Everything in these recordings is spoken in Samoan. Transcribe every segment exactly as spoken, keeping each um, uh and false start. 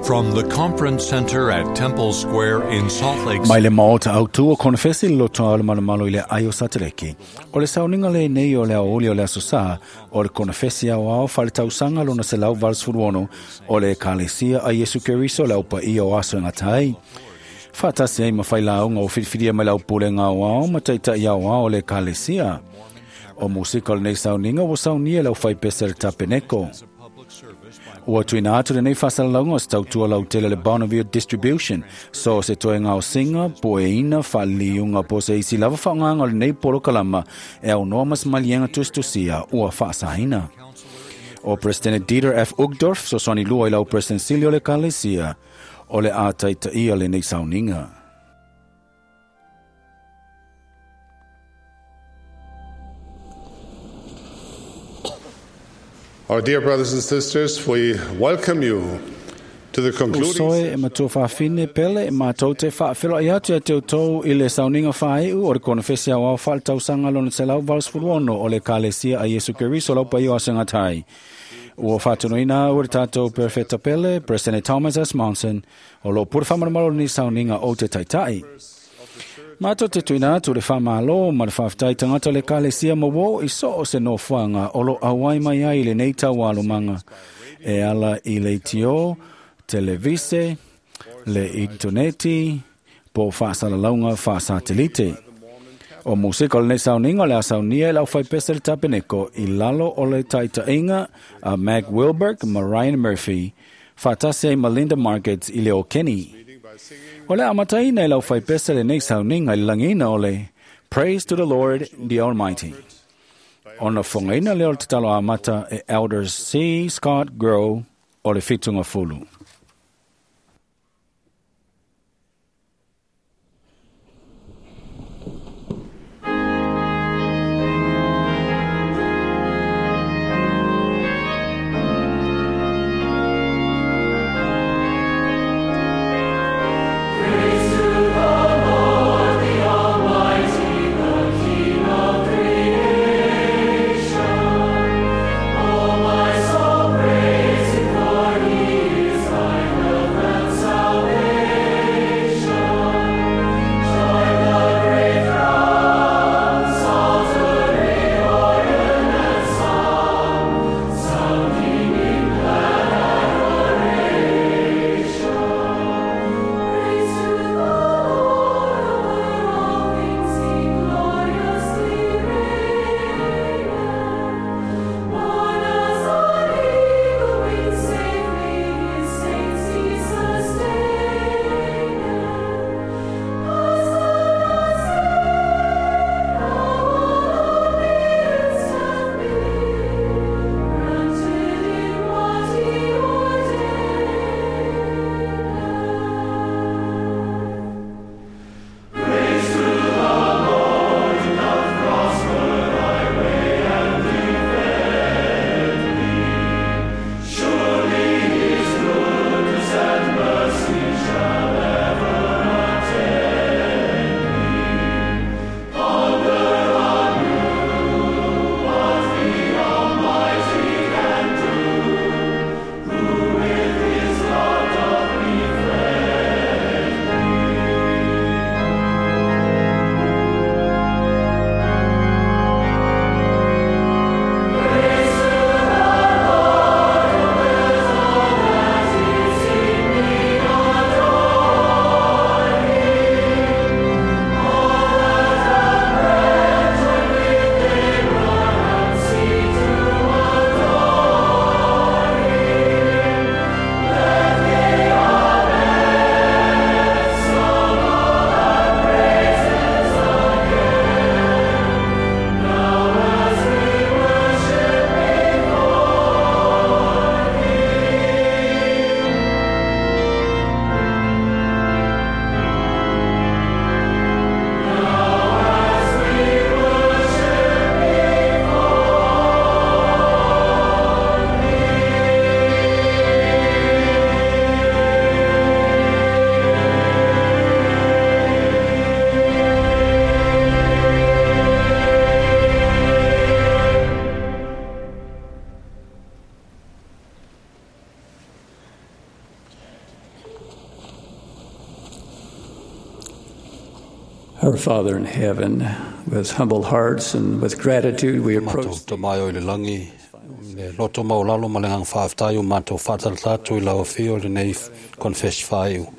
From the Conference Center at Temple Square in Salt Lake Mai le maota autu o konefesi le lotoa o le malomalo i le ai o Sateleki. O le sauniga lenei o le aoauli o le Aso Sa, o le konefesi aoao faaletausaga lona selau valusefulu ono o le Ekalesia a Iesu Keriso le aupaia o aso e gata ai. Faatasi ai ma failauga o filifilia mai le aupulega aoao ma taitai aoao o le Ekalesia. O musika o lenei sauniga ua saunia e le aufaipese le Tapeneko. Ua tuuina atu lenei faasalalauga o se tautua lautele le Bonneville Distribution, so se toe gaosiga, pueina, faaliliuga po o se isi lava faaaogaga o lenei polokalama e aunoa ma se maliega tusitusia ua faasaina. O President Dieter F. Uchtdorf, fesoasoani lua i lau President sili o le Ekalesia, o le a taitaia lenei sauniga. Our dear brothers and sisters, we welcome you to the concluding Usoe e matua faafine pele e mātou te faafeloai atu ia te outou i le sauniga faaiu o le konefesi aoao faaletausaga lona selau valusefulu ono o le Ekalesia a Iesu Keriso lau paia o aso e gata ai. Ua faatonuina au e le tatou Perefeta pele, President Thomas S. Monson, o loo pule faamalomalo lenei sauniga o te taitai. Mātou te tuuina atu le faamalo ma le faafetai tagata o le Ekalesia ma uo i so o se nofoaga o lo auai mai ai i lenei taualumaga e ala i le leitio, televise, le initoneti, po o faasalalauga faasatelite. O musika o lenei sauniga o le a saunia e le aufaipese le Tapeneko i lalo o le taitaiga a Mac Wilberg ma Ryan Murphy, faatasi ai ma Linda Markets i le o Kenny. O le amataina e le aufaipese lenei sauniga i le lagiina o le Praise to the Lord the Almighty. Ona fogaina lea o le tatalo amata e Elder C. Scott Grow o le Fitungafulu. Praise Our Father in heaven, with humble hearts and with gratitude, we Matou approach tamae o i le lagi, le loto maulalo ma le agaga faafetai o matou faatalatatou i lau afio i lenei confess faaiu.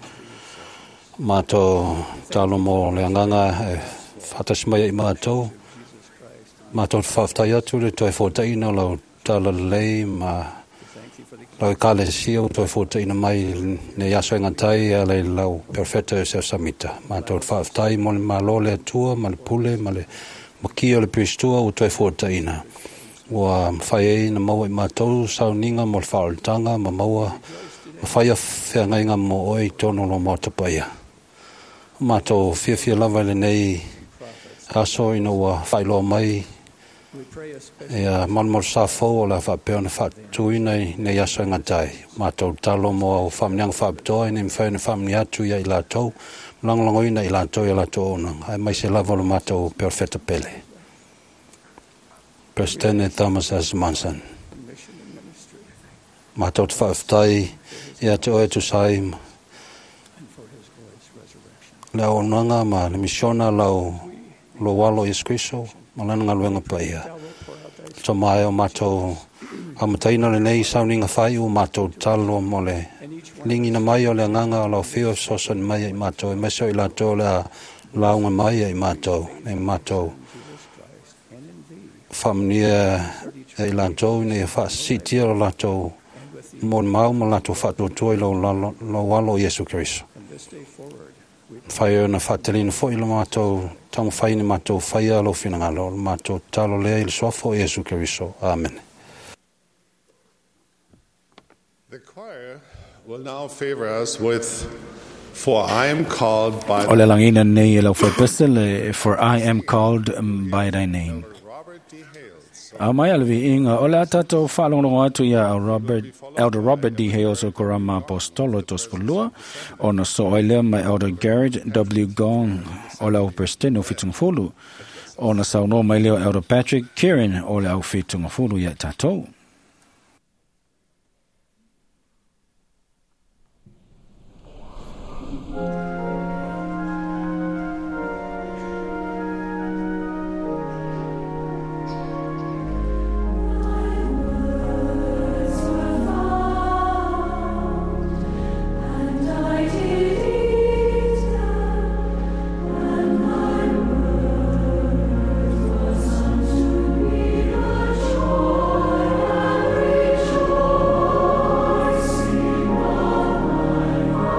Matou talo mo le agaga e faatasi mai ai matou. Matou te faafetai atu le toe fotaina o lau talalelei ma lau ekalesia ua toe fotaina mai nei aso e gatai e ala i lau perofeta Iosef Samita. Matou te faafetai mo le malo o le Atua ma le pule ma le makia o le Piristua ua toe fotaina. Ua mafai ai na maua i matou sauniga mo le faaolataga ma maua ma faia feagaiga mo oe i totonu o lo maota paia. Matou fiafia lava i lenei aso ina ua faailoa mai ia malumalu fou o le a faapea ona faatuina i nei aso e gatai. Matou talo mo au faamanuiaga faapitoa ina ia mafai ona faamanuia atu ia i latou, lagolagoina i latou i a latou auaunaga, aemaise lava o le matou perofeta pele, President Thomas S. Monson. Matou te faafetai ia te oe tusa ai ma le auaunaga ma le misiona lau lou alo Iesu Keriso ma lana galuega paia. Tamae o matou amataina lenei sauniga faaiu, matou talo mo le ligina mai o le agaga o lau afio e fesoasoani mai ai matou, aemaise o i latou o le a lauga mai ai matou, e matou faamanuia e i latou ina ia faasisitia lo latou molimau ma latou faatuatua i lou lalo- lou alo Iesu Keriso. Mafai ona faatalina foi lo matou taumafai ina matou faia lou finagalo, o le matou tatalo lea i le suafa o Iesu Keriso. Amene. The choir will now favor us with For I Am Called by O le lagina nei e lau whaipese For I Am Called by Thy Name. Robert D. Hales. A mai ale viiga o le a tatou faalogologo atu ia Robert, Elder Robert D. Hales o Korama Apostolo tosefulua ona soo ai lea mai Elder Garrett W. Gong o le au Presidente o Fitungafulu ona saunoa mai lea o Elder Patrick Kieran o le au Fitungafulu ia tatou. And I did eat them, and my words was unto me a joy and rejoicing of my heart.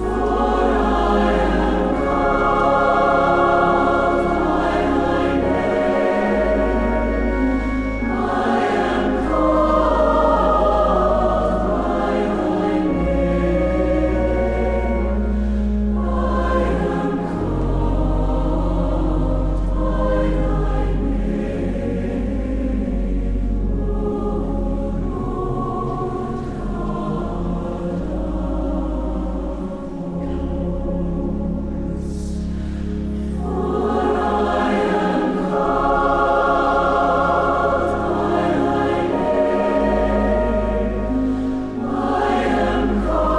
For I am called by thy name. I am called by thy name. I am called by thy name, O Lord God of hosts. For I am called by thy name. I am called by thy name. I am called by thy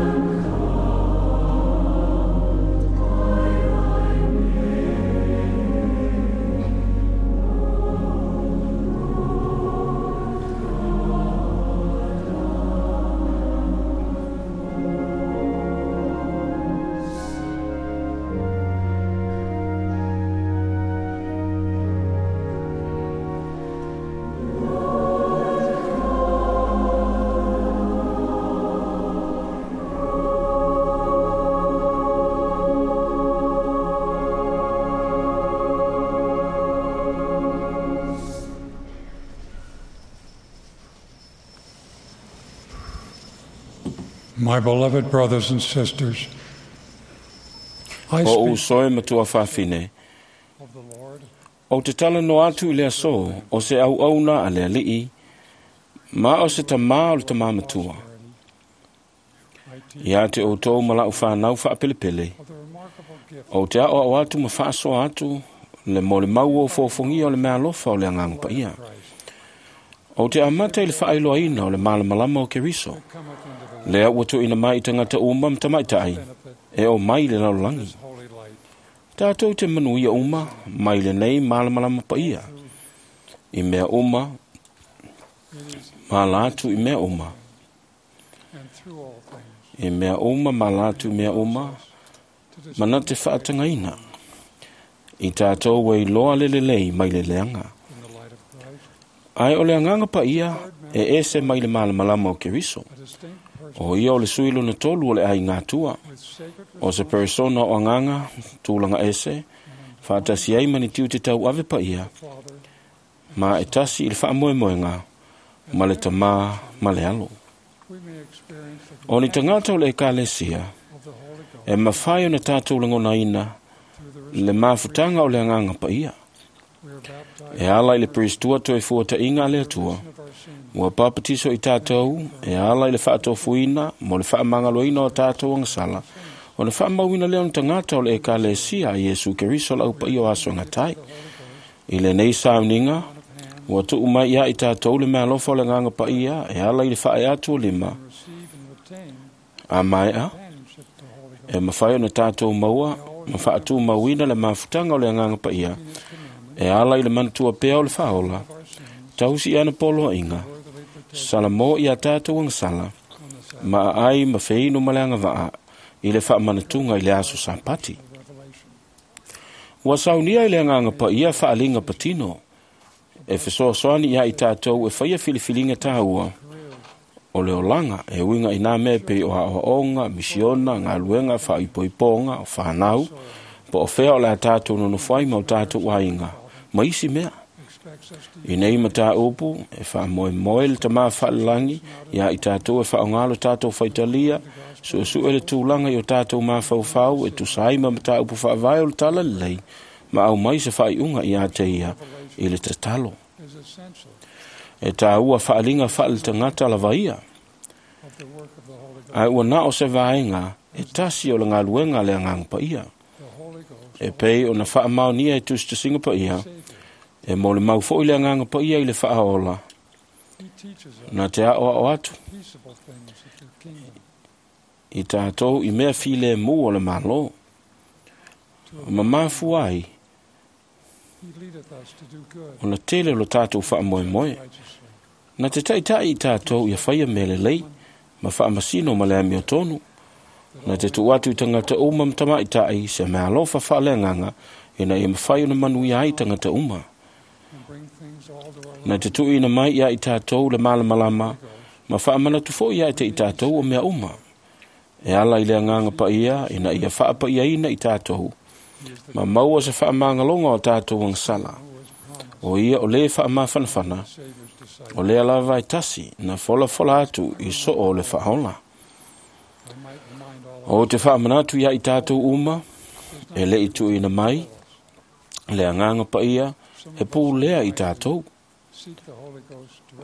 name, O Lord God of hosts. My beloved brothers and sisters, I O speak usoe matua faafine, of the Lord o te tala no atu i le aso, o se au au na a le alii, ma o se tamā o le tamā matua. I teach Ia te outou ma lau whanau whaapelepele, of the remarkable gift o te ao au atu ma whaasoa atu, le mo le mau o fōfongia o le mea alofa o le anganga paia. of Christ. O te amata i le faailoaina o le malamalama o Keriso. Lea ua tuuina mai i tagata uma ma tamaitai e o mai i le lalolagi. Tātou te manuia uma mai lenei malamalama paia. I mea uma, ma la atu i mea uma. I mea uma, ma la atu i mea uma, mana te whaatangaina. I tātou wei loa le lelei mai le leanga. Ai o le anganga pa ia e ese mai le malamalama o Keriso. O ia o le sui lona tolu o le ai ngātua. O se persona o anganga, tūlanga ese, whaatasi ai mani tiu te tau ave pa ia. Ma e tasi i le whaamoemoenga, ma le tamā, ma le alo. O ni tangata o le ekalesia, e mawhai o na tātou langona ina, le mafutanga o le anganga pa ia. E ala i le peristua toe fuata inga le atua. Ua papatiso i tātou, e ala i le whaatofuina, mo le whaamangaloina o tātou angasala, o le whaamauina leo na tangata o le ekalesia a Iesu Keriso lau pa ia o aso ngatai. I le nei sauninga, ua tuu mai ia i tātou le mealofa o le nganga pa ia, e ala i le whae atu o lima. A maea, e mawhai o na tātou maua, ma whaatu mauina le mafutanga o le nganga pa ia, e ala i le manatua pea o le whaola, tausi ana poloa inga, sala mo i a tātou angsala, ma ai ma wheino ma le angawaa, i le whaamanatunga i le aso sapati. Ua saunia i le anganga pa ia whaalinga patino, e whesoasoani ia i tātou e whaia filifilinga tāua, o le olanga e uinga i nā mea pei o haohaonga, misiona, ngā luenga, whaipoiponga, o whanau, po o whea o le a tātou nonofai ma o tātou ainga, ma isi mea. I nei mata upu, e wha moe le tamā whaalalangi, ia i tātou e whaongalo tātou whaitalia, suesu e le tūlanga i o tātou māwhauwhau, e tusai ma mata upu whaavae o le tala lelei, ma au mai se whaiunga i a te ia, i le tatalo. E tā ua whaalinga whaale tangata lava ia. Ai ua nao se vaenga, e tasi o le ngaluenga le anganga pa ia. E pei o na whaamaunia e tusitusinga pa ia, e mo le mau foi le anganga pa ia i le whaaola. Nā te ao ao atu. I tātou i mea file mū o le malo. Ma mafu ai, o na tele lo tātou whaamoemoe. Nā te taitai i tātou ia whaia me le lei, ma whaamasino ma le amio tonu. Nā te tu atu i tangata uma mtamaitai se mea alofa whaale nganga, ina ia mawhai o na manuia ai tangata uma. Nā te tuina mai ia i tātou le malamalama, ma whaamanatu fo ia i te i tātou o mea uma. E ala i le anganga pa ia, ina ia whaapa ia ina i tātou. Ma maua se whaamangalonga o tātou angsala. O ia o le whaamawhanawhana, o lea lava e tasi, na fola fola atu i so o le whaola. O te whaamanatu ia i tātou uma, e le i tuina mai, le anganga pa ia, e pū lea i tātou.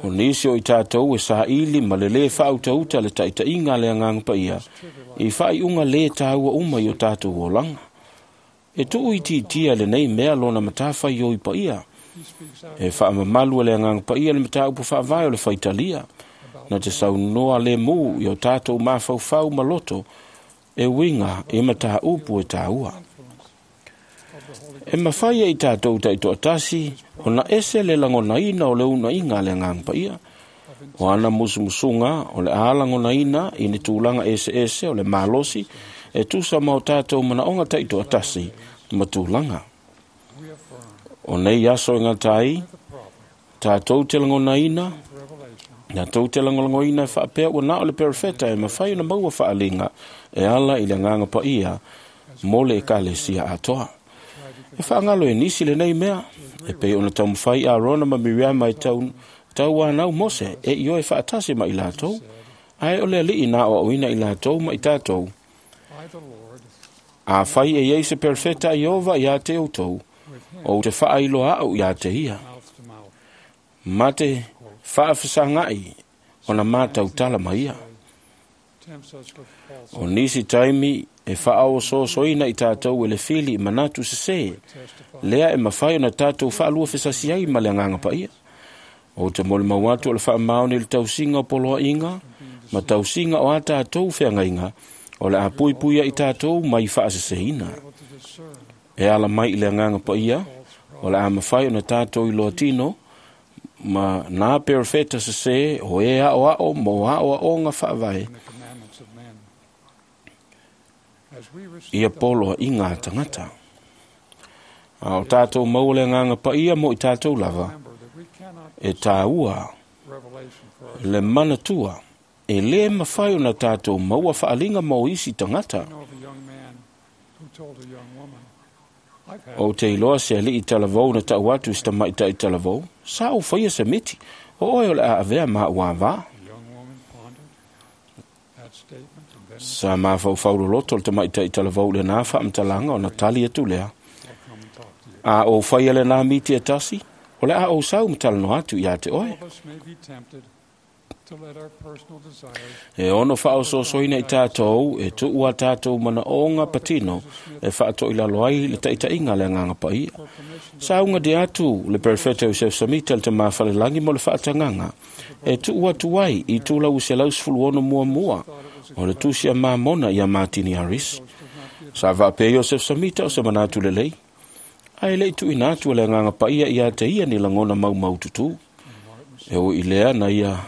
O nisi o i tātou e saili ma le le whautauta le taitainga le anganga pa ia, i whaiunga le tāua uma i o tātou olanga. E tuu i titia le nei mea lona matawhai o i pa ia. E whaamamalu le anganga pa ia le mataupu whaavae o le whaitalia. Na te saunoa le mū i o tātou māwhauwhau maloto, e winga e mataupu e tāua. E mawhaia i tātou taitoatasi, o na ese le langona ina o le una inga le anganga pa ia. O ana musumusunga o le a langona ina i ne tūlanga ese ese o le malosi, e tusa mau tātou manaonga taitoatasi ma tūlanga. O nei aso e ngā tātou te langona ina, tātou te langolangoina e whaapea ua nā o le perefeta e mawhai o na maua whaalinga e ala i le nganga pa ia mo le ekalesia atoa. E whaangalo e nisi le nei mea, e pei ona taumawhai a Rona ma Miriama i tau, tau anau Mose e i oe whaatasi ma i lātou, ai o le alii nā o auina i lātou ma i tātou. A whai e iei se perfeta i ova i a te outou, o te whaailoa au i a te ia. Ma te whaawhasangai o na mātau tala ma ia. O nisi taimi e whaao sosoina i tātou e le fili i manatu se se, lea e mawhai o na tātou whaalua whesasi ai ma le anganga pa ia. O te molimau atu o le faamaoni i le tausiga o poloaiga ma tausiga o a tatou feagaiga o le a puipuia i tatou mai faaseseina. E ala mai i le agaga paia o le a mafai ona tatou iloa tino ma nā perofeta sesē o e aoao mo aoaoga faavae ia poloaiga a tagata. A o tatou maua le agaga paia mo i tatou lava, e tāua le manatua e lē mafai ona tatou maua faaliga mo isi tagata. Ou te iloa se alii talavou na tau atu i se tamaʻitaʻi talavou, sa ou faia se miti, o oe o le a avea ma au avā. Sa mafaufau loloto le tamaʻitaʻi talavou i lenā faamatalaga ona tali atu lea. A ou faia lenā miti e tasi, o le a ou sau ma talanoa atu iā te oe. E ono faaosoosoina i tatou e tuu a tatou manaoga patino e faatoilalo ai le taʻitaʻiga le agaga paia. Sauga de atu le perofeta Iosefo Samita le tamā falelagi mo le faatagaga e tuu atu ai i tulau selau sefulu ono muamua o le tusi a Mamona ia Matini Harris. Sa faapea Iosefo Samita o se manatu lelei, ae leʻi tuuina atu e le agaga paia ia te ia ni lagona maumaututu. E ui lea na ia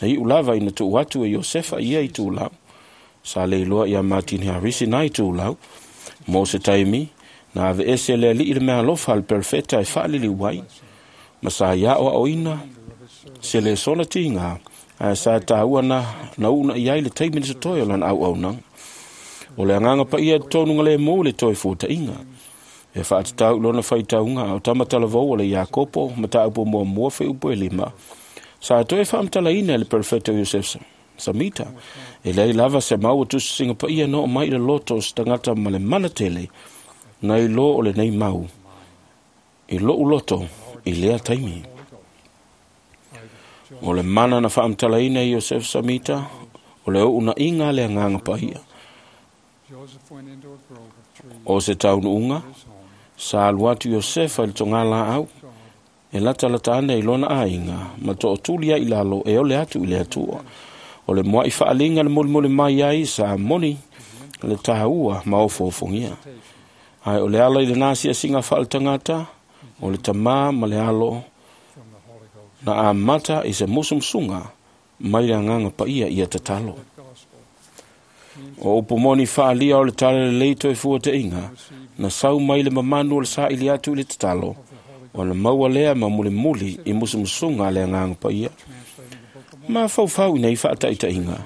na iu lava ina tuu atu e Iosefa ia i tulau. Sa le iloa ia Martin Harris na i tulau. Mo se taimi, na ave ese le alii le mealofa al perfeta e faaliliu ai. Ma sa ia o aoina, se le sola tiga, ae sa tāua na, na una i ai le taimi na se toe o lana auaunaga. O le agaga paia e totonu galemu le toe fuataʻiga. E faatatau i lona faitauga o tamatalavou o le Iakopo mataupu muamua fuaiupu e lima. Sa toe faamatalaina e le perofeta Iosefo Samita e leai lava se maua tusisiga paia na oo mai i le loto o se tagata ma le mana tele nai lo o lenei mau i loʻu loto i lea taimi. O le mana na faamatalaina e Iosefo Samita o le uunaʻiga a le agaga paia. O se taunuuga sa alu atu Iosefa i le togā laau e latalata ana i lona aiga ma tootuli ai i lalo e ole atu i le Atua. O le moaʻi faaliga le molimoli mai ai sa moni le tāua ma ofoofogia. Ae o le ala i lenā siasiga faaletagata o le tamā ma le alo na amata i se musumusuga mai le agaga paia ia tatalo. O upu moni faalia o le tala lelei toe fuataʻiga na sau mai le mamanu o le saili atu i le tatalo ona maua lea ma mulimuli i musumusuga a le agaga paia. Mafaufau ina i faataʻitaʻiga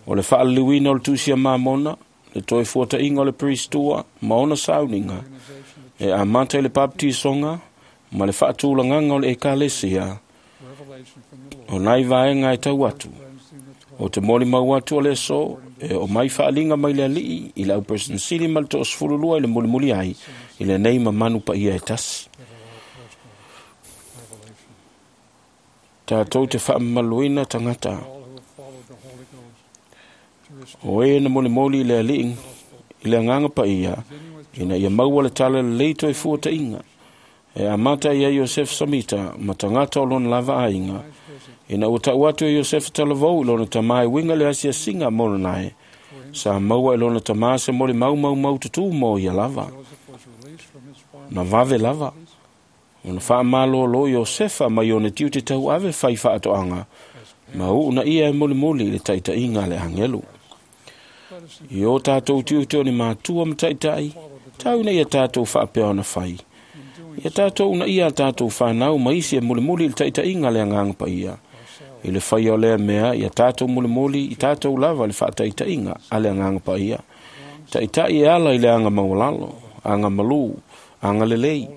o le faaliliuina o le tusi a Mamona, le toe fuataʻiga o le peristua ma ona sauniga e amata i le papatisoga ma le faatulagaga o le ekalesia o nai vaega e tau atu. O te molimau atu o le aso e o mai faaliga mai le alii i le auperesenesili ma le toasefululua i le mulimuli ai i lenei mamanu paia e tasi. Tatou te faamamaluina tagata o e na molimoli i le alii i le agaga paia ina ia maua le tala lelei toe fuataʻiga e amata ia Iosefo Samita ma tagata o lona lava aiga. Ina ua tau atu e Iosefa talavou i lona tamā e uiga le asiasiga mo lanae, sa maua e lona tamā se molimau maumaututu mo ia lava. Na vave lava ona faamalōlō Iosefa mai ona tiute tauave fai faatoaga ma uuna ia e molimoli i le taʻitaʻiga a le agelu. I o tatou tiute o ni matua ma taʻitaʻi, tau ina ia tatou faapea ona fai. Ia tatou una ia a tatou fanau ma isi e mulimuli i le taʻitaʻiga a le agaga paia. I le faia o lea mea, ia tatou mulimuli i tatou lava le faataʻitaʻiga a le agaga paia. Taʻitaʻi e ala i le aga maualalo, aga malū, aga lelei,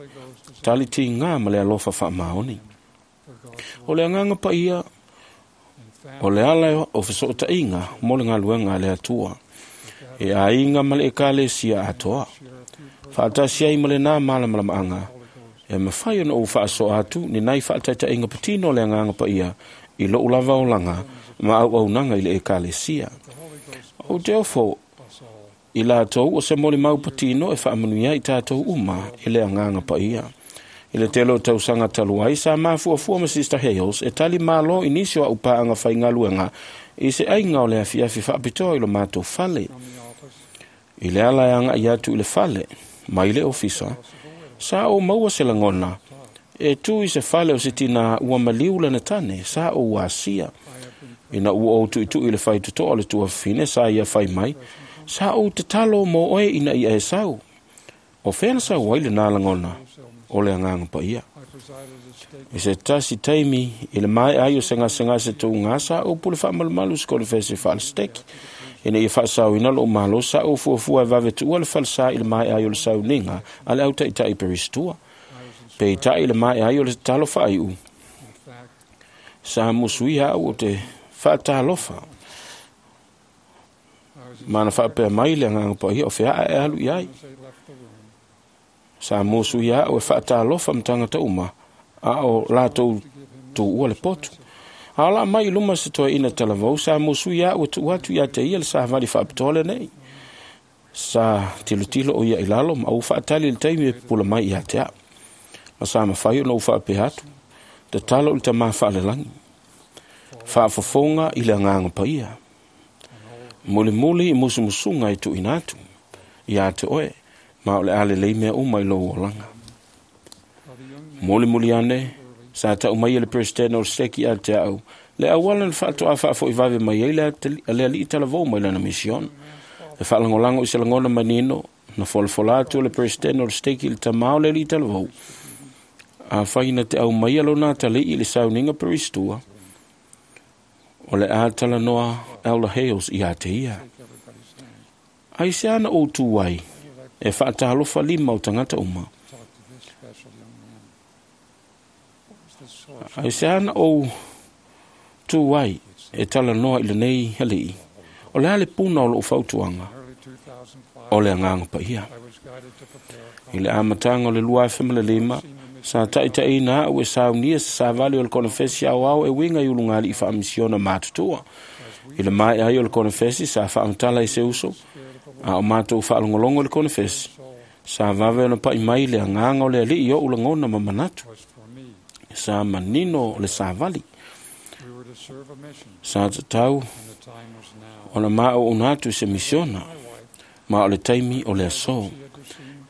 tali tigā ma le alofa faamaoni. O le agaga paia, o le ala o fesoʻotaʻiga mo le galuega a le Atua. E aiga ma le ekalesia atoa. Faatasi ai ma lenā malamalamaaga, e mafai ona ou faasoa atu ni nai faataʻitaʻiga patino o le agaga paia i loʻu lava olaga ma auaunaga i le ekalesia. Ou te ofo i latou o se molimau patino e faamanuia ai tatou uma i le agaga paia. I le tele o tausaga talu ai sa mafuafua ma Sister Hales e tali malo i nisi o a'u paaga faigaluega i se aiga o le afiafi faapitoa i lo matou fale. I le ala e aga'i atu i le fale mai le ofisa, sa ou maua se lagona e tu i se fale o se tinā ua maliu lana tane sa ou asia. Ina ua ou tu'itu'i i le faitoto'a o le tuafafine sa ia fai mai, sa ou tatalo mo oe ina ia e sau. O fea na sau ai lenā lagona o le agaga paia. I se tasi taimi i le mae'a ai o se gasegase touga sa ou pule faamalumalu i se konefesi faalesiteki. Ina ia faasaoina lo'u malo sa ou fuafua e vave tuua le falesā i le mae'a ai o le sauniga a le autaita'i peristua. Peita'i i le mae'a ai o le tatalo faai'u, sa musuia a'u o te faatalofa ma na faapea mai le agaga paia o fea'a e alu i ai. Sa musuia a'u e faatalofa ma tagata uma a o latou tuua le potu. A o laa mai i luma se toeaina talavou sa musuia a'u e tuu atu ia te ia le savali faapitoa lenei. Sa tilotilo o ia i lalo ma ou faatali i le taimi e pupula mai ia te a'u. Ma sa mafai ona ou faapea atu, tatalo i le tamā faalelagi, faafofoga i le agaga paia, mulimuli i musumusuga e tuuina atu ia te oe, ma o le a lelei mea uma i lou olaga. Mulimuli ane, sa ta'u mai e le Peresetene o le Seki ia te a'u le auala na faatoa faafo'i vave mai ai le ali'i talavou mai lana misiona. E faalagolago i se lagona manino na folafola atu o le Peresetene o le Steki i le tamā o le ali'i talavou, afai na te aumaia lona atali'i i le sauniga peristua, o le a talanoa Elder Hales ia te ia. Ai se ana ou tu ai e faatalofa lima o tagata uma. Ai se ana ou tu ai e talanoa i lenei ali'i. O le a le puna o lo'u fautuaga, o le agaga paia. I le amataga o le lua afe ma le lima, sa ta'itaʻina a'u e saunia se savali o le konefesi aoao e uiga i ulugali'i faamisiona matutua. I le mae'a ai o le konefesi sa faamatala i se uso, a o matou faalogologo i le konefesi, sa vave ona pa'i mai le agaga o le ali'i o'u lagona ma manatu. Sa manino o le savali. Sa tatau ona maʻouʻuna atu i se misiona, ma o le taimi o le asō.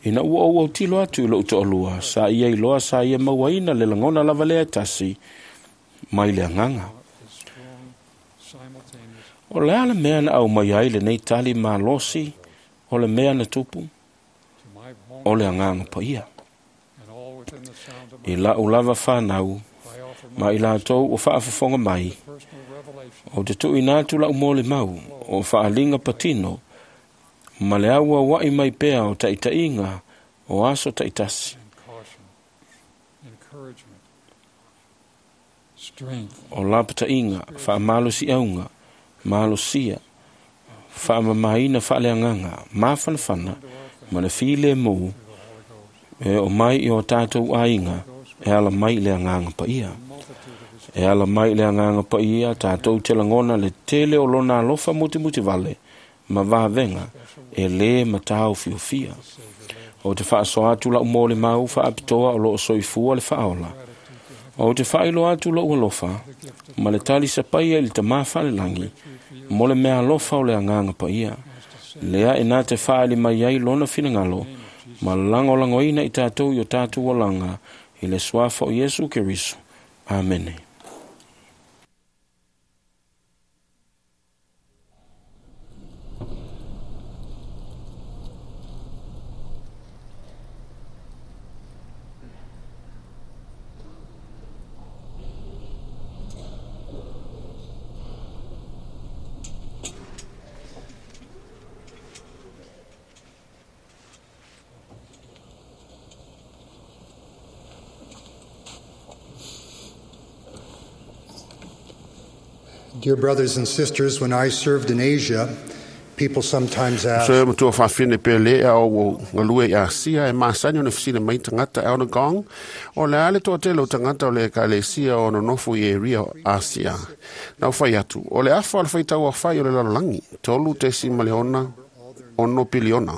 Ina ua ou autilo atu i lo'u to'alua, sa ia iloa sa ia mauaina le lagona lava lea e tasi mai le agaga. O le a le mea na aumai ai lenei tali malosi o le mea na tupu? O le agaga paia. I la'u lava fanau ma i latou o faafofoga mai, o te tu'uina atu la'u molimau o faaliga patino ma le auaua'i mai pea o ta'ita'iga o aso ta'itasi. O lapata'iga, faamalosi'auga, malosia, faamamaina faaleagaga, mafanafana ma le filemu e o mai i o tatou aiga e ala mai i le agaga paia. E ala mai i le agaga paia tatou te lagona le tele o lona alofa mutimutivale ma vavega e lē mataofiofia. O te faasoa atu la'u molimau faapitoa o loo soifua le faaola. O te faailoa atu lo'u alofa ma le talisapaia i le tamā faalelagi mo le mea alofa o le agaga paia, lea e na te faaali mai ai lona finagalo ma lagolagoina i tatou i o tatou olaga i le suafa o Iesu Keriso. Amene. Dear brothers and sisters, when I served in Asia, people sometimes ask, Se matua whawhine pe le au o ngalue i Asia e masani o ne fisina mai tangata e ona gong o le ale toa tele o tangata o le ekalesia o nonofo i e ria o Asia. Nau whai atu, o le afa o le whaitau a whai o le lalolangi, tolu tesi ma le ona, ono piliona.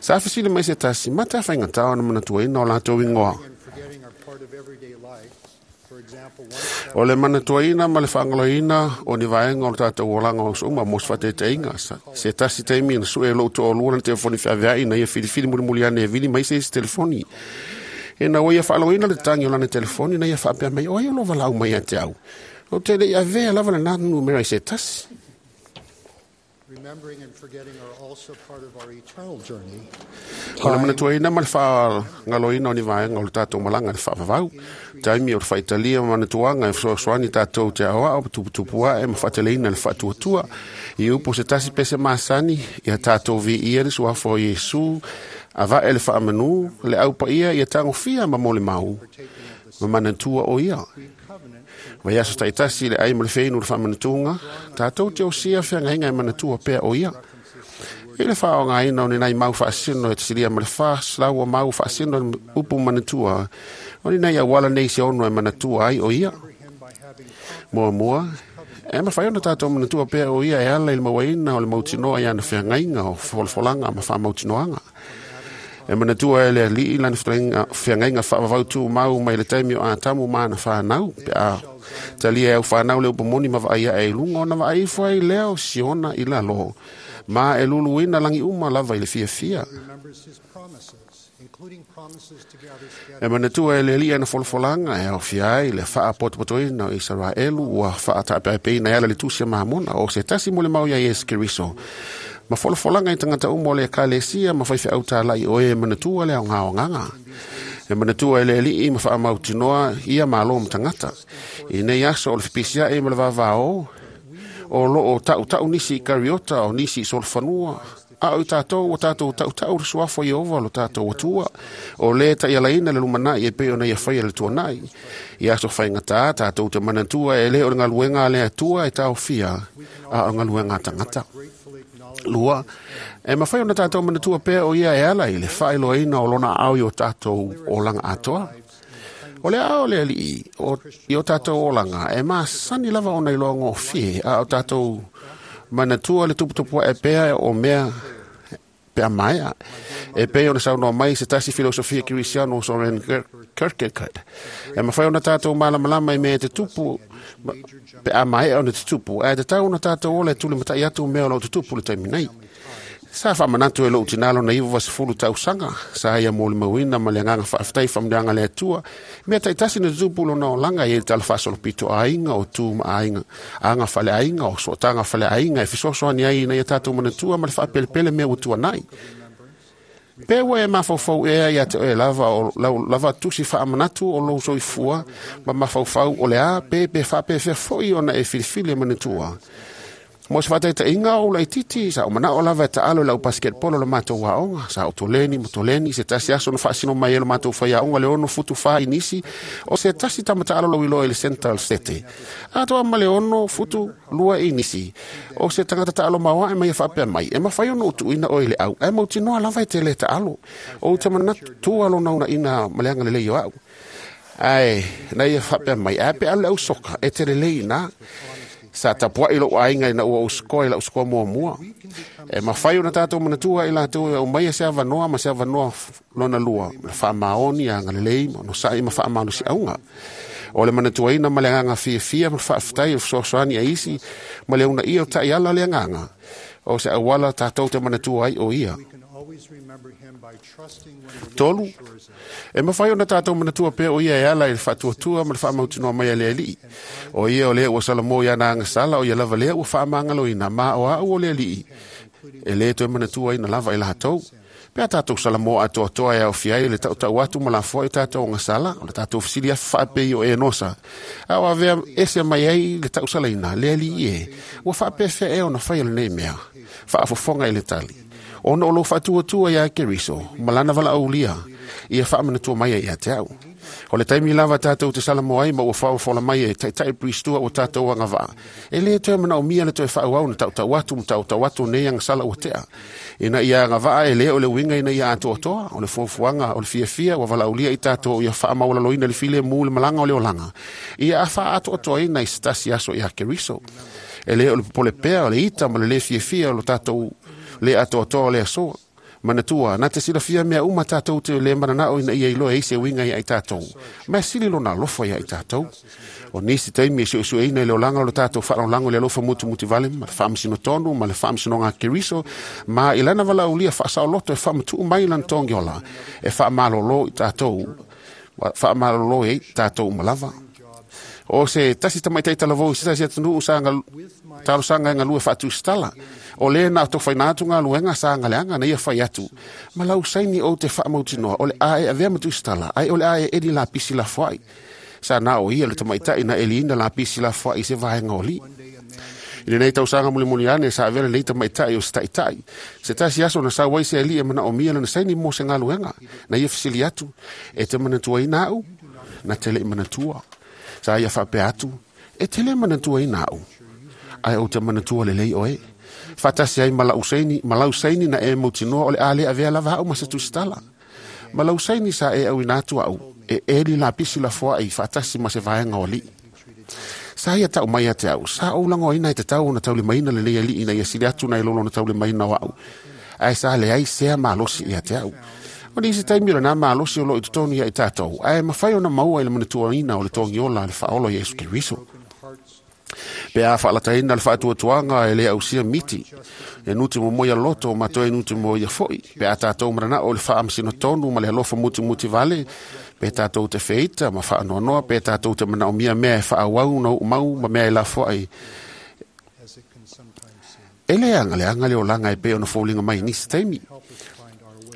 Sa fisina mai se tasi, mata whainga tau na manatuaina o lātou ingoa. O le manatuaina ma le whaangaloina o ni vaenga o le tātou olanga o uma mo se whataitaiga. Se tasi taimi na sue lou to'olua na telefoni whaavea na ia filifili mulimuli ane e vili mai se isi telefoni. E na ua ia whaaloina le tangi o lana telefoni na ia whaapea mai o ai o lo walau mai a te au. O te le ia vea lava le nā numera i se tasi. Remembering and forgetting are also part of our eternal journey. O le manatuaina ma le whaangaloina o ni vaenga o le tātou malanga le whaavavau. Taimi o le whaitalia ma manatuanga e whasoasoani tātou te aoa o tuputupua e ma whaateleina le whaatuatua. I upo se tasi pese masani ia tātou vi ia le suafo o Iesu a vae le whaamanu le aupa ia ia tangofia ma mole mau. Ma manatua o ia. Vai aso taitasi le ai ma le whainu le whaamanatunga, tātou te osia whiangainga e manatua pea o ia. I le whaongaina o ni nai mau whaasino e te silia ma le wha, lau o mau whaasino e upu manatua, o ni nai awala nei se ono e manatua ai o ia. Mua mua, e mawhai ona tātou manatua pea o ia e ala i le mawaina o le mautinoa i ana whiangainga o wholwholanga ma whamautinoanga. E manatua e le alii lana whiangainga whaavavau tū mau mai le taimi o ātamu maana whanau. Pe a talia e au whanau le upomoni ma vaai e lunga ona vaai fua i leo siona i lalo. Ma e luluina langi uma lava i le fia fia. E manatua e le alii ana wholwholanga e au fiai le whaapotopotoina o Israelu ua whaataapeapeina e ala le tusia mahamona o se tasi mo le mau ia Iesu Keriso. Ma wholwholanga i tangata umo le kalesia ma whaiwhi au tālai o e manatua le au ngā o nganga. E manatua e le alii ma whaamautinoa ia malo ma tangata. I nei aso o le whipisia e ma le vavao o lo o tau tau nisi i kariota o nisi i solfanua. A o tātou o tātou tau tau le suafo i ova lo tātou atua. O le tai alaina le lumanai e peo na ia whaia le tuanai. I aso whaingata tātou te manatua e le o le ngaluenga le atua e tau fia a o ngaluenga tangata. Lua, e mawhai ona tātou manatua pea o ia e ala i le whaeloaina o lona au i o tātou olanga atoa. O le ao le alii o, i o tātou olanga e masani lava ona i loa ngōfie a o tātou manatua le tuputupua e pea o mea pea maea. E pea ona saunoa mai se tasi filosofia Kirisiano Soren Kierkegaard. E mawhai ona tātou malamalama i mea te tupu pe a maea ona te tupu. A te tau ona tātou ola e tuli matai atu mea o lau te tupu le taimi nei. Sa whamanatu e lou tinalo na iwa wasifulu tausanga. Sa ia mō le mauina ma le anganga whaaftai whamdeanga le atua. Mea taitasi na tupu lo na olanga i e tala whaasolo pito ainga o tū ma ainga. Anga whale ainga o soatanga whale ainga e fisosoani ai na ia tātou manatua ma le whaapelepele mea utua nai. Pewa e mawhaufau ea ia te oe lava o lau, lava tusi whaamanatu o lou soifua ma mawhaufau o le a pe pe whaape fea foi ona e filifili e manatua. Mo se whataita inga o lai titi, sa o mana o lava e taalo lau basketball o le mātou aonga, sa o toleni mo toleni, se tasi aso na whaasino mai e lo mātou whai aonga le ono futu wha inisi, o se tasi tama taalo lau iloa i le central sete. Atoa ma le ono futu lua inisi, o se tangata taalo maua e mai e whaapea mai, e mawhai ono utu ina o i le au, e mautinoa lava e te le taalo, o te manatu alo nauna ina maleanga le lei o au. Ai, na ia whaapea mai, a pe alu au soka, e te le lei na. Sa tapua i lou ainga i na ua uskoa i lau uskoa mua mua. E mawhai o na tātou manatua i lātou e o mai e se avanoa ma se avanoa lona lua. Le whaamaoni a ngalelei ma no sai ma whaamaonu si aunga. O le manatua ina ma le anganga fia fia ma whaaftai o whasoasoani a isi ma le una ia o tai ala le anganga. O se awala tātou te manatua ai o ia. Tolu, e mawhai ona tātou manatua pea o ia e ala i le whaatuatua ma le whaamautinoa mai a le alii. O ia o lea ua salamo ia na angasala o ia lava lea ua whaamangaloina ma o au o le alii. E le toe manatua ina lava i lahatou. Pea tātou salamo atoa e au fiai le tau tau atu ma la foa i tātou ngasala, o le tātou fisili afa whaapei o e nosa. A o avea ese mai ai le tau salaina, le alii e, ua whaapewhea e ona whai o le nei mea, whaafofonga i le tali. Ona o lo whaatuatua ia Keriso, malana wala aulia, ia whaamanatua mai ia te au. O le taimi lava tātou te salamo ai ma ua whaofola mai e taitai pristua o tātou anga vaa. E le toe mana o mia le toe whaau na tau tau atu ma tau tau atu nei anga sala ua tea. Ina ia anga vaa e le o le winga ina ia atoatoa, o le fuafuanga, o le fiafia, ua walaulia i tātou ia whaamaulaloina le file mu le malanga o le olanga. Ia a wha atoatoa ina i stasi aso ia Keriso. E le o le popole pea, o le ita ma le le fiafia o le tātou le atoatoa o le asoa. Manatua, na te silafia mea uma tātou te le mananao ina ia iloa e se uiga ia i tātou. Mea sili lona alofa ia i tātou. O nisi taimi e suesueina i le olaga o le tātou faalagolago i le alofa mutumuti vale ma le faamasino tonu ma le faamasinoga a Keriso ma i lana valaaulia faasaoloto e faamatuu mai lana togiola e faamalōlō i tātou, faamalōlō ai tātou uma lava. O se tasi tamaitai talavou i se tasi atunuu sa talosaga e galue faatusitala. O le na tofaina atu galuega sa galeaga na ia fai atu. Ma lau saini ou te faamautinoa o le a e avea ma tusitala, ai o le a e eli lapisi lafoai. Sa na o ia le tamaitai na eliina lapisi lafoai i se vaega o alii. I lenei tausaga mulimuli ane sa avea lenei tamaitai o se taitai. Se tasi aso na sau ai se alii e manaomia lana saini mo se galuega. Na ia fesili atu, e te manatuaina au? Na te le'i manatua. Sa ia faapea atu, e te le manatuaina au. Ae ou te manatua lelei oe. Faatasi ai ma lau saini, ma lau saini na e mautinoa o le a le avea lava au ma se tusitala. Ma lau saini sa e auina atu au, e eli lapisi lafoai faatasi ma se vaega o alii. Sa ia tau mai ia te au, sa ou lagoaina e tatau ona taulimaina lenei alii ina ia sili atu nai lo lona taulimaina o au. Ae sa leai sea malosi ia te au. O nisi taimi o lena malosi o loo i totonu ia i tātou, ae mafai ona maua i le manatuaina o le togiola a le faaola o Iesu Keriso. Pe a faalataina le faatuatuaga e le ausia miti, e nuti mo ia loto ma toe nuti mo ia foi. Pe a tātou mananao o le faamasino tonu ma le alofa mutimuti vale, pe tātou te feita ma faanoanoa, pe tātou te manaomia mea e faaauau na uumau ma mea e lafoai. E le agaleaga le olaga e pei ona foliga mai i nisi taimi.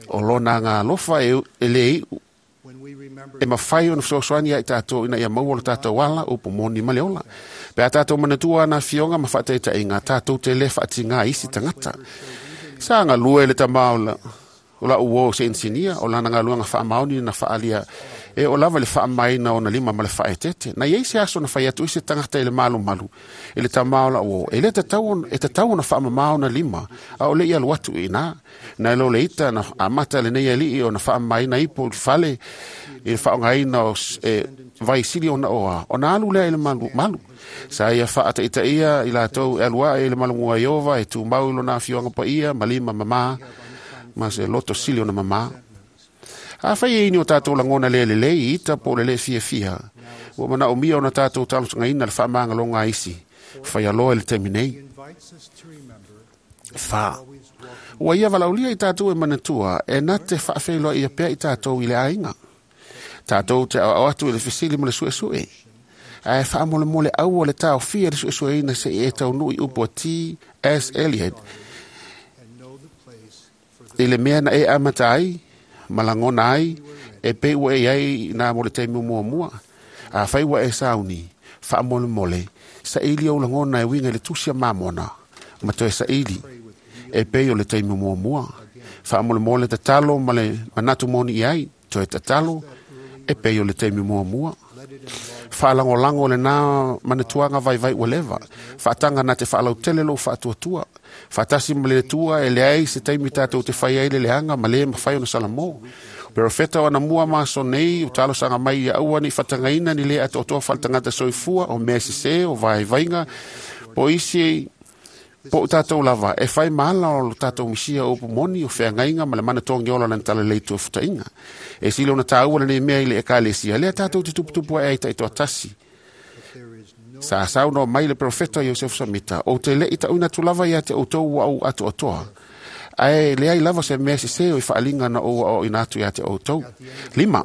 O lona aga alofa e, e le iu e mafai ona fesoasoani ia i tātou ina ia maua lo tātou ala upu moni ma le ola. Pe a tātou manatua ana afioga ma faataitaiga, tātou te le faatigā isi tagata. Sa galue le tama o la, o lau uō se insinia, o lana galuega faamaoni na faalia e o lava le faamaina ona lima ma le faaetete. Na iai se aso na fai atu i se tagata i le malumalu i le tama o lau uō. E le tatau e tatau ona faamamā ona lima, a o le i alu atu i ina. Na e lo le ita na amata lenei alii ona faamamaina ipo i le fale i le faaaogaina o e, vai sili ona oa, ona alu lea i le malu, malu. Sa ia faataitaia i latou e alu ae i le malomua Iova e tumau i lona afioga paia ma lima mamā ma se loto sili ona mamā. Afai e ini o tātou lagona le lelei i ita po o le le fiafia, ua manaomia ona tātou talosagaina le faamagaloga a isi, fai aloa i le taimi nei. Fa. Ua ia valaaulia i tātou e manatua, e na te faafeiloai pea i tātou i le aiga. Tātou te aoao atu i le fesili ma le suesue. Ae faamolemole aua le taofia le suesueina se'i e taunuu i upu a T S. Eliot i le mea na e amata ai, ma lagona ai, e pei ua e iai nā mo le taimi muamua. Afai ua e sauni, faamolemole, saili ou lagona e uiga i le tusi a Mamona, ma toe saili, e pei o le taimi muamua. Faamolemole tatalo ma le manatu moni i ai, toe tatalo, e pei o le taimi muamua. Faalagolago lena manatuaga vaivai ua leva. Faataga na te faalautele lou faatuatua. Faatasi ma le Atua e leai se taimi tātou te fai ai le leaga ma le mafai ona salamo. Perofeta o anamua ma aso nei o talosaga mai ia aua nei faatagaina ni le atoatoa faaletagata soifua o mea sesē o vaivaiga po isi po o tātou lava e fai ma ala o lo tātou misia o upu moni o feagaiga ma le mana togiola lana talalei tuafutaʻiga. E sili ona tāua lenei mea i le ekalesia lea tātou te tuputupu ae ai taitoatasi. Sa saunoa mai le perofeta Iosefo Samita, ou te leʻi taʻuina atu lava ia te outou ua ou atoatoa. Ae leai lava se mea sesē o i faaliga na ou aoaoina atu ia te outou. Lima,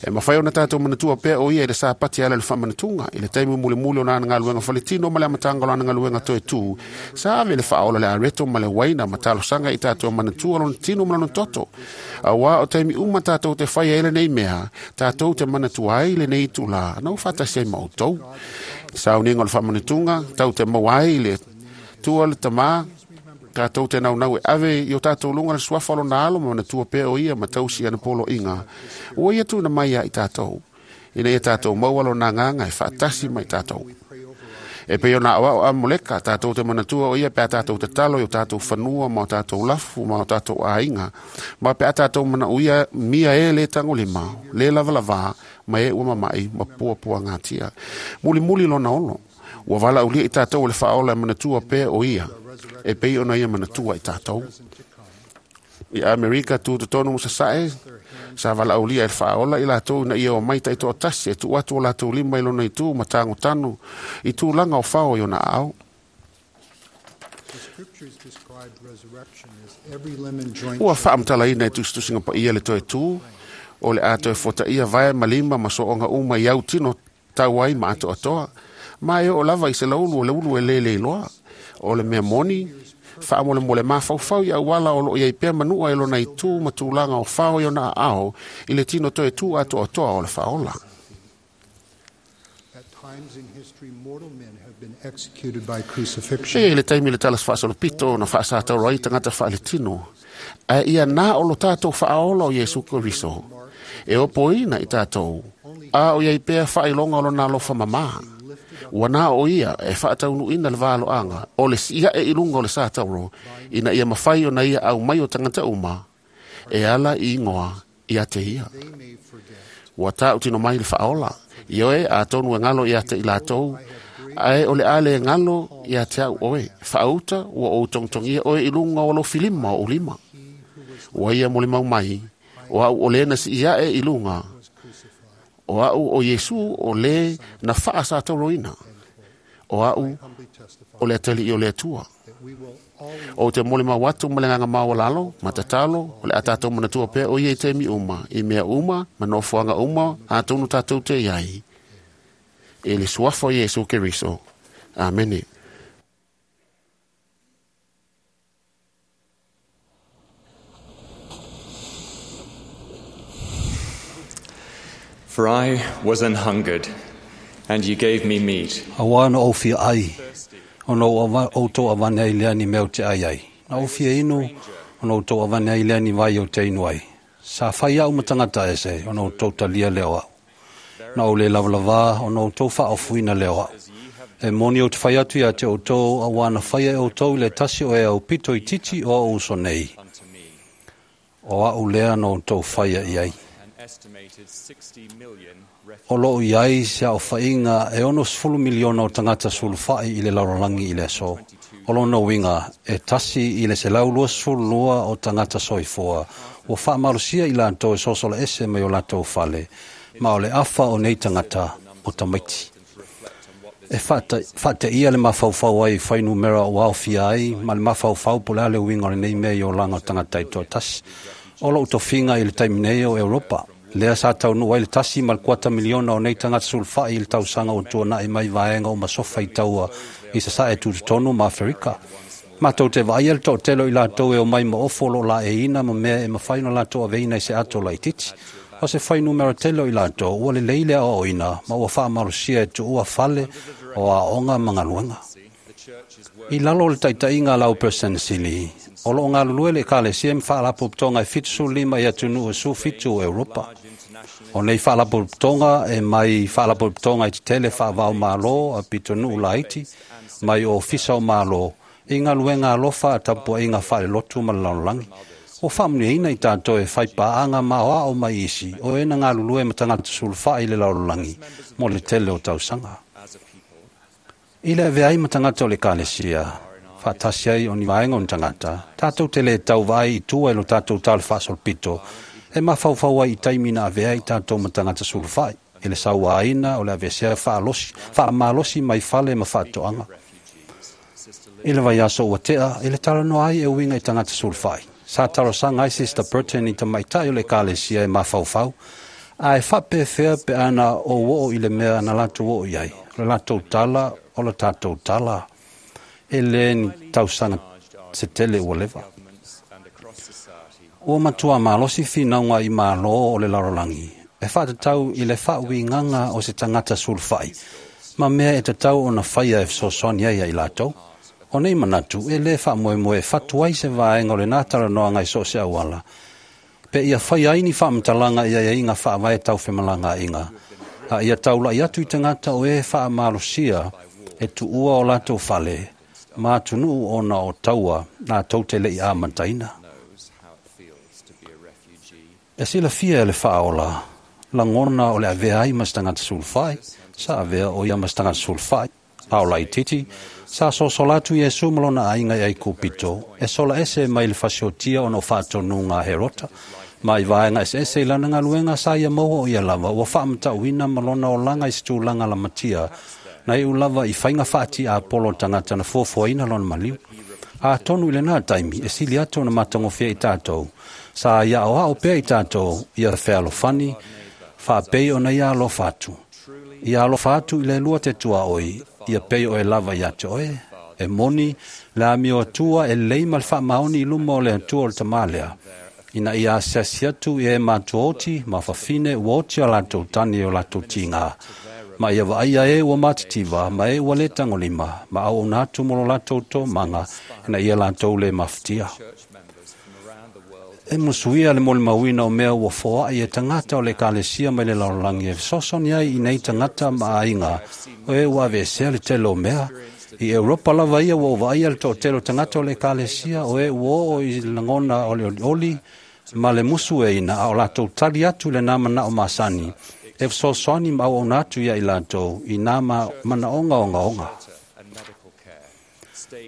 e mafai ona tātou manatua pea o ia i le sapati ala i le faamanatuga, i le taimi mulimuli o lana galuega faletino ma le amataga o lana galuega toe tū, sa ave le faaola le areto ma le uaina ma talosaga i tātou manatua lona tino ma lona toto. Auā o taimi uma tātou te fai ai lenei mea, tātou te manatua ai lenei itulā, na ua faatasi ai ma outou. Sauniga o le faamanatuga, tau te maua ai le tua le tamā, tātou te naunau e ave i o tātou luga le suafa o lona alo ma manatua pea o ia ma tausi ana poloiga. Ua ia tuna mai ia i tātou. Ina ia tātou maua lona agaga e faatasi mai tātou. E pei ona aoao a Moleka, tātou te manatua o ia pe a tātou tatalo i o tātou fanua ma o tātou lafu ma o tātou aiga. Ma pe a tātou manauia mia e le tagolima, le lavalavā, ma e ua mamaʻi ma puapuagatia. Mulimuli lona olo. Ua valaaulia i tātou o le faaola e manatua pea o ia, e pei ona ia manatua i tātou. I Amerika tutotonu mo sasae, sa valaaulia e le faaola i latou ina ia omai taitoatasi e tuu atu o latou lima i lona itu ma tagotanu i tulaga o fao i ona aao. The scriptures describe resurrection as every limb and joint Ua faamatalaina e tusitusiga paia le toe tū, o le a toe fotaia vae ma lima ma sooga uma i au tino tau ai ma atoatoa. Ma e oo lava i se laulu o le ulu e lele iloa. O le mea moni, faamolemole mafaufau i auala o loo iai pea manua e lona itu ma tulaga o fao i ona aao i le tino toe tū atoatoa o le faaola. At times in history, mortal men have been executed by crucifixion. E le taimi le tala faasolopito na faasatauro ai tagata faaletino. Ae ia na o lo tātou faaola o Iesu Keriso. E opoina i tātou. A o iai pea faailoga o lona alofa mamā. Ua na o ia e faataunuuina le valoaga o le siae i luga o le satauro ina ia mafai ona ia au mai o tagata uma e ala i ingoa ia te ia. Ua tautino mai le faaola. Ioe atonu e galo ia te i latou, ae o le a le galo ia te au oe. Faauta ua ou togitogia oe i luga o lou filima o ou lima. Ua ia molimau mai, o au o le na siiae i luga. O au o Iesu o le na faasatauroina. O au o le atalii o le Atua. O te molimau atu ma le agaga maualalo ma tatalo, o le a tatou manatua pea o ia i taimi uma, i mea uma, ma nofoaga uma, atonu tatou te iai. E le suafa o Iesu Keriso. Amene. For I was an hungered, and ye gave me meat. Auā na ou fia ai, ona ou ava- outou avane ai lea ni mea ou te ai ai. Na ou fia inu, ona outou avane ai lea ni vai ou te inu ai. Sa fai au ma tagata ese, ona outou talia lea o au. Na ou le lavalavā, ona outou faaofuina lea o au. E moni ou te fai atu ia te outou, auā na faia e outou i le tasi o e au pito i titi o au uso nei. O au lea na outou faia i ai. An estimated sixty million O loo i ai se aofaiga e ono sefulu miliona o tagata sulufai i le lalolagi i le aso. O lona uiga e tasi i le selau lua sefulu lua o tagata soifua ua faamalosia i latou e sosola ese mai o latou fale, ma o le afa o nei tagata o tamaiti. E faateia le mafaufau ai i fuainumera ua aofia ai ma le mafaufau po o le a le uiga o lenei mea i olaga o tagata taitoatasi. O lou tofiga i le taimi nei o Europa, lea sa taunuu ai le tasi ma le kuata miliona o nei tagata sulufai i le tausaga ua tuanai mai vaega uma sofa i taua i sasae tutotonu ma Aferika. Matou te vaaia le toatele o i latou e omai ma ofo o loo laeiina ma mea e mafai ona latou aveina i se ato laitiiti. O se fuainumera tele o i latou ua lelei le aoaoina ma ua faamalosia e tuua fale o aoga ma galuega. I lalo o le taitaiga a lau Peresetene, o loo galulue le Ekalesia ma faalapotopotoga e fitu sefulu lima i atunuu e sefulufitu o Europa. O nei faalapotopotoga e mai faalapotopotoga e tetele faavao malo a pitonuu laiti, mai ofisa o malo, i galuega alofa a tapuaiga faalelotu ma le lalolagi. Ua faamanuiaina i tatou e faipaaga ma aoao mai isi o e na galulue ma tagata sulufai i le lalolagi mo le tele o tausaga. I le avea ai ma tagata o le Ekalesia, faatasi ai o ni vaega o ni tagata, tatou te le tauvaai i tua i lo tatou tala faasolopito, e mafaufau ai i taimi na avea ai tatou ma tagata sulufai, i le sauaina o le aveesea faalosi, faamalosi mai fale ma faatoaga. I le vaiaso ua tea, i le talanoa ai e uiga i tagata sulufai. Sa talosaga ai Sister Burton i tamaitai o le Ekalesia e mafaufau, ae faapefea pe ana ou oo i le mea na latou oo i ai, o le latou tala, o le tatou tala, e le ni tausaga se tele ua leva. Ua matua malosi finauga i malo o le lalolagi, e faatatau i le faauigaga o se tagata sulufai, ma mea e tatau ona faia e fesoasoani ai ia i latou. O nei manatu e le faamoemoe e fatu ai se vaega o lena talanoaga i so o se auala, pe ia fai ai ni faamatalaga i aiaiga faavae taufemalagaaiga, a ia taulai atu i tagata o e faamalosia e tuua o latou fale, ma atunuu ona o taua latou te lei amataina. E silafia e le faaola, lagona o le avea ai ma se tagata sulufai, sa avea o ia ma se tagata sulufai, A o laitiiti, sa sosola atu Iesu ma lona aiga i Aikupito, e sola ese mai le fasiotia ona o faatonuga a Herota, ma i vaega eseese i lana galuega sa ia maua o ia lava ua faamatauina ma lona olaga i se tulaga lamatia, na iu lava i faiga faatiapolo tagata na fuafuaina lona maliu. Atonu i lenā taimi e sili atu ona matagofie i tatou, sa ia aoao pea i tatou ia fealofani, faapei ona ia alofa atu. Ia alofa atu i le Alua te tuaoi, ia pei oe lava ia te oe. E moni, le amio atua e lelei ma le faamaoni i luma o le Atua o le Tamā lea, ina ia asiasi atu i e matuaoti ma fafine ua oti a latou tane o latou tigā, ma ia vaaia e ua matitiva ma e ua lē tagolima, ma auauna atu mo lo latou tomaga, ina ia latou lē mafatia. E musuia le molimauina o mea ua foai e tagata o le ekalesia mai le lalolagi e fesoasoani ai i nei tagata ma aiga o e ua aveesea le tele o mea. I Europa lava ia ua ou vaaia le toatele o tagata o le ekalesia o e ua oo i le lagona o le olioli ma le musueina, a o latou tali atu i lenā manao masani e fesoasoani ma auauna atu ia i latou i nā manaoga ogaoga.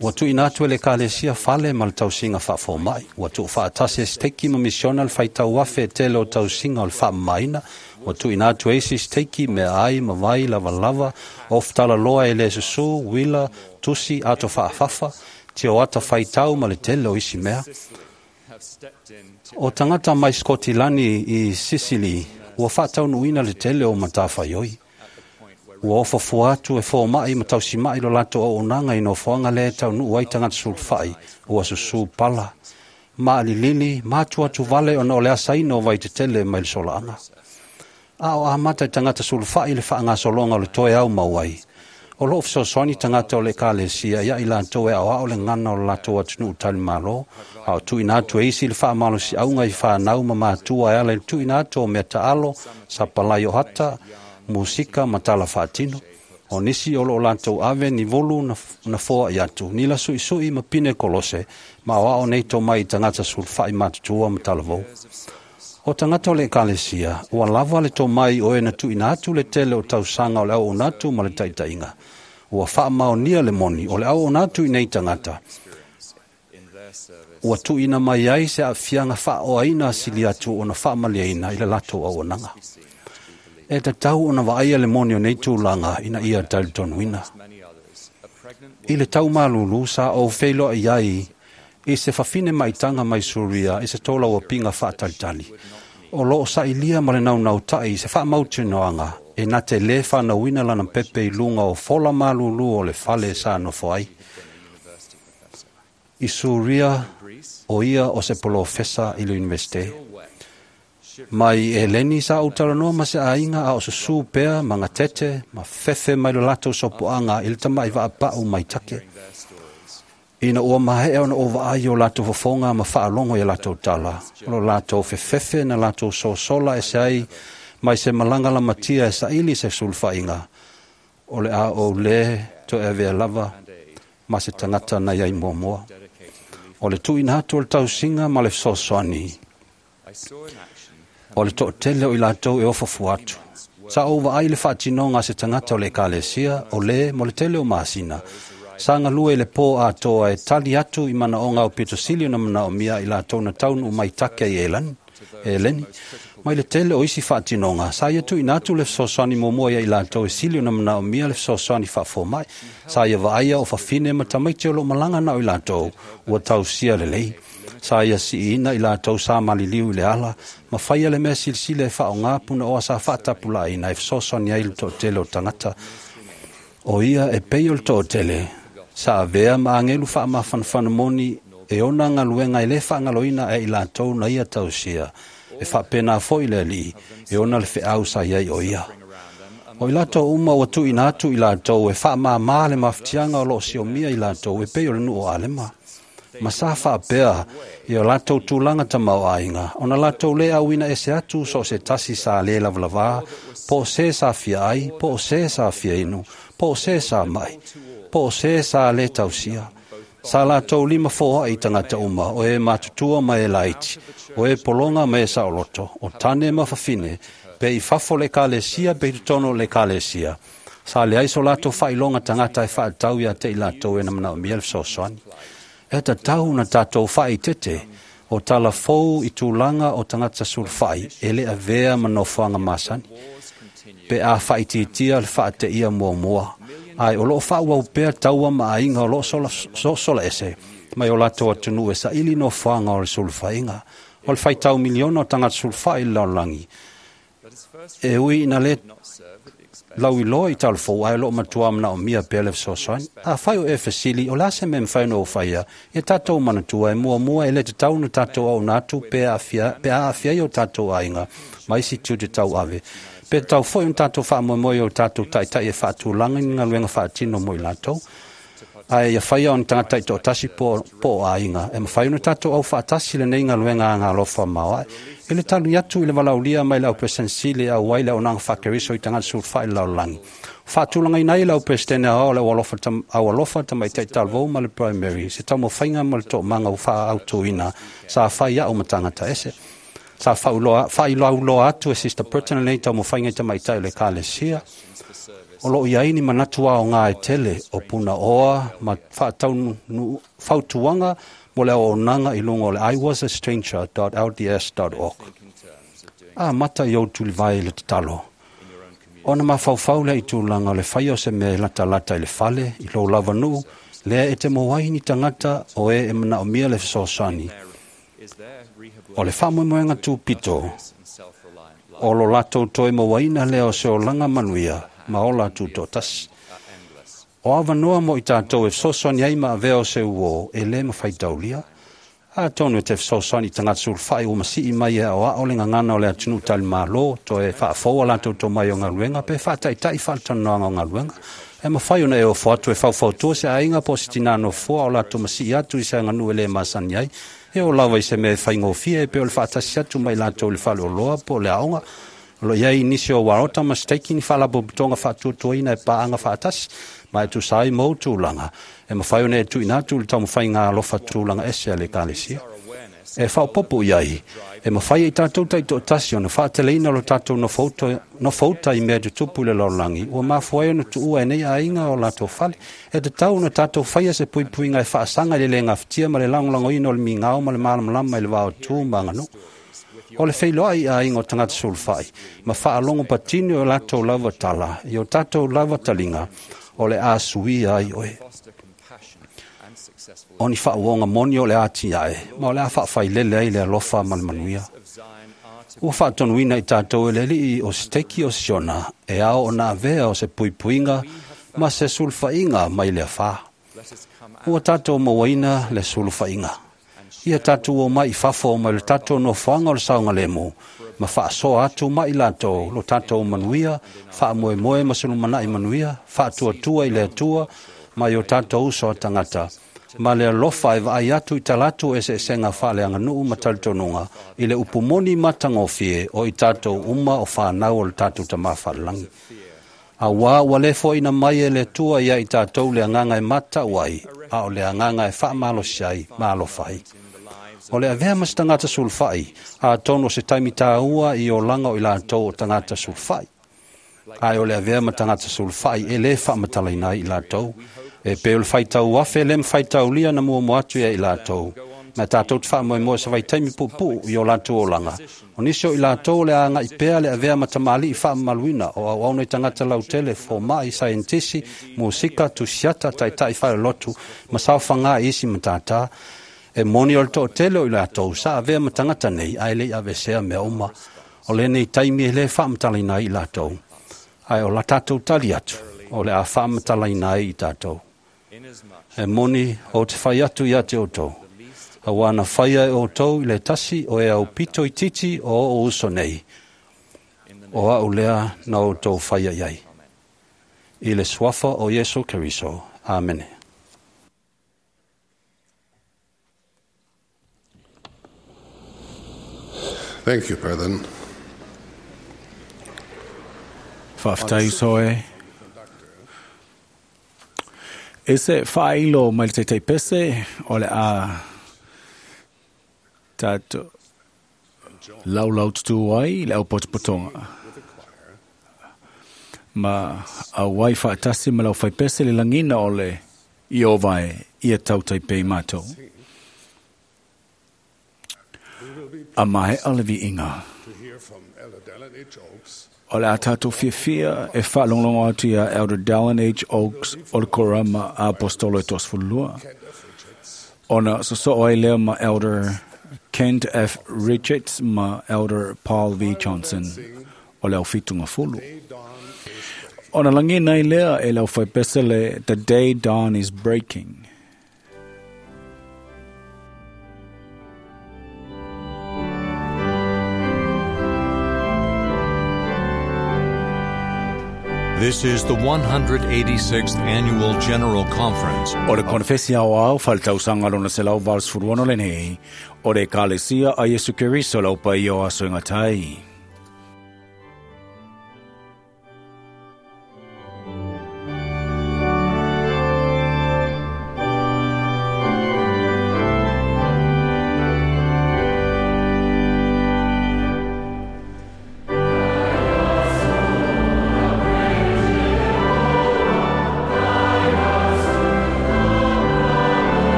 Ua tuuina atu e le ekalesia fale ma le tausiga faafomai. Ua tuufaatasi e siteiki ma misiona le faitau afe e tele o tausiga o le faamamaina. Ua tuuina atu e isi siteiki meaai ma vai lavalava, ofutalaloa e lē susū, uila, tusi, ato faafafa, tioata faitau ma le tele o isi mea. O tagata mai Skotilani i Sisili ua faataunuuina le tele o matafaioi. Ua ofofua atu e fomai ma tausima'i lo latou auaunaga i nofoaga lea e taunuu ai tagata sulufai ua susū pala, maalilili ma atuatu vale ona o le asaina o vaitetele mai le solaaga. A o amata i tagata sulufai le faagasologa o le toe aumau ai. O loo fesoasoani tagata o le ekalesia ia i latou e aoao le gana o le latou atunuu talimalo, a o tuuina atu e isi le faamalosiauga i fanau ma matua e ala i le tuuina atu o mea taalo, sapalai o ata, musika ma tala faatino. O nisi o loo latou ave ni volu na, na foai atu, ni lasuisui ma pine kolose, ma aoao nei tomai i tagata sulufai matutua ma talavou. O tagata o le ekalesia, ua lava le tomai o e na tuuina atu le tele o tausaga o le auauna atu ma le taitaiga. Ua faamaonia le moni o le auauna atu i nei tagata. Ua tuuina mai ai se aafiaga faaoaina sili atu ona faamaliaina i le latou auaunaga. E tatau ona vaaia le moni o nei tulaga ina ia talitonuina. I le taumalulu sa ou feiloai ai i se fafine maitaga mai Suria i se tolauapiga faatalitali. O loo sailia ma le naunautai i se faamautinoaga e na te lē fanauina lana pepe i luga o fola malulu o le fale sa nofo ai. I Suria, o ia o se polofesa i le Universite. Mai Eleni sa ou talanoa ma se aiga a o susū pea ma gatete ma fefe mai lo latou sopoaga i le tama'i vaapa'u mai take. Ina ua maea ona ou vaai o latou fofoga ma faalogo ia latou tala, o lo latou fefefe na latou sosola ese ai mai se malaga lamatia e saili se sulufaiga, o le a ou lē toe avea lava ma se tagata na iai muamua. O le tuuina atu o le tausiga ma le fesoasoani, o le toatele o i latou e ofofua atu. Sa ou vaai le faatinoga a se tagata o le ekalesia, o lē mo le tele o masina, sa galue i le pō atoa e tali atu i manaoga aupito sili ona manaomia i latou na taunuu mai take i Elani, Eleni. Mai le tele o isi faatinoga, sa ia tuuina atu le fesoasoani muamua ia i latou e sili ona manaomia le fesoasoani faafomai. Sa ia vaaia o fafine ma tamaiti o loo malaga na o i latou ua tausia lelei. Sa ia siina i latou sa maliliu i le ala, ma faia le mea silisili e faaaogā punaoa sa faatapulaaina e fesoasoani ai le toatele o tagata. O ia e pei o le toatele, sa avea ma agelu faamafanafana moni e ona galuega e lē faagaloina e i latou na ia tausia, e faapena foi le Alii e ona le feau sa iai o ia. O i latou uma ua tuuina atu i latou e faamāmā le mafatiaga o loo siomia i latou e pei o le nuu o Alema. Ma sa faapea i o latou tulaga tamaoaiga, ona latou lē auina ese atu so o se tasi sa lē lavalavā, po o se sa fia ai, po o se sa fia inu, po o se sa mai, po o se sa lē tausia. Sa latou lima foai i tagata uma, o e matutua ma e laiti, o e pologa ma e saoloto, o tane ma fafine, pe i fafo le ekalesia pe i totonu o le ekalesia. Sa leai so latou faailoga tagata e faatatau ia te i latou e na manaomia le fesoasoani. E tatau na tatou faaeteete o talafou i tulaga o tagata sulufai e le avea ma nofoaga masani, pe a faaitiitia le faateia muamua, ae o loo faaauau pea taua ma aiga o loo sosola ese mai o latou atunuu e saili nofoaga o le sulufaiga. O le faitau miliona o tagata sulufai i le lalolagi, e ui ina le lauiloa i talafou, ae o loo matua manaomia pea le fesoasoani. Afai o e fesili, o le a se mea e mafai ona ou faia, ia tatou manatua e muamua e le tatau ona tatou auauna atu pe a aafia ai o tatou aiga ma isi tiute tauave. Pe tatau foi ona tatou faamoemoe i o tatou taitai e faatulaga ni galuega faatino mo i latou. Ae ia faia ona tagata taitoatasi po, po o aiga, e mafai ona tatou aufaatasi lenei galuega agalofa maoae. E le talu atu i le valaaulia mai le au Peresetene e auai le auaunaga faakeriso i tagata sulufai i le lalolagi. Faatulagaina ai le au Peresetene aoao le aualofa, tam, aualofa tamaitai talavou ma le primary, se taumafaiga ma le toomaga ua faaautuina sa fai au ma tagata ese. Sa faailoauloa atu e Sister Burton lenei taumafaiga i tamaitai o le Ekalesia. O loo iai ni manatu aoga e tele o punaoa ma fautuaga mo le auaunaga i luga o le i was a stranger dot l d s dot org. Amata i ou tulivae i le tatalo. Ona mafaufau lea i tulaga o le faia o se mea e latalata i le fale, i lou lavanuu, lea e te maua ai ni tagata o e e manaomia le fesoasoani. O le faamoemoega tupito, o lo latou toe mauaina lea o se olaga manuia ma ola tutoatasi. O avanoa mo i tatou e fesoasoani ai ma avea o se uo e le mafai taulia. Atonu e te fesoasoani i tagata sulufai ua masii mai e aoao le gagana o le atunuu talimalo, toe faafoua latou tomai o galuega pe faataitai faatalanoaga o galuega. E mafai ona e ofo atu e faufautua se aiga po o se tinā nofoa o latou masii atu i se aganuu e le masani ai. E oo lava i se mea e faigofie e pei o le faatasi atu mai latou i le faleoloa po o le aoga. O lo o iai nisi o uaota ma steiki ni faalapotopotoga faatuatuaina e paaga faatasi, ma e tusa ai ma ou tulaga. E mafai ona e tuuina atu i le taumafaiga alofa tulaga ese a le Ekalesia. E faaopoopo i ai, e mafai e i tatou taitoatasi ona faateleina lo tatou nofouta i mea tutupu i le lalolagi, ua mafua ai ona tuua e nei aiga o latou fale. E tatau ona tatou faia se puipuiga e faasaga i le le gafatia ma le lagolagoina o le migao ma le malamalama i le va o tu ma aganuu. O le feiloai i aiga o tagata sulufai, ma faalogo patino i o latou lava tala, i o tatou lava taliga, o le a suia ai oe. O ni faauoga moni o le a tiae, ma o le a faafailele ai le alofa ma le manuia. Ua faatonuina i tatou e le alii o Siteki o Siona, e ao ona avea o se puipuiga ma se sulufaiga mai le afā. Ua tatou mauaina le sulufaiga. Ia tatou o mai i fafo mai le tatou nofoaga o le saogalemu, ma faasoa atu mai latou lo tatou manuia, faamoemoe ma se lumanai manuia, faatuatua i le Atua mai o tatou uso a tagata, ma le alofa e vaai atu i talatu eseesega faaleaganuu ma talitonuga, i le upu moni matagofie o i tatou uma o fanau o le tatou Tamā Faalelagi. Auā ua le foaina mai e le Atua ia i tatou le agaga e matau ai, a o le agaga e faamalosi ai ma alofa ai. O le avea ma se tagata sulufai, atonu o se taimi tāua i olaga o i latou o tagata sulufai. Ae o le avea ma tagata sulufai e le faamatalaina ai i latou. E pei o le faitau afe le mafaitaulia na muamua atu ia i latou. Ma tatou te faamoemoe se vaitaimi puupuu i o latou olaga. O nisi o i latou o le a agai pea le avea ma tamalii faamamaluina o auauna i tagata lautele, fomai, saienitisi, musika, tusiata, taitai falelotū, ma saofaga i isi matata. E moni o le toatele o i latou sa avea ma tagata nei, ae le i avesea mea uma. O lenei taimi e le faamatalaina ai i latou. Ae o la tatou tali atu, o le a faamatalaina ai i tatou. E moni o te fai atu ia te outou. Auā na faia e outou i le tasi o e au pito itiiti o oo uso nei. O au lea na outou faia i ai. I le suafa o Iesu Keriso. Amene. Thank you, brethren. Faafetai uso e. E se faailo mai le taitai pese o le a tatou laulau tutu ai le au potopotoga. Ma auai faatasi ma lau faipese le lagina o le Ieova e ia tautai pea i matou. A maea le viiga. To hear from Elder Dallin H. Oaks O le a tātou fiafia e whaalonglongo atu ia Elder Dallin H. Oaks o le korama a apostolo e toasefululua. Ona soso'o ai lea ma Elder Kent F. Richards ma Elder Paul V. Johnson o le aufitunga fulu. Ona lagina ai lea e le aufaipese le The Day Dawn is Breaking. This is the one hundred eighty-sixth Annual General Conference O le konefesi ao ao whalitausaga lona selau valusefuluono lenei, o le Ekalesia a Iesu Keriso lau paia o aso e gatai.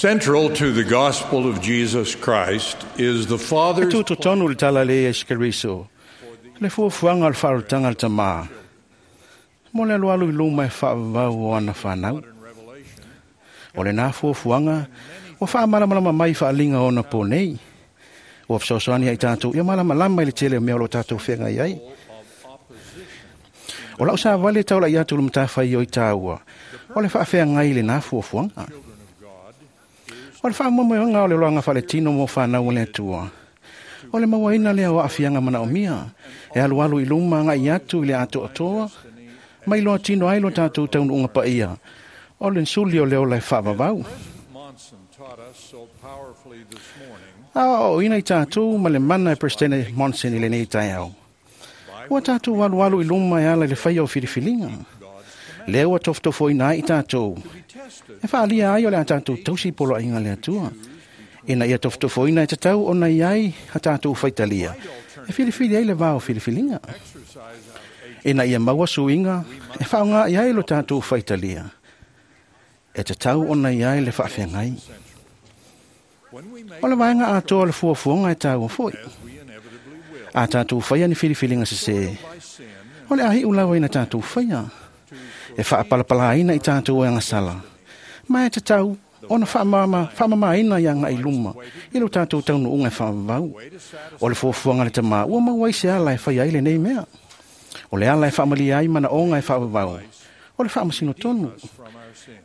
Central to the gospel of Jesus Christ is the E Father's tūtotonu le tala le Iesu Keriso, le fuafuaga o le faalutaga le tamā. Mo le alualu i luma e faavavau o ana whanau. O le nā fuafuaga, ua faamalamalama mai faaliga ona po nei. Ua fesoasoani ai tātou, ia malamalama i le tele o mea o lo tātou feagai ai. O lau sa vale tau lai atu le matawhai o i tāua, o le faafeagai le nā fuafuaga. O le whaamomoeanga o le loanga whaletino mo whanau o le atua. O le mauaina lea o aafianga manaomia, e alualu i luma ngai atu i le ato atoa, mai loa tino ai lo tātou taunuunga paia, o le nsuli o leo lai whaavavau. A o ina i tātou ma le mana e Presidente Monson i lenei taeao. Ua tātou alualu i luma e ala i le whaia o filifilinga. Lea ua tofotofoina ai i tātou. E whaalia ai o le a tātou tausi polo ainga le atua. Ina ia tofotofoina e tatau ona i ai a tātou whaitalia. E filifili ai le vā o filifilinga. Ina ia maua suinga, e whaonga i ai lo tātou whaitalia. E tatau ona i ai le whaafeangai. O le vaenga atoa le fuafuaga e tāua foi. A tātou whaia ni filifilinga sese. O le ahi ulawa ina tātou whaia. E whaapalapalaina i tātou e angasala. Ma e tatau, ona whaamama, whaamamaina ia ngai luma, i lo tātou taunuunga e whaavau. O le fuafuaga le tamā, ua maua ai se ala e whai ai le nei mea. O le ala e faamalie ai manaoga e faavavau, o le faamasino tonu.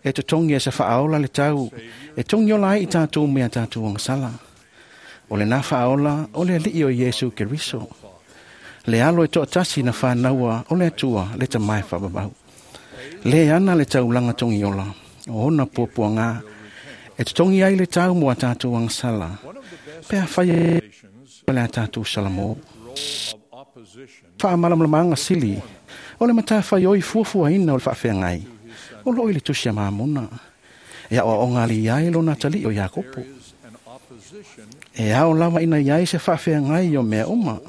E totogi e sa faaola le tau, e togi ola ai i tatou mea tatou agasala. O lena faaola o le alii o Iesu Keriso. Le alo e toatasi na whānaua o le atua le tamai whaababau. Le ana le taulanga tongi ola, o ona puapuanga, e totongi ai le tau mo a tātou agasala, pea whai e le a tātou salamo. Whaamalamalamaanga sili, o le matawhai oi fuafuaina o le whaafeangai, o loi le tusi a maamona, e ao o ngali ai lona tali o Iakopo. E ao lava ina iai se whaafeangai o mea uma.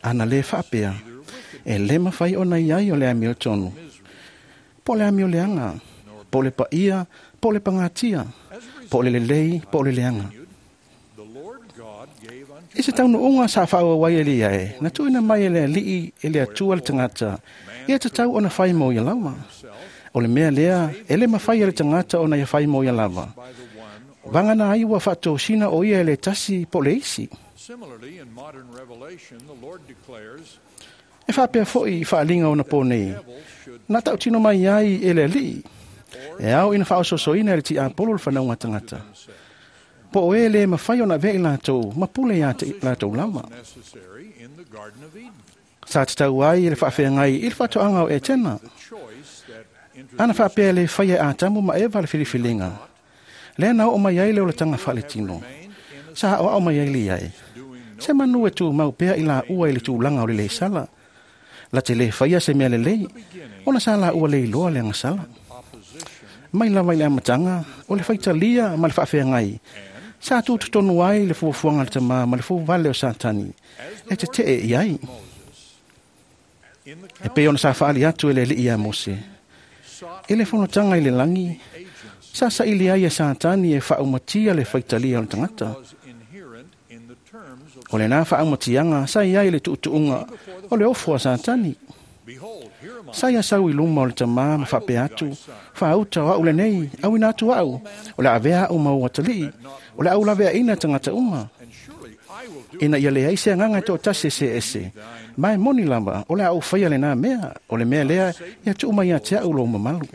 Ana le whaapea, e le mawhai o na iai o le amio tonu. Po le amio leanga, po le paia, po le pangatia, po le lelei, po le leanga. I se taunuunga sa whaawawai e lia e, na tuina mai e le alii e le atua le tangata, ia te tau ona whai mo ia lava. O le mea lea, e le mawhai e le tangata ona ia whai mo ia lava. Vangana ai ua whaatosina o ia e le tasi po le isi. E whaapea foi i whaalinga ona pō nei, nā tau tino mai ai e le alii, e au ina whaososoina e le ti apolo le whanaunga tangata. Po o e le mawhai ona vei lātou, ma pule ia te lātou lava. Sa te tau ai e le whaafeangai i le whaatoanga o e tena. Ana whaapea le whai e ātamu ma eva le whiriwhilinga. Lea nao o mai ai le olatanga whaale tino. Sa o au mai ai le ai. Se manu e tū mau pea i la ua i le tūlanga o le le sala. La te le whaia se mea le lei, ona sa la ua le iloa le angasala. Mai lava i le amatanga, o le whaitalia ma le whaafeangai. Sa tūtutonu ai le fuafuanga le tamā ma le fuvale o Satani, e te tee i ai. E pe ona sa whaali atu e le lii a Mose. E le fonotanga i le langi, sa sa ili ai e Satani e whaaumatia le whaitalia o le tangata. O le nā whaamatianga sa i ai le tuutuunga o le ofo a Satani. Sa ia sau i luma o le tamā ma whaapea atu, whaauta o au le nei, au ina atu au, o le avea au mau atalii, o le au lavea ina tangata uma. Ina ia le ai se anganga tō tasi se ese, mai moni lava, o le au whaia le nā mea, o le mea lea, ia tuuma ia te au lo mamalu.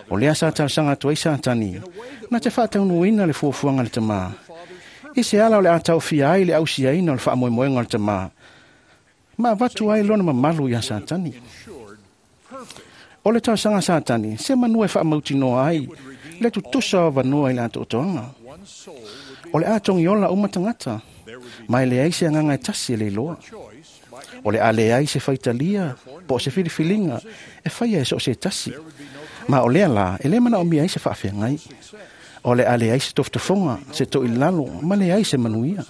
O lea sa tausanga atu ai Satani, na te whaataunuina le fuafuanga le tamā. I se ala o le atau fia ai le ausiaina o le whaamoemoenga o le tamā, ma vatu ai lona mamalu ia Satani. O le tausanga Satani, se manua e whaamautinoa ai, le tutusa o vanua i le atoatoanga. O le atongi ola uma tangata, mai le ai se anganga e tasi e le iloa. O le ale ai se whaitalia, po se whiriwhilinga, e whaia e so se tasi. Ma o lea la, e le mana o mia ai se whaafeangai. O le ale ai se toftofonga, se to ilalo, ma le ai se manuia.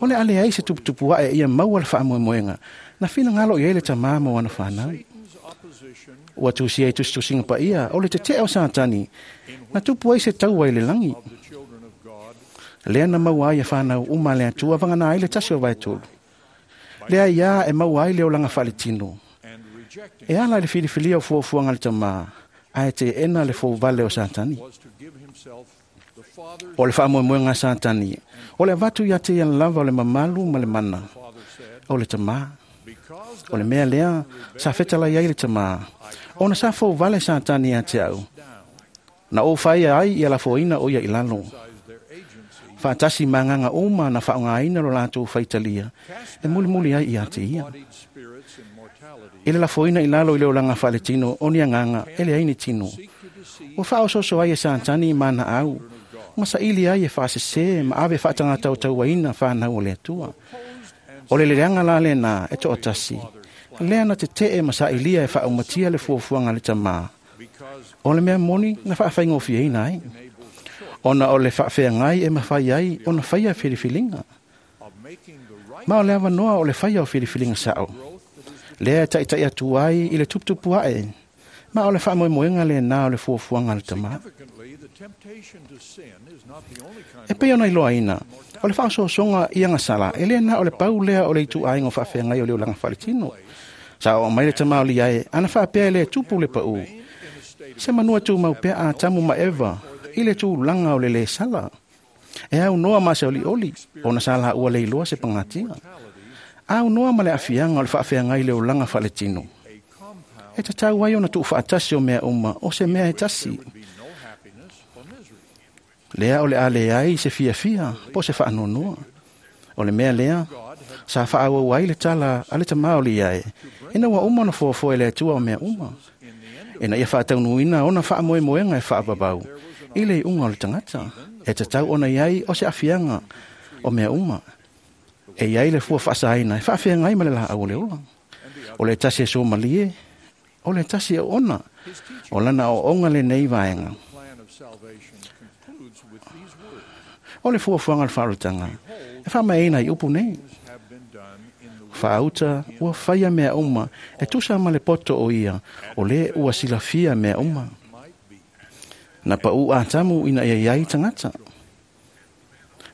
O le ale ai se tuputupu ae ia maua le whaamoemoenga, na whina ngalo i ele tamā mo ana whanau. Ua tusi ai tusitusinga pa ia, o le te te o Satani, na tupu ai se taua i le langi. Lea na maua ai e whanau uma le atua vangana ai le tasi o vaetolu. Lea ia e maua ai le olanga whaletino. E ala le whiriwhilia o fuafuanga le tamā, ae te ena le fōvale o Satani. O le whaamoemoenga Satani, o le avatu ia te ia lava o le mamalu ma le mana, o le tamā. O le mea lea, sa whetala iai le tamā, ona sa fōvale Satani ia te au. Na o whaia ai ia la fōina o ia ilalo. Whaatasi manganga uma na whaongaina lo lātou whaitalia, e mulimuli ai ia te ia. I le lafoina i lalo i le olanga whaletino, o ni anganga, e le aini tino. O whaososo ai e Satani mana au, ma sa ili ai e whaasese, ma ave whaatangata o tauaina whanau o le atua. O le leanga la le nā, e to'o tasi. Lea na te tee ma sa ilia e whaaumatia le fuafuanga le tamā. O le mea moni na whaawhaingofieina ai. Ona o le whaafeangai e mawhai ai, ona whaia whiriwhilinga. Ma o le awanoa o le whaia o whiriwhilinga sao. Lea e taitai atu ai i le tuputupu ae. Ma o le whaamoemoenga le nā o le fuafuanga le tamā. E pei ona iloa ina, o le whaasosonga i angasala, e lea nā o le pau lea o le itu ainga o whaafeangai o le olanga whaletino. Sa o mai le tamā o li ai, ana whaapea le tupu le pau. Se manua tū mau pea a tamu ma Eva, i le tūlanga o le le sala. E au noa ma se oli oli, ona sala ua le iloa se pangatia. Aunoa ma le aafiaga o le faafeagai le olaga faaletino. E tatau ai ona tuufaatasi o mea uma o se mea e tasi. Lea o le a leai se fiafia po se faanoanoa. O le mea lea, sa faaauau ai le tala a le tamā o le iae, ina ua uma ona fuafua e le Atua o mea uma. Ina ia faataunuuina ona faamoemoega e faavavau i le iuga o le tagata, e tatau ona iai o se aafiaga o mea uma. E iai le fua faasaina e faafeagai ma le laau o le ola. O le tasi e somalie, o le tasi e oona, o lana aoaoga lenei vaega. O le fuafuaga o le faaolataga, e faamaeaina i upu nei. Faauta ua faia mea uma e tusa ma le poto o ia, o le ua silafia mea uma. Na pau Atamu ina ia iai tagata,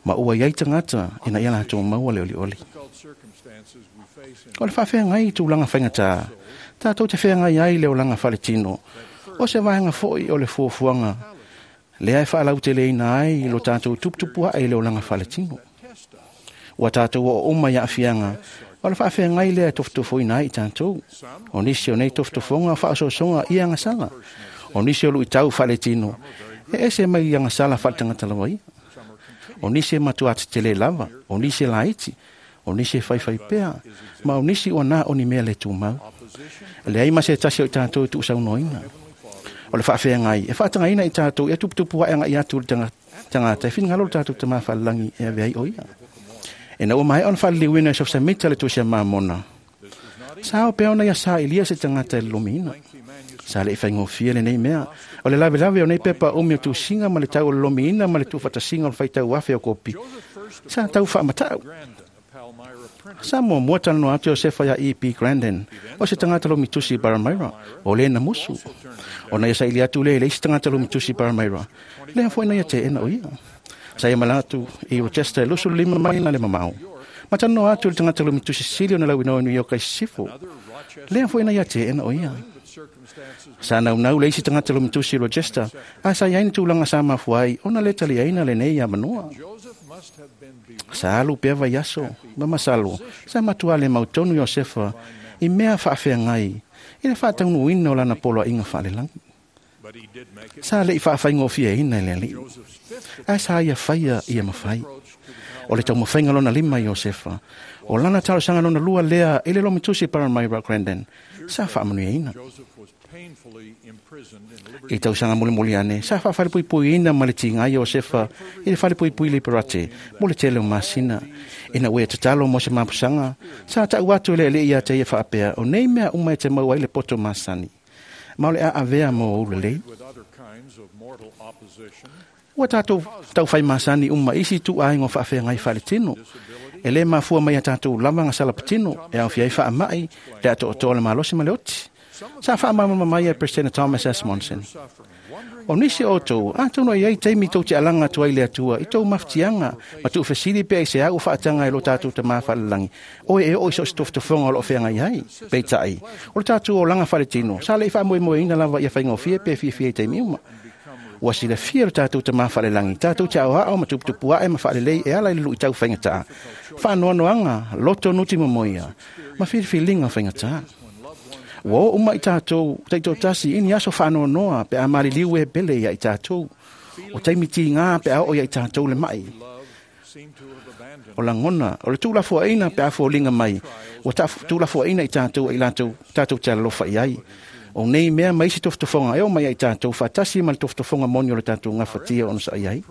ma ua iai tagata ina ia latou maua le olioli. O le faafeagai i tulaga faigatā, tatou te feagai ai le olaga faaletino, o se vaega foi o le fuafuaga lea e faalauteleina ai i lo tatou tuputupu ae i le olaga faaletino. Ua tatou oo uma i aafiaga, o le faafeagai lea e tofotofoina ai i tatou. O nisi o nei tofotofoga o faaosoosoga i agasala, o nisi o luitau faaletino, e ese mai i agasala faaletagata lava ia. O nisi e matua tetele lava, o nisi e laiti, o nisi e faifai pea, ma o nisi ua na o ni mea le tumau. E leai ma se tasi o i tatou e tuusaunoaina. O le faafeagai e faatagaina i tatou ia tuputupu ae agai atu i le tagata e finagalo le tatou Tamā Faalelagi e ave ai o ia. Ina ua maea ona faaliliuina e Sofa-Samita le tusi a Mamona, sa ao pea ona ia sailia se tagata e lolomiina. Sa le i faigofie lenei mea, o le lavelave o nei pepa umi o tusiga ma le tau o le lolomiina ma le tuufaatasiga o le faitau afe o kopi, sa tau faamatau. Sa muamua talanoa atu Iosefa ia E P Grandin, o se tagata lomitusi i Palmyra, o le na musu. Ona ia saili atu le i le isi tagata lomitusi i Palmyra, lea foi na ia teena o ia. Sa ia malaga atu i Rochester e lusu lima maila le mamao. Ma talanoa atu i le tagata lomitusi sili ona lauinoa i New York ai sisifo, lea foi na ia teena o ia. Sa naunau le isi tagata lomitusi i Rochester, a sa iai ni tulaga sa mafua ai ona le taliaina lenei avanoa. Sa alu pea vaiaso, ma masalo, sa matua le mautonu Iosefa i mea faafeagai i le faataunuuina o lana poloaiga faalelagi. Sa le i faafaigofieina e le alii, ae sa ia faia ia mafai. O le taumafaiga lona lima Iosefa, o lana talosaga lona lua lea i le lomitusi Palmyra Grandin, sa faamanuiaina. I tausaga mulimuli ane, sa faafalepuipuiina ma le tigai Iosefa i le falepuipui Liberate mo le tele o masina. Ina ua ia tatalo mo se mapusaga, sa tau atu e le alii ia te ia faapea, o nei mea uma e te maua ai le poto masani, ma o le a avea mo ou lelei. Ua tatou taufai masani uma isi tuuaiga o faafeagai faaletino. E le mafua mai a tatou lava gasala patino, e aofia ai faamai, le atoatoa le malosi ma le oti. Sa faamalamalama mai e President Thomas S. Monson. O nisi o outou, atonu e iai taimi tou te alaga atu ai le Atua i tou mafatiaga ma tuufesili pea i se au faataga e lo tatou Tamā Faalelagi, oe e oo i so o se tofotofoga o loo feagai ai. Peitai, o le tatou olaga faaletino, sa le i faamoemoeina lava ia faigofie pe fiafia i taimi uma. Ua silafia le tatou Tamā Faalelagi, tatou te aoao ma tuputupu ae ma faalelei e ala i le luitau faigatā, faanoanoaga, loto nuti momoia, ma filifiliga faigatā. Ua oo uma i tatou taitoatasi i ni aso faanoanoa pe a maliliu e pele ia i tatou, o taimi tigā pe a oo ia i tatou le mai. O lagona, o le tuulafoaina pe a foliga mai, ua tuulafoaina i tatou ai latou tatou te alalofa i ai. O nei mea ma isi tofotofoga e oo mai ai tatou faatasi ma le tofotofoga moni o le tatou gafatia ona saai ai.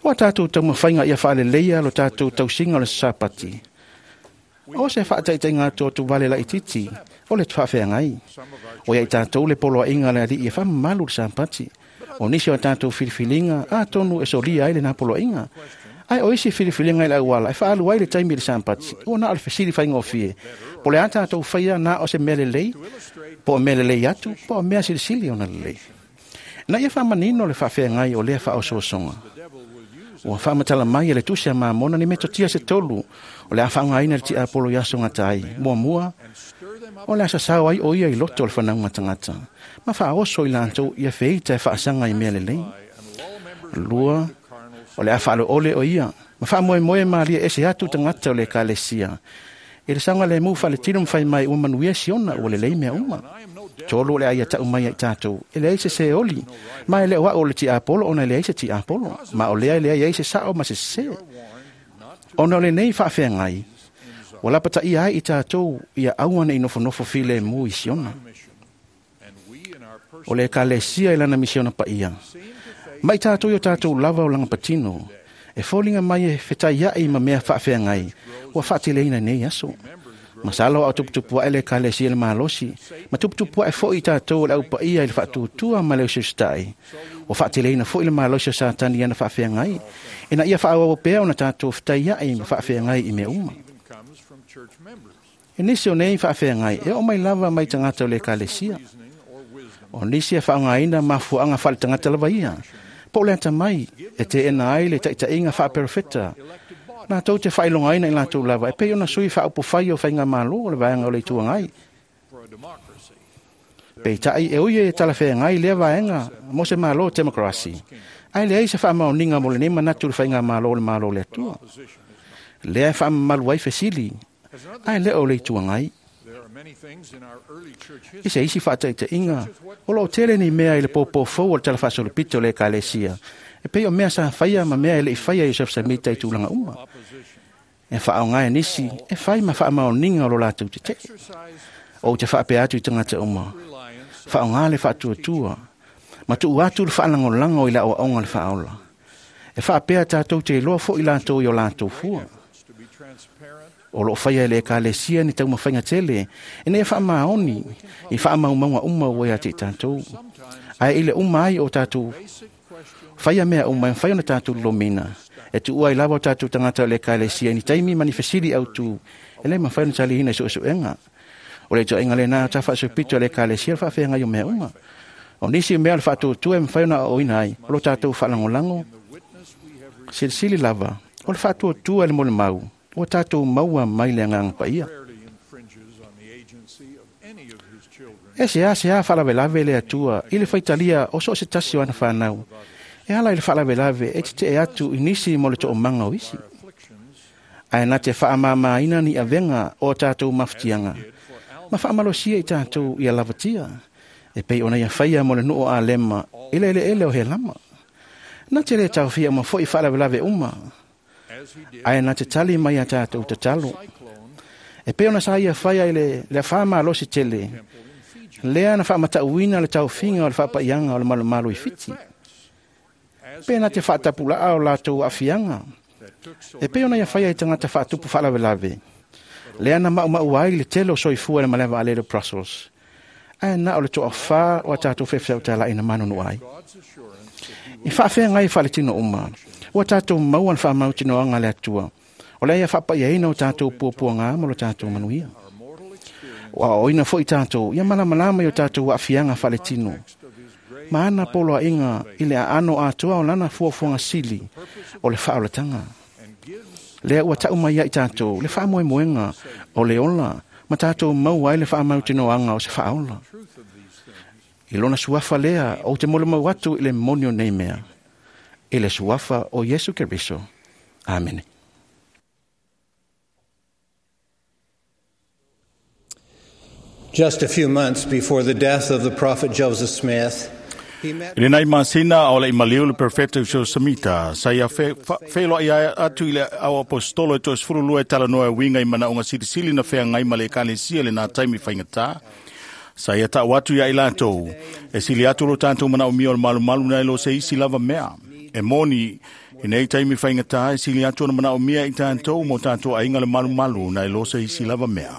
Ua tatou taumafaiga ia faaleleia lo tatou tausiga o le Sapati. O se faataitaiga atu atu vale laititi o le faafeagai. O ia i tatou le poloaiga le alii e faamamalu le Sapati. O nisi o tatou filifiliga atonu e solia ai lena poloaiga. Ae o isi filifiliga i le auala e faalu ai le taimi i le Sapati, ua na o le fesili faigofie. Po le a tatou faia na o se mea lelei, po o mea lelei atu, po o mea silisili ona lelei. Na ia faamanino le faafeagai o lea faaosoosoga. Ua faamatala mai e le tusi a Mamona ni metotia se tolu o le a faaaogaina le tiapolo i aso gata ai. Muamua, o le a sasao ai o ia i loto o le fanauga tagata, ma faaoso i latou ia feita e faasaga i mea lelei. Lua, o le a faaloole o ia Ma faamoemoe malie ese atu tagata o le ekalesia i le saogalemu faaletino ma fai mai ua manuia siona ua lelei mea uma. Tolu o le aia taʻu mai ai tatou e leai se seoli, ma e le o aʻu o le tiapolo ona e leai se tiapolo, ma o lea e leai ai se saʻo ma se sesē. Ona o lenei faafeagai ua lapataia ai i tatou ia aua neʻi nofonofo filemu i siona. O le ekalesia i lana misiona paia ma i tatou i o tatou lava o lagapatino e foliga mai e fetaiaʻi ma mea faafeagai ua faateleina nei aso. Masalo aʻo tuputupu aʻe le ekalesia le malosi ma tuputupu aʻe foʻi i tatou o le aupaia i le faatuatua ma le usiusitaʻi. Ua faateleina foʻi le malosi o Satani ana faafeagai ina ia faaauau pea ona tatou fetaiaʻi ma faafeagai i mea uma. E nisi o nei faafeagai e oo mai lava mai tagata o le ekalesia. O nisi e faaaogaina mafuaaga faaletagata lava ia, po o le atamai e teena ai le taʻitaʻiga faaperofeta latou te faailogaina i latou lava e pei ona sui faaupufai o faigamālō o le vaega o le Itu Agai. Peitaʻi e ui e talafeagai lea vaega mo se mālō temokarasi, ae leai se faamaoniga mo lenei manatu i le faigamālō o le Malo o le Atua. Lea e faamamalu ai fesili, ae le o le Itu Agai. I se isi faataitaiga, o loo tele nei mea i le pōpō fou o le Tala Faasolopito o le Ekalesia, e pei o mea sa faia ma mea e leʻi faia Iosefa Samita i tulaga uma. E faaaoga e nisi e fai ma faamaoniga o lo latou teteʻe. Ou te faapea atu i tagata uma, faaaoga le faatuatua, ma tuu atu le faalagolago i le aoaoga o le faaola. E faapea tatou te iloa foʻi latou i o latou fua. O loo faia e le ekalesia ni taumafaiga tele ina ia faamaoni i faamaumauga uma ua ia te i tatou. Ae i le uma ai o tatou faia mea uma e mafai ona tatou lolomina, e tuua ai lava o tatou tagata o le ekalesia i ni taimi ma ni fesili autū e lē mafai ona taliina i suesuega. O le ituaiga lenā o tafaasolopito o le ekalesia le faafeagai o mea uma. O nisi mea o le faatuatua e mafai ona aoaoina ai o lo tatou faalagolago silisili lava o le faatuatua i le molimau ua tatou maua mai le agaga paia. E se a se a faalavelave le Atua i le faitalia o so o se tasi o ana fanau, e ala i le faalavelave e teteʻe atu i nisi mo le toomaga o isi. Ae na te faamāmāina ni avega o tatou mafatiaga, ma faamalosia i tatou ia lavatia, e pei ona ia faia mo le nuu o Alema i le eleele o Helama. Na te lē taofia uma foʻi faalavelave uma, ae na te tali mai a tatou tatalo. E pei ona sa ia faia i le, le afā malosi tele, lea na faamataʻuina le taofiga o le faapaiaga o le malomalo i Fiti. Pe na te faatapulaa o latou aafiaga, e pei ona ia faia i tagata faatupu faalavelave, lea na maʻumaʻu ai le tele o soifua i le malae vaalele o Brussels, ae na o le toafā o a tatou fefesautalaʻi na manunua ai. I faafeagai faaletino uma, ua tatou maua le faamautinoaga a le Atua, o lea ia faapaiaina o tatou puapuagā ma lo tatou manuia. Ua aoaoina foʻi tatou ia malamalama i o tatou aafiaga faaletino, ma ana poloaiga i le aano atoa o lana fuafuaga sili o le faaolataga. Lea ua taʻu mai ai tatou le faamoemoega o le ola ma tatou maua ai le faamautinoaga o se faaola. I lona suafa lea ou te molimau atu i le moni o nei mea, i le suafa o Iesu Keriso. Amene. Just a few months before the death of the prophet Joseph Smith, I lenei masina o le imaliu le perfecto so samita sa ia fe feloai ia atu i le au apostolo e toesefulu lua e talanoa e uiga i manaʻoga silisili na feagai ma le ekalesia lenā taimi faigatā. Sa ia taʻu atu ia i latou e sili atu lo tatou manaʻomia o le malumalu nai lo se isi lava mea. E moni i nei taimi faigatā e sili atu ona manaʻomia i tatou mo tatou aiga le malumalu nai lo se isi lava mea.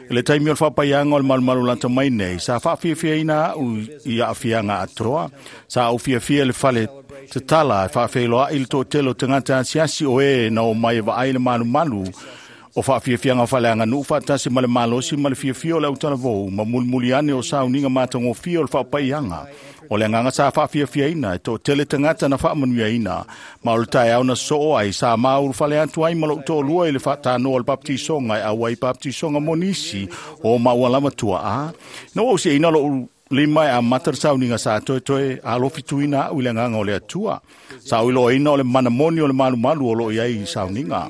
I le taimi o le faapaiaga o le malumalu lata mai nei, sa faafiafiaina aʻu i aafiaga atoa, sa ou fiafia i le fale tatala e faafeiloaʻi le toatele o tagata asiasi o e na o mai e vaai le malumalu o faafiafiaga faaleaganuu faatasi ma le malosi ma le fiafia o le autalavou ma mulimuli ane o sauniga matagofie o le faapaiaga. O le agaga sa faafiafiaina e toatele tagata na faamanuiaina, ma o le taeao na soo ai sa maulufale atu ai ma lou toalua i le faatanoa o le baptisoga e auai baptisoga mo nisi o maua lava tuaa. Na ua usiaina lou lima e amata le sauniga sa toetoe alofituina a'u i le agaga o le Atua. Sa o iloaina o le manamoni o le malumalu o loo i ai i sauniga.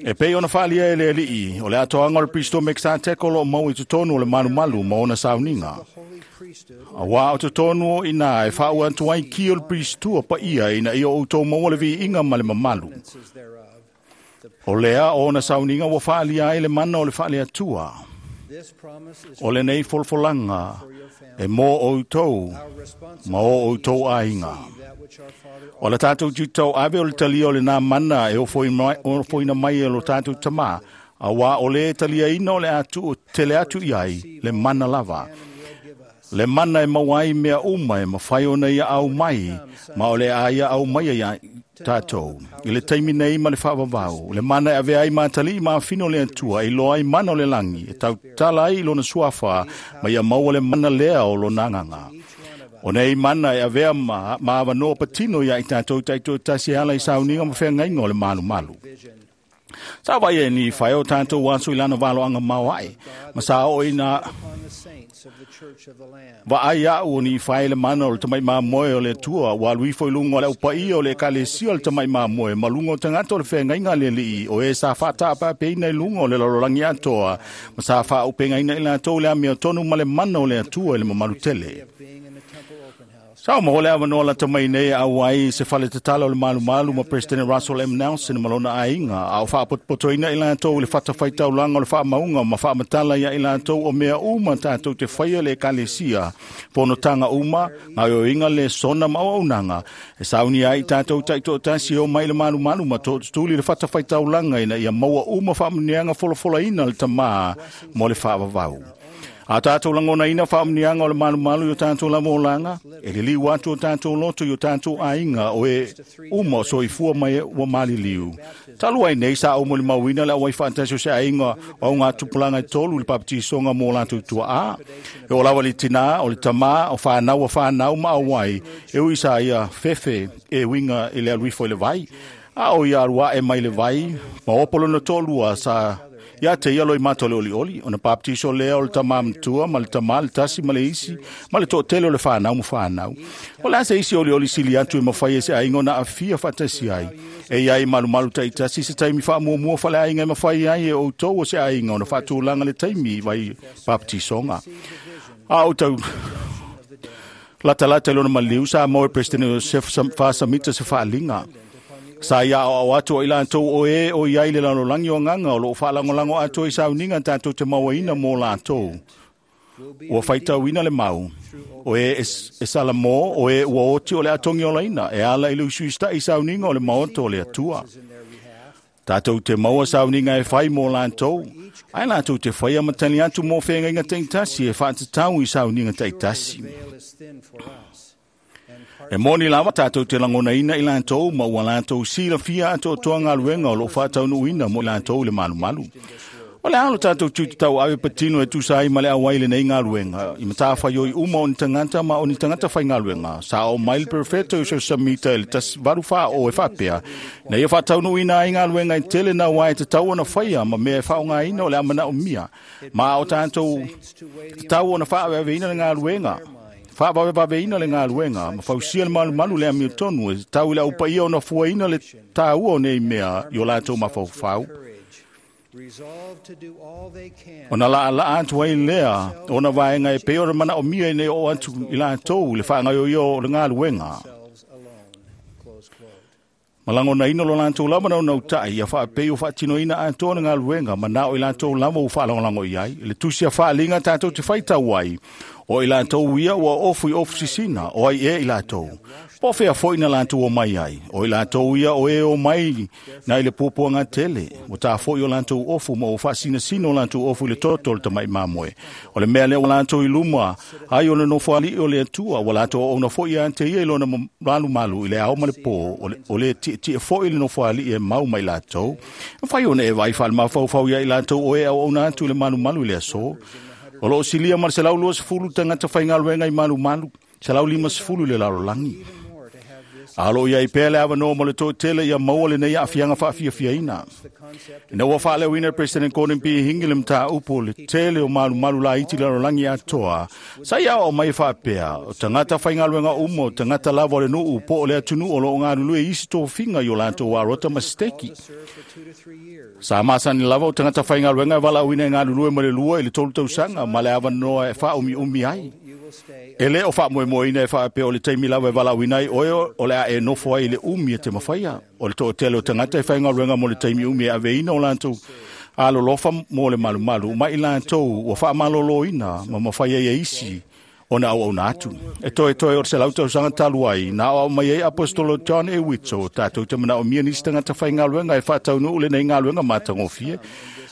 E pei ona faalia e le Alii, o le atoaga o le Pristo Mekisateko o loo mau i totonu o le malumalu ma ona sauniga. Auā o totonu o ina e faaua atu ai ki o le Pristua paia ina ia outou maua le viiga ma le mamalu. O lea o ona sauniga ua faalia ai le mana o le faaleatua. O lenei folafolaga e mo outou ma o outou aiga. O le tatou tiutau ave o le talia o lenā mana e ofoina mai e lo tatou tamā, auā o lē taliaina o le atu tele atu i ai le mana lava. Le mana e maua ai mea uma e mafai ona ia au mai, ma o le a ia au mai ia tatou. I le taimi nei ma le faavavau, le mana e ave ai matalii ma afino le Atua, e iloa ai mana o le lagi, e tautala ai i lona suafa, ma ia maua le mana lea o lona agaga. O nei mana e avea ma, ma avanoa patino ia i tatou taitoatasi e ala i sauniga ma feagaiga o le malumalu. Sa vai e ni whai o tātou aso i lana valoanga mauae, ma sa o ina va ai au o ni whai le mana o le tamai mamoe o le Atua, ua alu ifo i luga o le aupaia o le ekalesia o le tamai mamoe, ma luga o tagata o le feagaiga a le Alii, o e sa faataapeapeina i luga o le lalolagi atoa, ma sa faaupegaina i latou le amiotonu ma le mana o le Atua i le mamalu tele. Sa o maua le avanoa lata mai nei au ai se fale tatala o le malumalu ma President Russell M. Nelson ma lona aiga, a o faapotopotoina i latou i le fatafaitaulaga o le faamauga ma faamatala ia i latou o mea uma tatou te faia le ekalesia, fonotaga uma, gaoioiga le sona ma auaunaga, e saunia ai tatou taitoatasi e o mai le malumalu ma tootutuli le fatafaitaulaga ina ia maua uma faamuniaga folafolaina le tamā mo le faavavau. A tātou lagonaina faamuniaga o le malumalu i o tātou lava olaga, e liliu atu o tātou loto i o tātou aiga o e uma o soifua mai ua maliliu. Talu ai nei sa ou molimauina le auai faatasi o se aiga o au gatupulaga e tolu i le papatisoga mo latou tuaā. E o lava le tinā, o le tamā, o whanau a whanau ma auai, e ui sa ia fefe e uiga i le alu ifo i le vai. A o ia alu ae mai le vai, ma opo lona toʻalua sa ia te ia loi mato le olioli, ona baptiso lea o le tamā matua, ma le tamā le tasi ma le isi, ma le toʻatele o le whanau ma whanau. O le a se isi olioli sili atu e mawhai e se aiga ona aafia faatasi ai. E ia i malumalu taitasi se taimi faamuamua faleaiga e mafai ai e outou o se aiga ona faatulaga le taimi vai baptisoga. A o tau latalata i lona maliu sa mo e President Joseph Faasamita se faaliga. Sa ia au atu o i latou o e o iai le lalolagi o agaga o loo faalagolago atoa i sauniga tatou te mauaina mo latou. Ua faitauina le mau, o e e Salamo, o e ua oti o le atogi olaina, e ala i le usuistaʻi i sauniga o le maoto o le Atua. Tatou te maua sauniga e fai mo latou, ae latou te faia ma tali atu mo feagaiga taitasi e faatatau i sauniga taitasi. E moni lava tatou te lagonaina i latou ma ua latou silafia atoatoa galuega o loo faataunuuina mo i latou i le malumalu. O le a lo tatou tiutatau ave patino e tusa ai ma le auai lenei galuega, i matafaioi uma o ni tagata ma o ni tagata faigaluega. Sa oo mai le Perfeto i Samita i le tasi valu fā o e faapea, na ia faataunuuina ai galuega e tele na uae tatau ona faia ma mea e faaaogaina o le a manaomia, ma o tatou tatau ona faaveaveina le galuega. Faavavevaveina le galuega, ma fausia le malumalu le amiotonu e tau i le aupaia ona fuaina le tāua o nei mea i o latou mafaufau. Ona laalaa atu ai lea ona vaega e pei o le manaomia ina ia oo atu i latou i le faagaoioia o le galuega. Ma lagonaina lo latou lava naunautaʻi ia faapei o faatinoina atoa le galuega manao i latou lava ua faalagolago i ai. I le tusi a faaliga tatou te faitau ai, o i latou ia ua ofu i ofu sisina, o ai e i latou. Po fea foi na latou o mai ai, o i latou ia o e o mai na i le puapuaga tele, ua tafoʻi o latou ofu ma ua faasinasina o latou ofu i le toto o le tamaʻi mamoe. O le mea lea ua latou i luma ai o le nofoalii o le Atua, ua latou auauna foi ia te ia i lona malumalu i le ao ma le pō, o le tietie foi le nofoalii e mau mai latou. Mafai ona e vaai faalemafaufau ia i latou o e auauna atu i le malumalu i le aso. O loo silia ma le selau luasefulu tagata faigaluega i malumalu, selau limasefulu i le lalolagi. A lo iai pea le avanoa mo le toatele ia maua lenei aafiaga faafiafiaina. Ina ua faaleoina e President Gordon B. Hinckley le mataupu le tele o malumalu laiti i le lalolagi atoa, sa ia aoao mai e faapea, o tagata faigaluega uma o tagata lava o le nuu po o le atunuu o loo galulue i isi tofiga i o latou arota ma siteki. Sa masani lava o tagata faigaluega e valaauina e galulue ma le lua i le tolu tausaga ma le avanoa e faaumiumi ai. E le o faamoemoeina e faapea o le taimi lava e valaauina ai oe o le a e nofo ai i le umi e te mafaia. O le toatele o tagata e faigaluega mo le taimi umi e aveina o latou alolofa mo le malumalu ma i latou ua faamaloloina ma mafai ai e isi ona auauna atu. E toetoe o le selau tausaga talu ai, na aoao mai ai Apostolo John A. Widtsoe, tatou te manaomia nisi tagata faigaluega e faataunuu lenei galuega matagofie.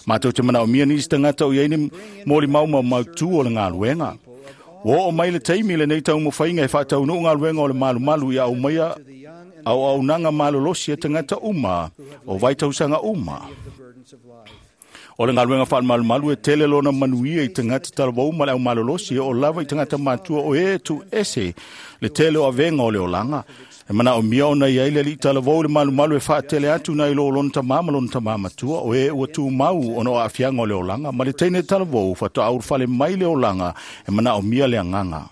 Matou te manaomia nisi tagata o i ai ni molimau ma mautu o le galuega. Ua oo mai le taimi lenei taumafaiga e faataunuu galuega o le malumalu ia aumaia auaunaga malolosi a tagata uma o vaitausaga uma. O le galuega faamalumalu e tele lona manuia i tagata talavou ma le aumalolosi e oo lava i tagata matua o e tuuese le tele o avega o le olaga. E manaomia ona i ai le alii talavou i le malumalu e faatele atu nai lo lona tamā ma lona tamā matua o e ua tumau ona o aafiaga o le olaga ma le teine talavou faatoa ulufale mai le olaga e manaomia le agaga.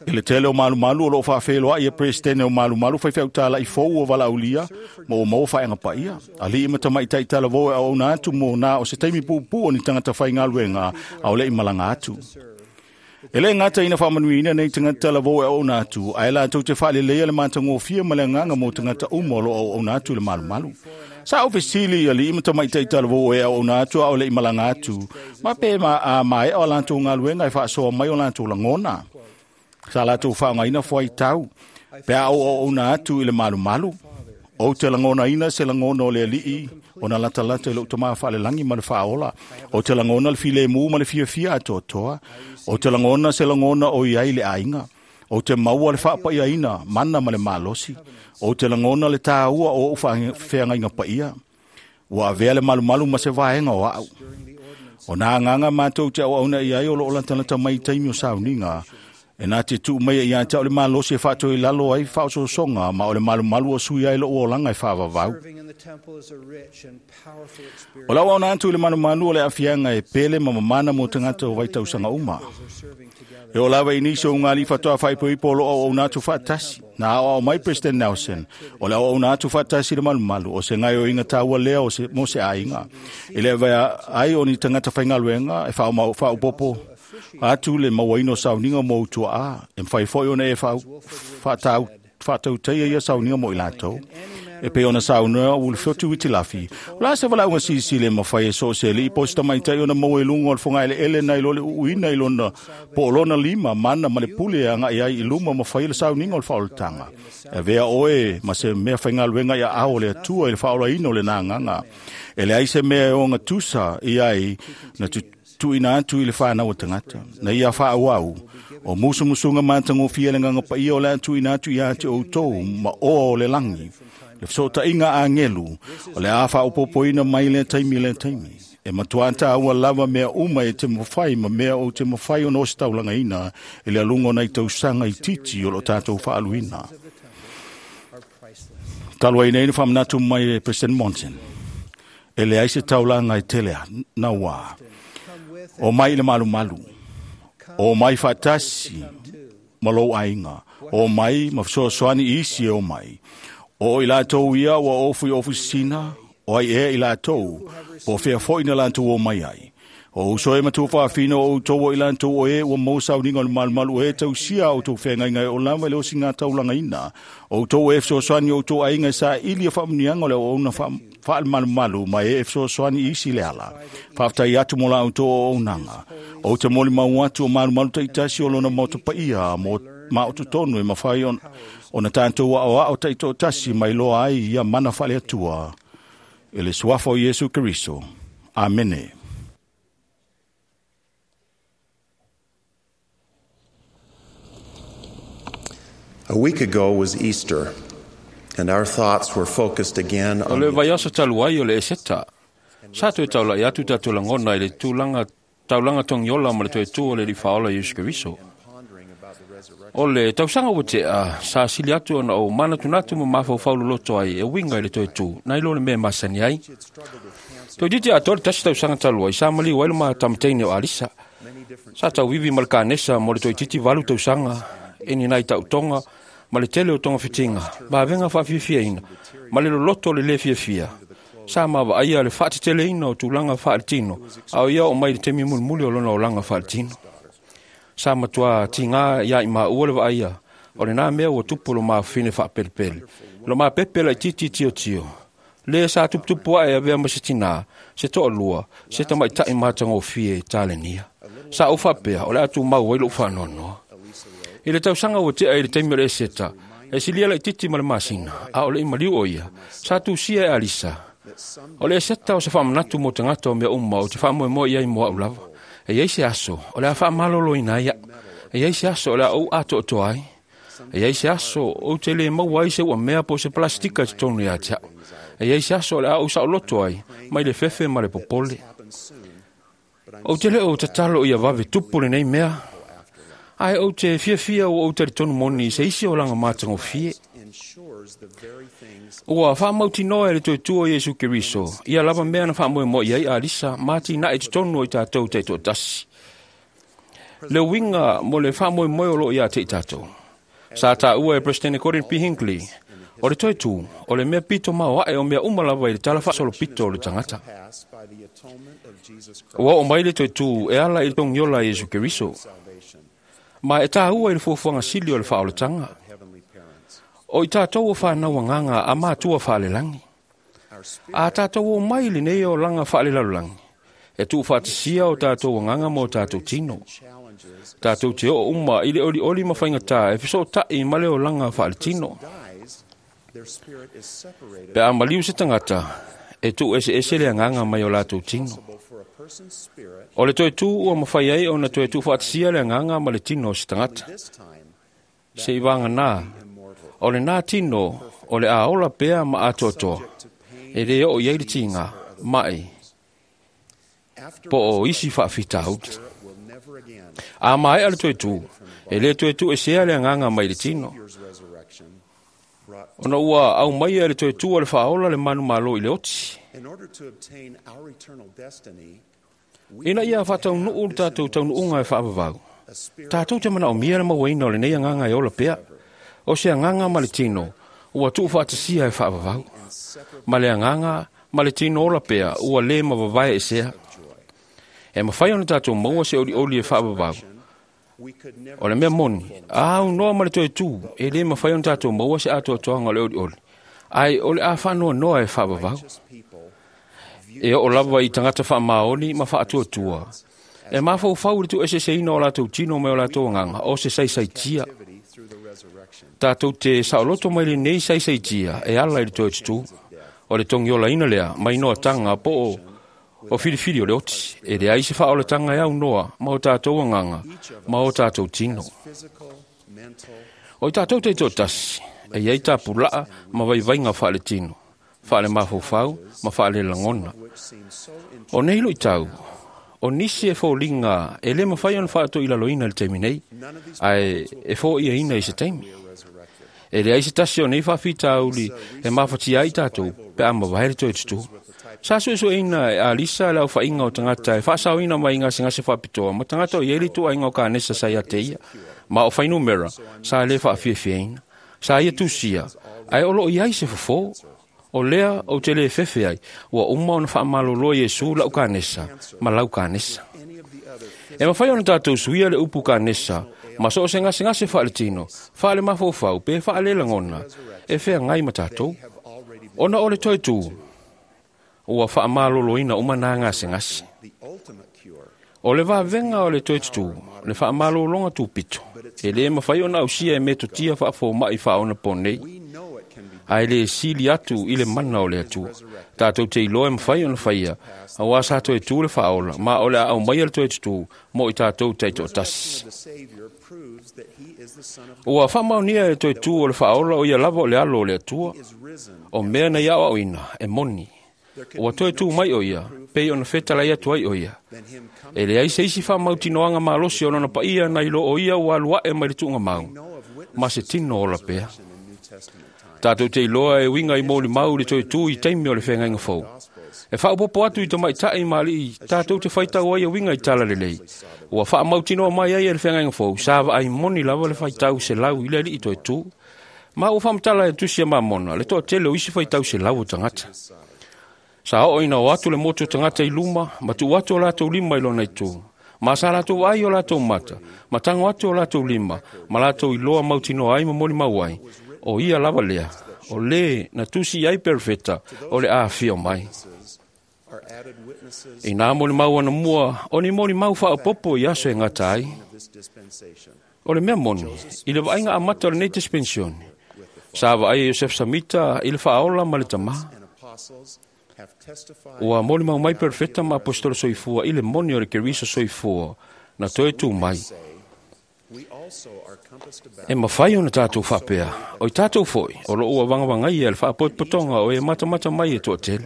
I le tele o malumalu o loo faafeiloai e Peresetene o malumalu faifeau fou o valaaulia ma ua maua faeaga paia. Alii ma tamaitai talavou e auauna atu mo na o se taimi puupuu o ni tagata faigaluega a o le i malaga atu. E le gata ina faamanuiina nei tagata talavou e auauna atu, ae latou te faaleleia le matagofie ma le agaga mo tagata uma o loo auauna atu i le malumalu. Sa ou fesili i alii ma tamaitai talavou e auauna atu a o le i malaga atu, ma pe ma a maea o latou galuega e faasoa mai o latou lagona. Sa latou faaaogaina fuaitau, pe a ou auauna atu i le malumalu. Ou te lagonaina se lagona o le alii ona latalata i lou tamā faalelagi ma le faaola. Ou te lagona le filemu ma le fiafia atoatoa. Ou te lagona se lagona o i ai le aiga. Ou te maua le faapaiaina mana ma le malosi. Ou te lagona le tāua o ou feagaiga paia. Ua avea le malumalu ma se vaega o au. O nā agaga matou te auauna i ai o loo latalata mai i taimi o sauniga. E nā te tuu mai ia te au le malosi e faatoi lalo ai faaososoga ma o le malumalu o sui ai lou olaga e faavavau. O lau auauna atu i le malumalu o le aafiaga e pele ma mamana mo tagata o vaitausaga uma. E oo lava i nisi o ugalii faatoa faaipoipo o loo auauna atu faatasi. Na aoao mai President Nelson, o le auauna atu faatasi i le malumalu o se gaoioiga taua lea o se, mo se aiga. E le avea ai o ni tagata faigaluega e faaopopo atu le mauaina o sauniga mo utuaa, e mafai foi ona e faatau faatautaia ia sauniga mo i latou. E pei ona saunoa Ulufiotu Witilafi, o la se valaauga silisili e mafai e so o se alii po o se tamaitai ona maua i luga o le fogaeleele nai lo le uuina i lona po o lona lima mana ma le pule e agai ai i luma ma fai le sauniga o le faaolataga. E avea oe ma se mea faigaluega ia ao o le Atua i le faaolaina o lena agaga. E leai se mea e ogatusa i ai na tuuina atu i le fanau o tagata. Na ia faaauau o musumusuga matagofie le agaga paia o le a tuuina atu ia te outou ma oa o le lagi. Le fesootaiga agelu o le a faaopopoina mai lea taimi lea taimi. E matuā tāua lava mea uma e te mafai ma mea o te mafai ona ositaulagaina i le aluga o nai tausaga itiiti o loo tatou faaluina. Talu ai nei na faamanatu mai e President Monson. E leai se taulaga e tele nauā. O mai i le malumalu. O mai faatasi ma lou aiga. O mai ma fesoasoani i isi e o mai. O i latou ia ua ofu i ofisina, o ai ea i latou, po o fea foi na latou o mai ai. O uso e matua faafina o outou o i latou o e ua maua sauniga o le malumalu o e tausia a outou feagaiga e o lava i le osiga taulagaina. O outou e fesoasoani o outou aiga e saili e faamuniaga o le auauna faalemalumalu ma e e fesoasoani i isi le ala. Faafetai atu mo la outou auaunaga. Ou te molimau atu o malumalu taitasi o lona maota paia mo ma o totonu e mafai ona tatou aoao taitoatasi mai loa ai ia mana faaleatua i le suafa o Iesu Keriso. Amene. A week ago was Easter, and our thoughts were focused again O on le vaiaso talu ai o le Eseta. Sa toe taulai atu tatou lagona i le tulaga taulaga togiola ma le toe tu o le Alii Faaola Iesu Keriso. O le tausaga ua tea, sa sili atu ona o manatunatu ma mafaufau loloto ai e uiga i le toe tu, nai lo le mea masani ai. Toeitiiti atoa le tasi tausaga talu ai, sa maliu ai le matamateine o Alisa. Sa tauivi ma le kanesa mo le toeitiiti valu tausaga, e ni nai tautoga, ma le tele o togafitiga, ma avega faafiafiaina, ma le loloto o le lē fiafia. Sa mavaaia le faateteleina o tulaga faaletino, a o ia oo mai i le taimi mulimuli o lona olaga faaletino. Sa matuā tigā iā i maua le vaaia o lenā mea ua tupu lo mafafine faapelepele, lo mapepe laitiiti tiotio, lē sa tuputupu aʻe avea ma se tinā, se toalua, se tamaitaʻi matagofie i talenia. Sa ou faapea o le a tumau ai loʻu faanoanoa. I le tausaga ua tea i le taimi o le Eseta, e silia laitiiti ma le masina, a o leʻi maliu o ia, sa tusia e Alisa. O le Eseta o se faamanatu mo tagata o mea uma ou te faamoemoe i ai mo aʻu lava. E iai se aso o le a faamaloloina ai aʻu. E iai se aso o le a ou atoatoa ai. E iai se aso ou te lē maua ai se uamea po o se palastika i totonu iā te aʻu. E iai se aso o le a ou saoloto ai mai le fefe ma le popole. Ou te lē o tatalo ia vave tupu lenei mea, ae ou te fiafia ua ou talitonu moni i se isi olaga matagofie. Ua faamautinoa e le toe o Iesu Keriso ia lava mea na faamoemoe i ai Alisa ma atinae i totonu o i tatou taitoatasi. Le uiga mo le faamoemoe o loo iā te i tatou. Sa taua e Presidente Gordon P. Hinckley, o le toe tu, o le mea pito maoaʻe o mea uma lava i le tala faasolopito o le tagata. Ua oo mai le toe tu e ala i le togiola a Iesu Keriso. Ma e tāua i le fuafuaga sili o le faaolataga. O i tatou o whanau agaga a matua faalelagi. A tatou o mai lenei olaga faalelalolagi, e tuufaatasia o tatou agaga ma o tatou tino. Tatou te oo uma i le olioli ma faigatā e fesootaʻi ma le olaga faaletino. Pe a maliu se tagata, e tuueseese le agaga mai o latou tino. O le toe tu ua mafai ai ona toe tuufaatasia le agaga ma le tino o se tagata. Se i vaganā, o lenā tino o le a ola pea ma atoatoa, e lē oo i ai le tiga, maʻi, po o isi faafitauli. A maea le toe tu, e lē toe tuuesea le agaga mai le tino. Ona ua aumaia e le toe tu a le faaola le manumalo i le oti. Ina ia faataunuu le tatou taunuuga e faavavau, tatou te manaomia le mauaina o lenei agaga e ola pea. O se agaga ma le tino ua tuufaatasia e faavavau, ma le agaga ma le tino ola pea ua lē mavavae esea. E mafai ona tatou maua se olioli e faavavau. O le mea moni, a aunoa ma le toe tu, e lē mafai ona tatou maua se atoatoaga o le olioli, ae o le a faanoanoa e faavavau. E oo lava i tagata faamaoni ma faatuatua, e mafaufau i le tuueseeseina o latou tino mai o latou agaga o se saisaitia. Tatou te saoloto mai lenei saisaitia e ala i le toe tutū. O le togiolaina lea mai noataga po o o filifili o le oti, e leai se faaolataga e aunoa ma o tatou agaga ma o tatou tino. O i tatou taitoatasi, e iai tapulaa ma vaivaiga faaletino, faalemafaufau ma faalelagona. O nei luitau, o nisi e foliga e lē mafai ona faatoilaloina i le taimi nei, ae e foʻiaina i se taimi. E leai se tasi o nei faafitauli e mafatia ai tatou pe a mavae le toe tutū. Sa suesueina e Alisa le aofaiga o tagata e faasaoina mai i gasegase faapitoa ma tagata o i ai le ituaiga o kanesa sa ia te ia, ma o fuainumera sa lē faafiafiaina. Sa ia tusia, ae o loo i ai se fofō. O lea ou te lē fefe ai, ua uma ona faamalolo Iesu lau kanesa ma lau kanesa. E mafai ona tatou suia le upu kanesa ma so o se gasegase faaletino, faalemafaufau pe faalelagona e feagai ma tatou. Ona o le toe tu, ua faamaloloina uma nā gasegase. O le vavega o le toe tutū, le faamalologa tupito, e lē mafai ona ausia e metotia faafomaʻi faaonapo nei, ae lē sili atu i le mana o le Atua. Tatou te iloa e mafai ona faia, auā sa toe tu le faaola, ma o le a aumaia le toe tutū mo i tatou taitoatasi. Ua faamaonia e le toe tu o le faaola o ia lava o le alo o le Atua. O mea na ia aoaoina e moni, Ua toe tū mai o ia, pei ona fetalai atu ai o ia. E leai se isi faamautinoaga malosi o lona paia nai lo o ia ua alu ae mai le tuugamau, ma se tino ola pea. Tātou te iloa e uiga i molimau le toe tū i taimi o le feagaiga fou. E faaopoopo atu i tamaitai ma alii tātou te faitau ai e uiga i tala lelei. Ua faamautinoa mai ai e le feagaiga fou, sa vaai moni lava le faitau selau i le alii toe tū. Ma ua faamatala e tusi a Mamona, le toatele o isi faitau selau o tagata. Sa oo ina o atu le motu o tagata i luma, ma tuu atu o latou lima i lona itu. Ma sa latou ai o latou mata, ma tago atu o latou lima, ma latou iloa mautinoa ai ma molimau ai. O ia lava lea, o lē na tusi ai perofeta o le afio mai. I nā molimau anamua, o ni molimau faaopoopo i aso e gata ai. O le mea moni, i le vaaiga amata o lenei dispensione, sa vaai e Iosef Samita i le faaola ma le tamā. Ua molimau mai perofeta ma apostolo soifua i le moni o le Keriso soifua na toe tū mai. E mafai ona tātou faapea, o i tātou foi, o loo ua vagavagaia le faapotopotoga o e matamata mai e toatele.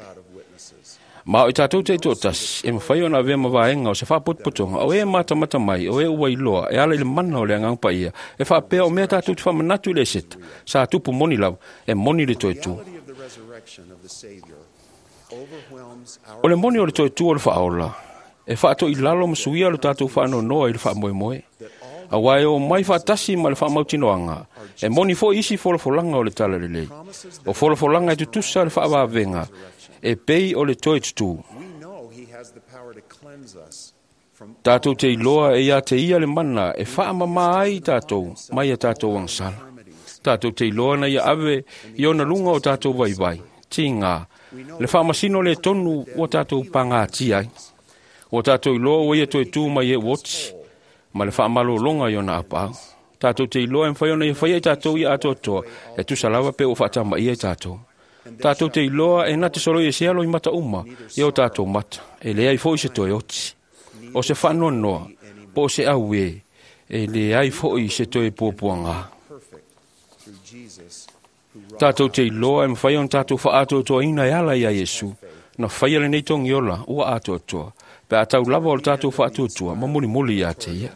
Ma o i tātou taitoatasi, e mafai ona avea ma vaega o se faapotopotoga o e matamata mai, o e ua iloa, e ala i le mana o le Agaga Paia, e faapea o mea tātou te faamanatu i le eseta, sa tupu moni lava, e moni le toe tū. O le moni o le toe tū o le faaola, e faatoilalo ma suia lo tātou faanoanoa i le faamoemoe. Auā e o mai faatasi ma le faamautinoaga, e moni foi isi folafolaga o le tala lelei. O folafolaga e tutusa le faavavega, e pei o le toe tutū. Tātou te iloa e ia te ia le mana e faamamā ai tātou mai a tātou agasala. Tātou te iloa na ia ave i ona luga o tātou vaivai, tigā, le faamasino le tonu ua tātou pagatia ai. Ua tātou iloa ua ia toe tū mai e ua oti, ma le faamalologa i ona apaau. Tātou te iloa e mafai ona ia faia i tātou ia atoatoa, e tusa lava pe ua faatamaia i tātou. Tātou te iloa e na te soloi e se alo i mata uma, i o tātou mata, e leai foi se toe oti. O se faanoanoa, po o se auē, e leai foi se toe puapuagā. Tātou te iloa e mafai ona tātou faatoatoaina e ala ia Iesu, na faia lenei togiola ua atoatoa, pe a tau lava o le tātou faatuatua ma mulimuli ia te ia.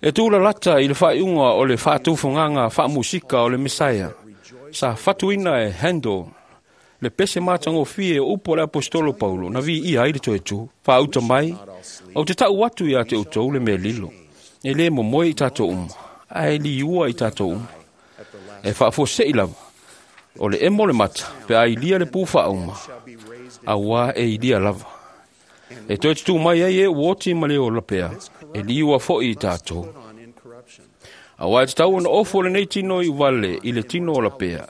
E tūlalata i le faaiuga o le faataufogaga faamusika o le Mesaia, sa fatuina e Handel le pese matagofie o upu o le apostolo Paulo na viia ai le toe tū. Faauta mai, ou te tau atu ia te outou le mea lilo, e lē momoe i tātou uma, ae liua i tātou uma. E faafuasei lava, o le emo le mata, pe a ilia le pū faauma, auā e ilia lava. E toe tutū mai ai e ua oti ma le ola pea, e liua foi i tātou. Auā e tatau ona ofu o lenei tino i uvale i le tino ola pea,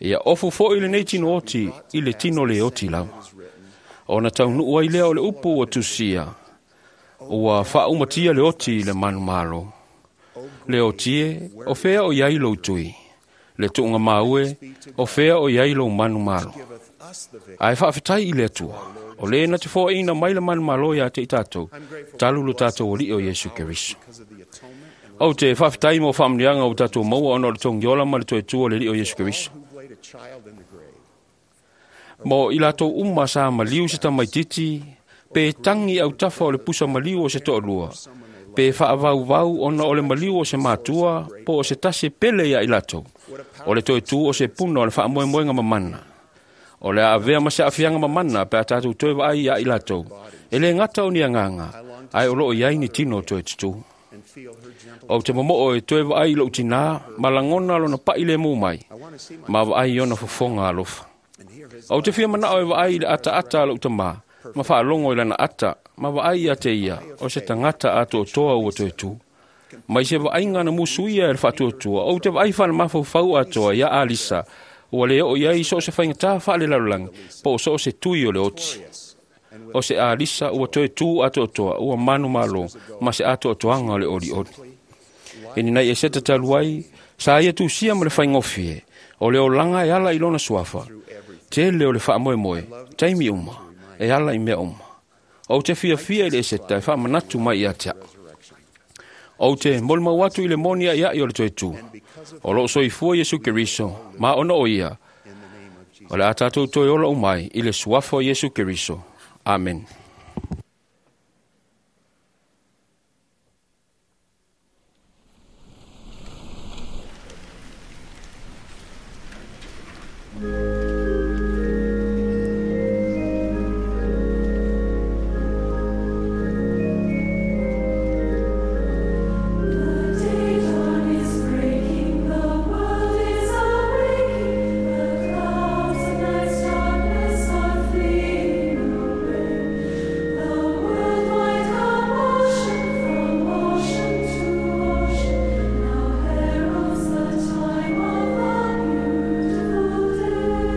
ia ofu foi lenei tino oti i le tino le oti lava. Ona taunuu ai lea o le upu ua tusia, ua faaumatia le oti i le manumalo. Le oti e, o fea o iai lou tui. Le tuuga maue, o fea o iai lou manumalo. Ae faafetai i le Atua, o lē na te foaina mai le manumalo iā te i tātou, talu lo tātou Alii o Iesu Keriso. Ou te faafetai mo faamanuiaga ua tātou maua ona o le togiola ma le toe tū o le Alii o Iesu Keriso. Mo i latou uma sa maliu se tamaititi, pe tagi autafa o le pusa maliu o se toalua, pe faavauvau ona o le maliu o se matua, po o se tasi e pele ia i latou. O le toe tū o se puna o le faamoemoega mamana. O le a avea ma se aafiaga mamana pe a tātou toe vaai ia i latou. E lē gata o ni agaga, ae o loo iai ni tino toe tutū. Ou te momoo e toe vaai i lou tinā, ma lagona lona pa'i lemu mai, ma vaai i ona fofoga alofa. Ou te fia manao e vaai i le ataata a lou tamā, ma faalogo i lana ata, ma vaai ia te ia, o se tagata atoatoa ua toe tū. Mai se vaaiga na musuia e le faatuatua, ou te vaai faalemafaufau atoa ia Alisa, ua le oo i ai so o se faigatā faalelalolagi, po o so o se tui o le oti. O se Alisa ua toe tū atoatoa, ua manumalo, ma se atoatoaga o le olioli. I ni nai eseta talu ai, sa ia tusia ma le faigofie, o le olaga e ala i lona suafa, tele o le faamoemoe, taimi uma, e ala i mea uma. Ou te fiafia i le eseta e faamanatu mai ia te au. Ou te molimau atu i le moni aiai o le toe tū. O loo soifua Iesu Keriso, ma ona o ia, O le a tātou toe ola umai i le suafa o Iesu Keriso. Amen. Time of the beautiful day.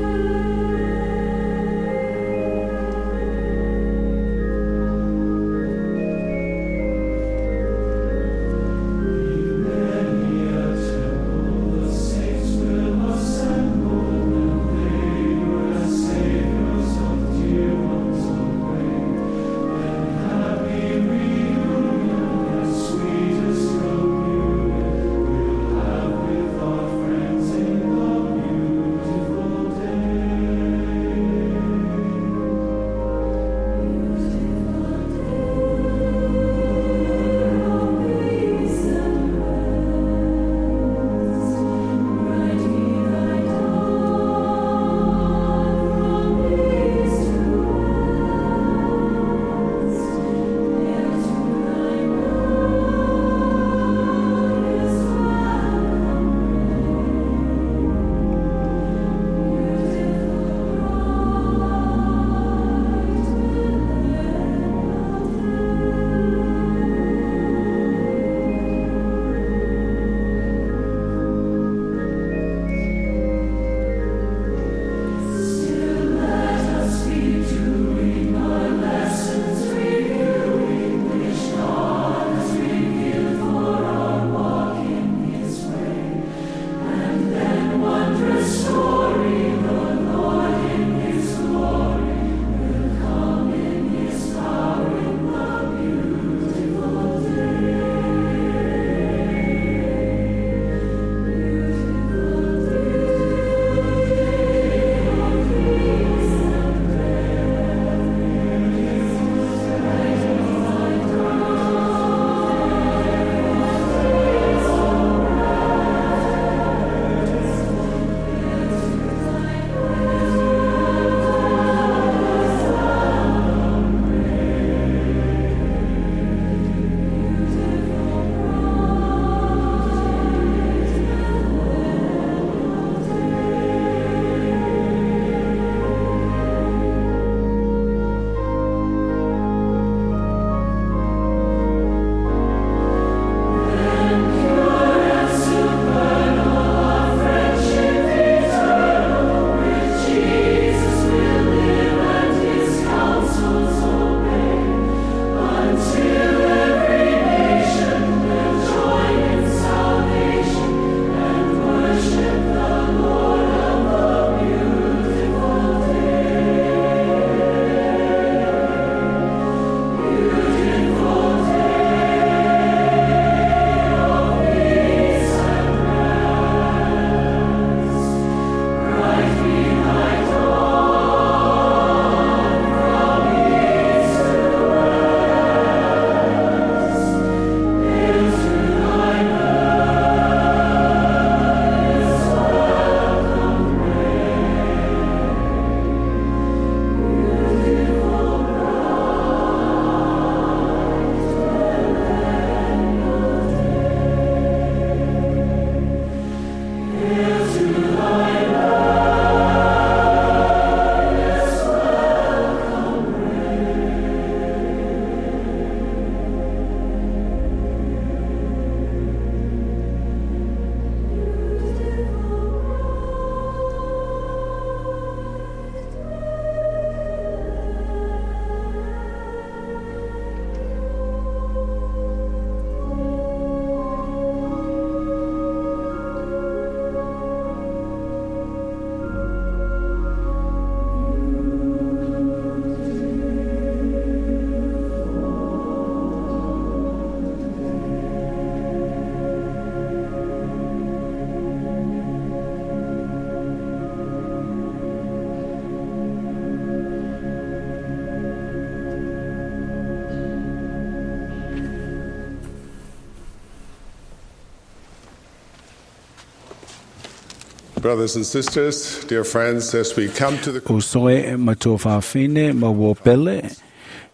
Brothers and sisters, dear friends, as we come to the Usoe matua whawhine ma wō pele.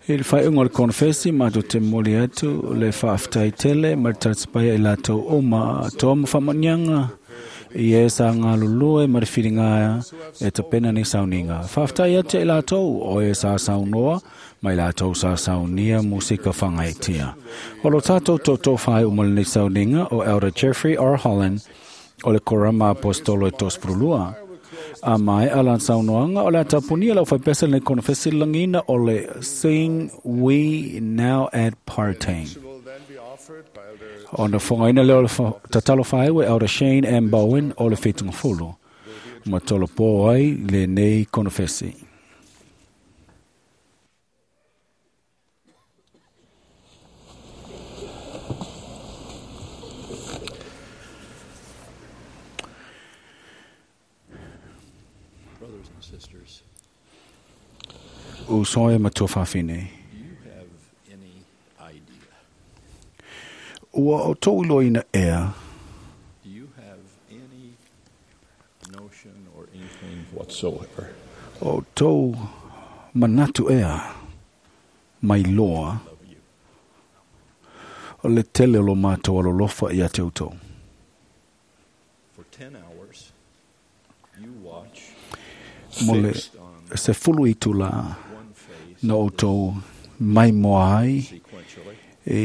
I le whaiunga o le konfesi mātou te moli atu le whaaftai tele ma le tatapaia i lātou o ma toa ma whamanianga i e sa ngā lulue ma le whiringa e tapena ni sauninga. Whaaftai atu i lātou o e sa saunoa ma i lātou sa saunia musika whangaitia. O lo tātou tō tō whai umale ni sauninga o Elder Jeffrey R. Holland o le Korama Apostolo e Tosprulua. A mai a lan saunoanga o le atapunia lau whaipesa le konfesi langina o le Sing We Now at Parting. O na whangaina leo le tatalo whaewe Elder Shane M. Bowen o le whitunga fulu. Ma tolo pō ai le nei konfesi. Brothers and sisters, Usoe matua whawhine. do you have any idea? Ua o tō iloina ea. Do you have any notion or inkling whatsoever O tō manatu ea mai loa o le tele o lo mātou alolofa ia te utou. For ten hours, you watch Mo le fixed on se fulu i tula na o tō mai moa ai sequentially. e,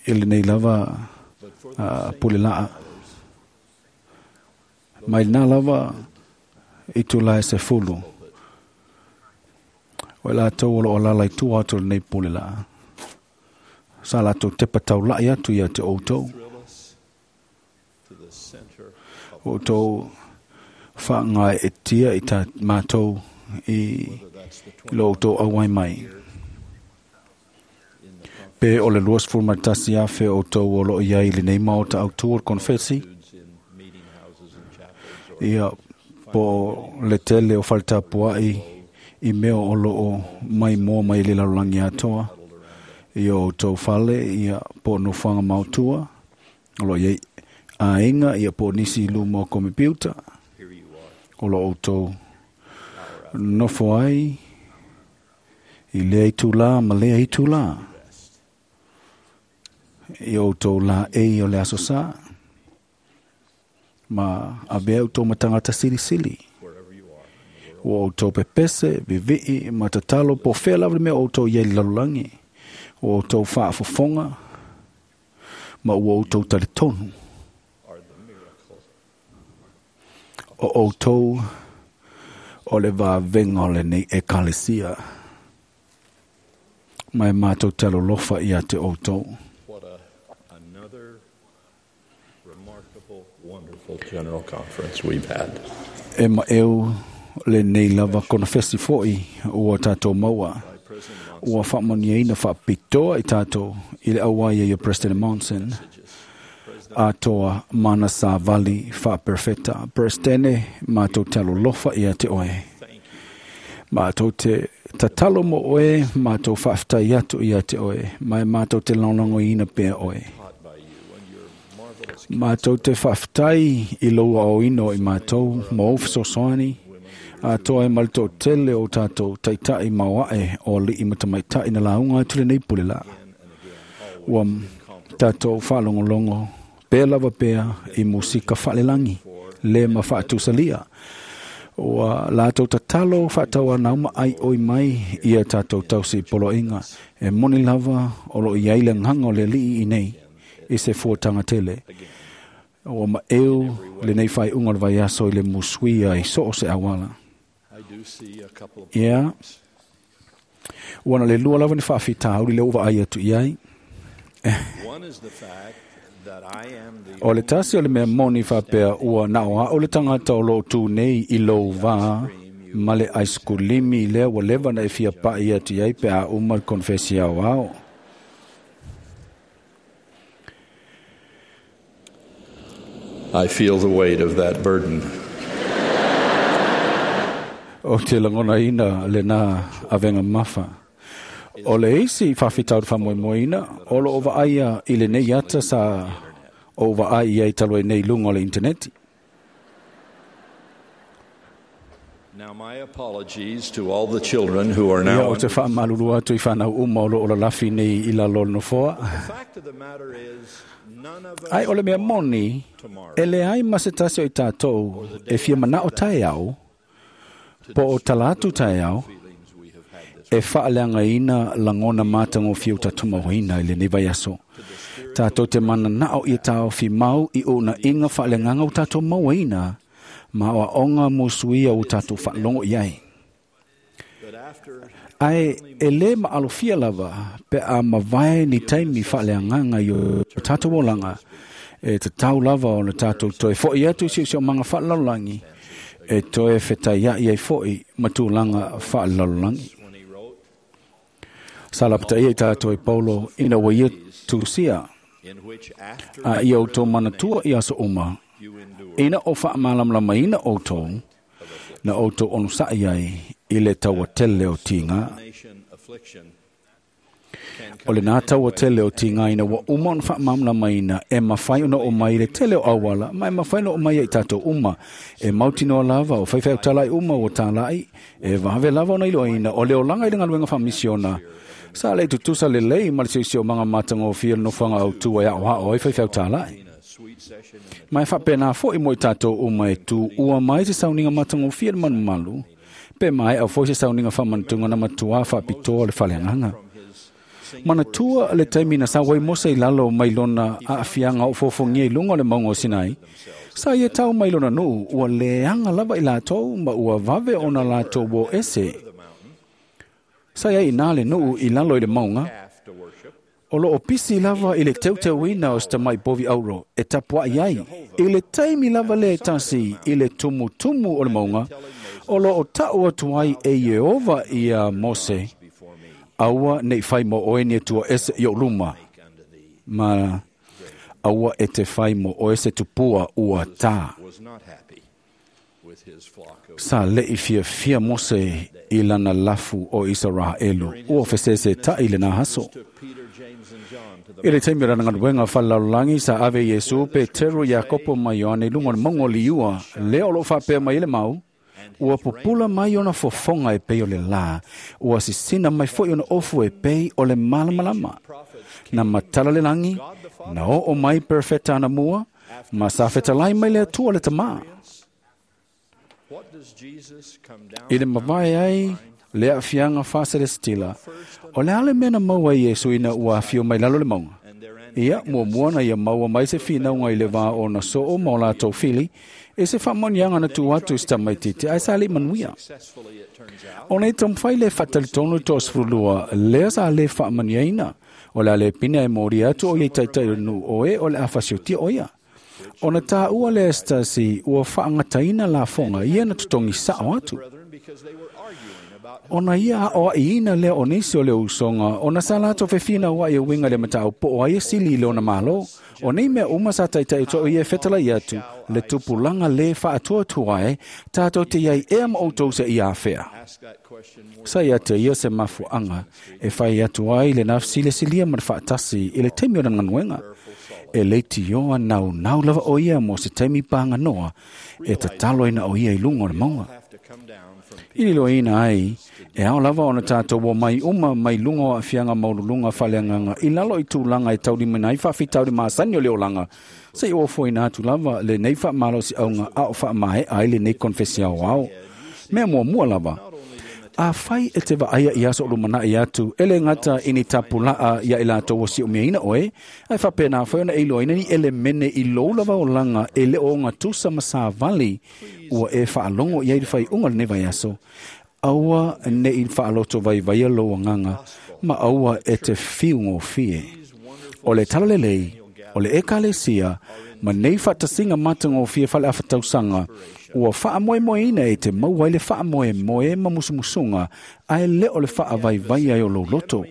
e le nei lava uh, pule laa. Mai nā lava i tula e se fulu. O e lātou o lo o lala i tua atu le nei pule laa. Sa lātou tepa tau lai atu ia te outou. Thrill us to the center of O tō whaangai e tia i tā mātou i lo o tō auai mai. Pe o le luas fulmatasi afe o tō o lo iai le nei maota au tua konfesi. Ia po le tele o faltapuai i mea o lo o mai moa mai le lalulangi atoa. Ia o tō fale, ia po no whanga mautua. O lo iai ainga, ia po nisi luma o komipiuta. O lo o tō nofo ai i lea itu la ma lea itu la. I o tō la e o le aso sa. Ma a bea o tō matangata silisili. O o tō pepese, vivii, ma tatalo, po whea lava le mea o tō iei lalulangi. O o tō whaafofonga, ma ua o tō taritonu. O o tō o le vāvenga o le nei ekalesia. Mai mātou talo lofa ia te o tō. What a, another remarkable, wonderful general conference we've had. E ma eu le nei lava kona fesi foi ua tātou maua. Ua whaamaniaina whaapitoa i tātou i le auai ia President Monson. Atoa mana sa vali whaaperfeta. Presidente, mātou talo lofa ia te oe. Mātou te tatalo mo oe, mātou whaaftai atu ia te oe. Mai mātou te launango ina pea oe. Mātou te whaaftai i loa o ino i mātou, mo ofsosoani. Atoa e malto tele o tātou taitai mauae o li i matamaitai na launga atu le nei pule la. Ua tātou whaalongolongo pea lava pea i musika whaalelangi, le ma whaatusalia. Ua lātou tatalo whaataua nauma ai oi mai ia tātou tausi poloinga. E moni lava o lo iai le nganga o le lii i nei i se fuatanga tele. Ua ma eu le nei whai unga le vaiaso i le musuia i so o se awala. I do see a couple of Ia. Ua na le lua lava ni whaafita uri le uva ai atu iai. One is the fact that I am the O le tasi o le mea moni whapea ua nao a o le tangata o lo tū nei i lou vā ma le aiskulimi lea ua leva na e fia pa'i atu iai pe a uma le konfesi au ao. I feel the weight of that burden. O te langona ina le nā avenga mafa. O le isi whawhitau te whamoemoeina, o lo o vaaia i le nei ata sa o vaai ai talo e nei lunga o le interneti. Now, my apologies to all the children who are Ia now. o te whaamalulu atu i whanau uma o lo o lalafi nei i la lolo nofoa. Ai o le mea moni, e le ai ma se tasi o i tātou e fia manao tae au, po o talatu tae au, e whaaleanga ina langona mātango whiu tātumauina i le nei vai aso. Tātou te mana nao i tāo fi mau i o na inga whaaleanganga o tātou mauaina, ma o aonga musuia o tātou whaalongo i ai. Ai e le maalofia lava pe a mavae ni taimi whaaleanganga i o tātou olanga, e te tau lava o na tātou toe foi atu si o manga whaalalolangi, e toe whetai ai ai foi matulanga whaalalolangi. Salapta ia i tātou e Paulo ina wa ia tusia, a ia o tō manatua i aso uma, ina o whaamalamlama ina o tō, na o tō onu sa'i ai i le taua tele o tinga. O le nā taua tele o tinga ina wa uma ona whaamalamlama ina e mawhai ona o mai le tele o awala, ma e mawhai ona o mai ai tātou uma, e mautinoa lava o whaiwhai o talai uma o tālai, e wahawe lava ona iloa ina o le olanga i le ngaluenga whamisiona. Sa le tutusa le lei ma le siusio manga mātanga o fia nofanga au tua e ao hao ai whaiwhai o tālai. Mai whapena fo i moi tātou o mai tū ua mai te sauninga mātanga o fia le manumalu, pe mai au fo se sauninga whamantunga na matua whapitoa le whaleanganga. Manatua le taimi na sawai Mose i lalo mai lona a afianga o fofongia i lunga o le maunga o Sinai, sa ia tau mai lona nuu ua leanga lava i lātou ma ua vave ona lātou wo ese. Sa ia i nā le nuu i lalo i le maunga, o lo o pisi lava i le teuteuina o stamai povi auro e tapua i ai, i le taimi lava le tasi i le tumu tumu o le maunga, o lo o tau atu ai e Iehova ia Mose, aua nei whai mo oe ni tua ese i o luma, ma aua e te whai mo oe se tupua ua tā. Sa le i fia fia Mose i lana lafu o Israelu, ua fesese ta i le nā haso. I le taimi rana ngaluenga whalalolangi sa ave Iesu pe Teru Iakopo mai Ioane lunga o mongo liua, leo lo whapea mai le mau, ua pupula mai ona fofonga e pei o le la, ua sisina mai foi ona ofu e pei o le malamalama. Na matala le langi, na o o mai perfeta ana mua, ma sa fetalai mai le atua le tamā. I le mavae ai, le afianga whaselestila, o le ale mena maua Iesu ina ua afio mai lalo le maunga. Ia, mua mua na ia maua mai se whinaunga i le vā o na soo ma o lātou fili, e se whamonianga na tū atu i tamaititi ai sa le manuia. O nei tamwhai le whatalitono tō sfurulua, lea sa le whamaniaina, o le ale pina e mori atu o iei taitai o nu oe o le awhasiotia o ia. O na tā ua le estasi ua whaangataina la fonga ia na tutongi sao atu. Ona ia o ina le o nisi o le usonga, ona sa lato fefina wa i winga le matau po o ai sili le ona malo, o nei mea uma sa taitai to ia fetala i atu, le tupulanga le whaatua tuae, tātou te iai ea ma outou se i awhea. Sa ia te ia se mafuanga, e whai atu ai le nafsi le silia ma whaatasi i le taimi o na nganuenga. E leiti ioa nau nau lava o ia mo se taimi pānga noa, e tatalo ina o ia i lunga o le maunga. I lilo ina ai, e ao lava ona tātou o mai uma mai lunga o afianga maululunga whaleanganga i lalo i tūlanga e tauri mina i whawhitauri maasani o le olanga. Se i ofo ina atu lava le nei whaamalo si aunga a o whaamae ai le nei konfesia o ao. Mea mua mua lava. A whai e te vaaya i aso lumana i atu, ele ngata ini tapulaa ia i lātou o si o mea ina oe, ai whapena whai ona ilo ina ni ele mene i lou lava o langa e le o ngā tusa masāvali ua e whaalongo i ai whai unga le ne vai aso. Aua ne i whaaloto vai vai lo nganga, ma aua e te whiungo fie. O le talalelei, o le ekalesia, ma nei whatasinga matango fie whale awhatausanga, ua whaamoemoe ina e te mauai le whaamoemoe ma musumusunga, ae le o le whaavaivai ai o loloto.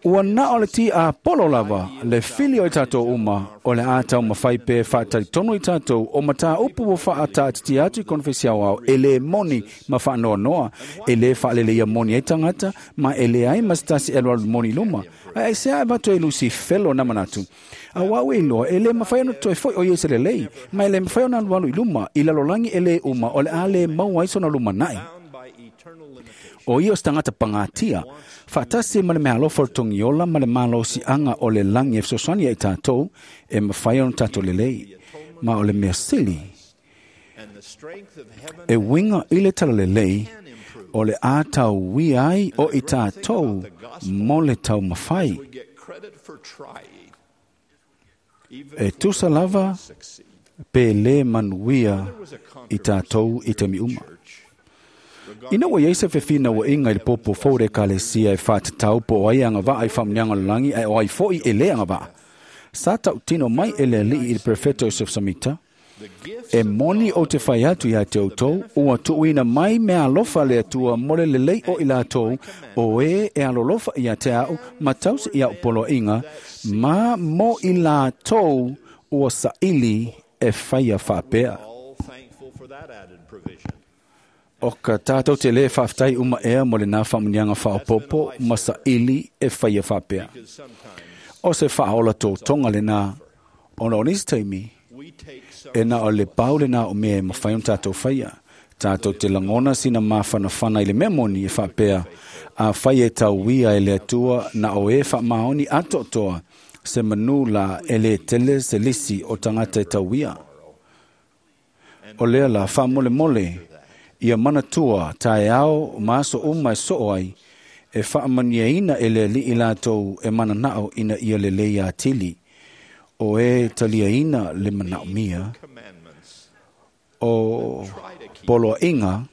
Ua na o le ti a polo lava, le fili o i tātou uma, o le a tau mawhai pe whātaritonu i tātou, o matā upu o whaata atu i konfesi au au, e le moni ma whaanoa noa, e le whaalele ia moni e tangata, ma e le ai masitasi e loalu moni luma. Ai se a vato e lusi felo na manatu. A wau e loa, e le mawhai ono toi foi o iese le lei, ma e le mawhai ona alu alu i luma, i lalolangi e le uma, o le a le mau aiso na luma nai. O ia o tangata pangatia, whaatasi ma le mea alofa o le tongiola ma le malosi anga o le langi e fesoasoani ai tātou, e mawhai ono tātou lelei, ma o le mea sili. E winga i le tala lelei, o le a tau wia ai o i tātou mo le tau mawhai. E tusa lava pe le manuia i tātou i te miuma. Ina ua iai se fefina ua inga i le popo fou le ekalesia e whātatau po o ai anga vaa i whamunianga o le langi ai o ai foi e le anga vaa. Sa tau tino mai e le alii i le prefeto Joseph Samita, e moni o te whai atu ia te outou, ua tuuina mai mea alofa le atua mo le lelei o i lātou, o e e alolofa ia te au, ma tausi ia upolo inga, ma mo i lātou ua saili e whaia whapea. O ka tātou te le whaftai uma ea mo le nā whamunianga whaopopo, ma saili e whaia whapea. O se whaola tō tonga le nā, ona o nisi taimi, e nā o le pau le nā o mea e mawhai o tātou whaia. Tātou te langona sina mawhanawhana i le mea moni e whapea, a whai e tauia e le atua na o e wha maoni atotoa, se manu la e le tele se lisi o tangata e tauia. O lea la wha mole mole, ia manatua tae ao maaso uma e soo ai, e whaamaniaina e le li'i lātou e mananao ina ia le lei atili, o e taliaina le manao mia, o poloa inga,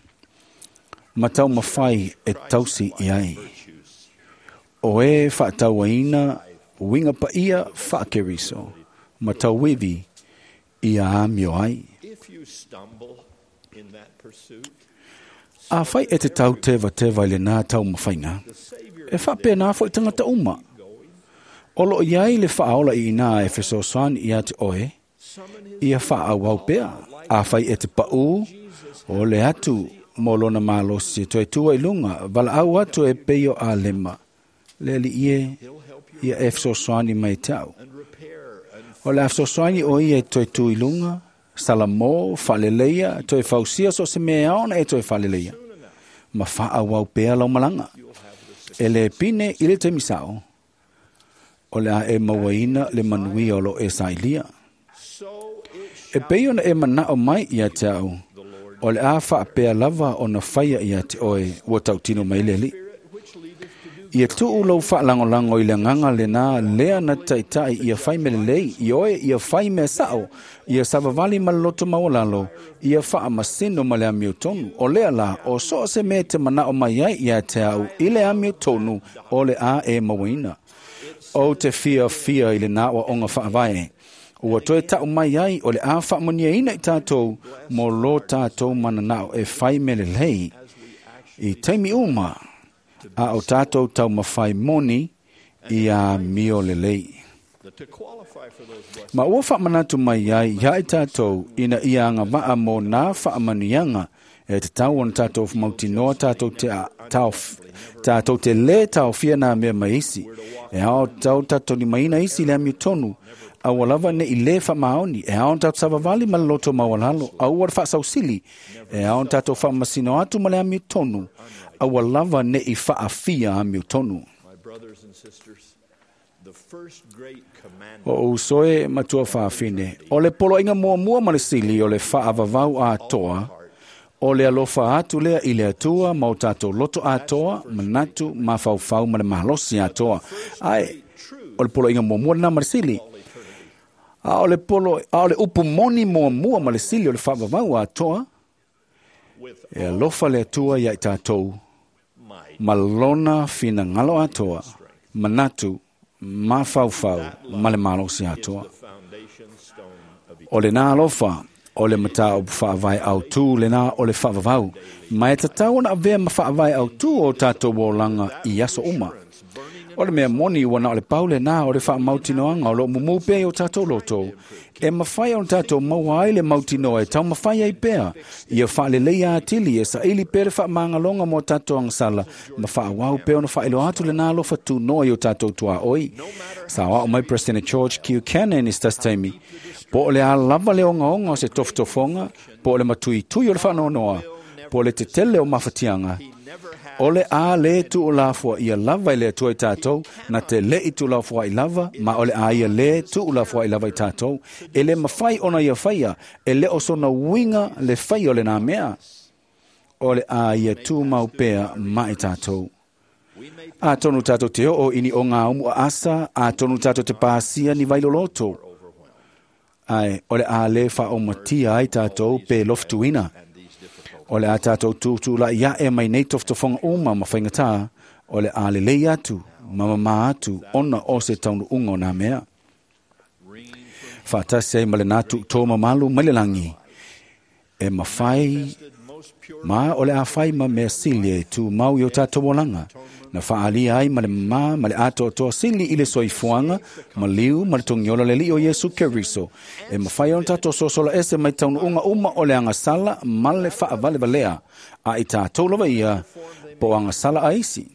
matau mawhai e tausi i ai. O e whaatauaina winga paia whaakeriso, matau wivi ia amio ai. A whai e te tau tewa tewa i le nā tau mawhainga, e whapea nā fo i tangata uma. Olo iai le whaola i nā e fesoasoani ia te oe, ia whaawau pea. A whai e te pau, o le atu mō lona malosi toe tua i lunga, wala au atu e peio a lema. Le ali ie, ia e fesoasoani mai te au. O le a fesoasoani o ia e toe tu i lunga, Salamo, whaleleia, toe fausia so se mea ona e toe whaleleia. Ma whaawau pea lau malanga. E le pine i le temisao, o le a e mauaina le manuia o lo e sailia. E pei ona e manao mai ia te au, o le a whaapea lava o na whaia ia te oe ua tautino mai leli. Ia tuu lau whaalangolango i le nganga le nā lea na taitai ia whai me lelei, i oe ia whai me sao, ia savavali ma loto maualalo, ia whaamasino ma le amio tonu. O lea la, o so se me te manao mai ai ia te au i le amio tonu o le a e mauaina. O te fia fia i le nā wa onga whaavae. Ua toe tau mai ai o le a whaamonia ina i tātou mō lo tātou mananao e whai me lelei. I taimi uma, a o tātou tau mawhai moni i a mio lelei. Ma ua whaamanatu mai ai ia i tātou ina ia anga waa mō nā whaamanianga e te tau ona tātou mautinoa tātou te, a, tau, tātou te le tau fia nā mea maisi. E ao tau tātou ni maina isi le amio tonu. Aua lava ne i le whamaoni, e ao tātou savavali ma le loto maualalo, aua whaasausili, e ao tātou whaamasino atu ma le amio tonu, aua lava ne i whaafia amio tonu. O usoe matua whaafine, o le polo inga mua mua ma le sili o le whaavavau a toa, o le alofa atu lea i le atua ma o tātou loto atoa, manatu, mafaufau ma le malosi atoa. Ai, o le polo inga mua mua nā ma le sili. A o le polo, a o le upu moni mua mua ma le sili o le whaavavau atoa, e alofa le atua ia i tātou, ma lona finangalo atoa, manatu, mafaufau, ma le malosi atoa. O le nā alofa, o le matau whaavai au tū, le nā o le whaavavau. Ma e tatau ona avea ma whaavai au tū o tātou olanga i aso uma. O le mea moni ua na o le pau lenā o le faamautinoaga o loo mumū pea i o tatou loto, e mafai ona tatou maua ai le mautinoa e taumafai ai pea, ia faaleleia atili e saili pea le faamagaloga mo tatou agasala, ma faaauau pea ona faailoa atu lenā alofa tunoa i o tatou tuaoi. Saoao mai President George Q. Cannon i se tasi taimi, po o le a lava le ogaoga o se tofotofoga, po o le matuitui o le faanoanoa, po o le tetele o mafatiaga, o le a lē tuulafoaia lava i le Atua i tatou, na te leʻi tuulafoaʻi lava, ma o le a ia lē tuulafoaʻi lava i tatou. E lē mafai ona ia faia, e lē o sona uiga le faia o lenā mea. O le a ia tumau pea ma i tatou. Atonu tatou te oo i ni ogaumu aasa, atonu tatou te pasia ni vailoloto, ae o le a lē faaomatia ai tatou pe lofutuina. O le a tatou tutulai ae mai nei tofotofoga uma ma faigatā, o le a lelei atu ma mamā atu ona o se taunuuga o nā mea. Faatasi ai ma lenā tuutō mamalu mai le lagi, e mafai ma o le a fai ma mea sili e tumau i o tatou olaga, na faaalia ai ma le mamā ma le atoatoa sili i le soifuaga, ma liu ma le togiola le Alii o Iesu Keriso, e mafai ona tatou sosola ese mai taunuuga uma o le agasala ma le faavalevalea, a i tatou lava ia po o agasala a isi.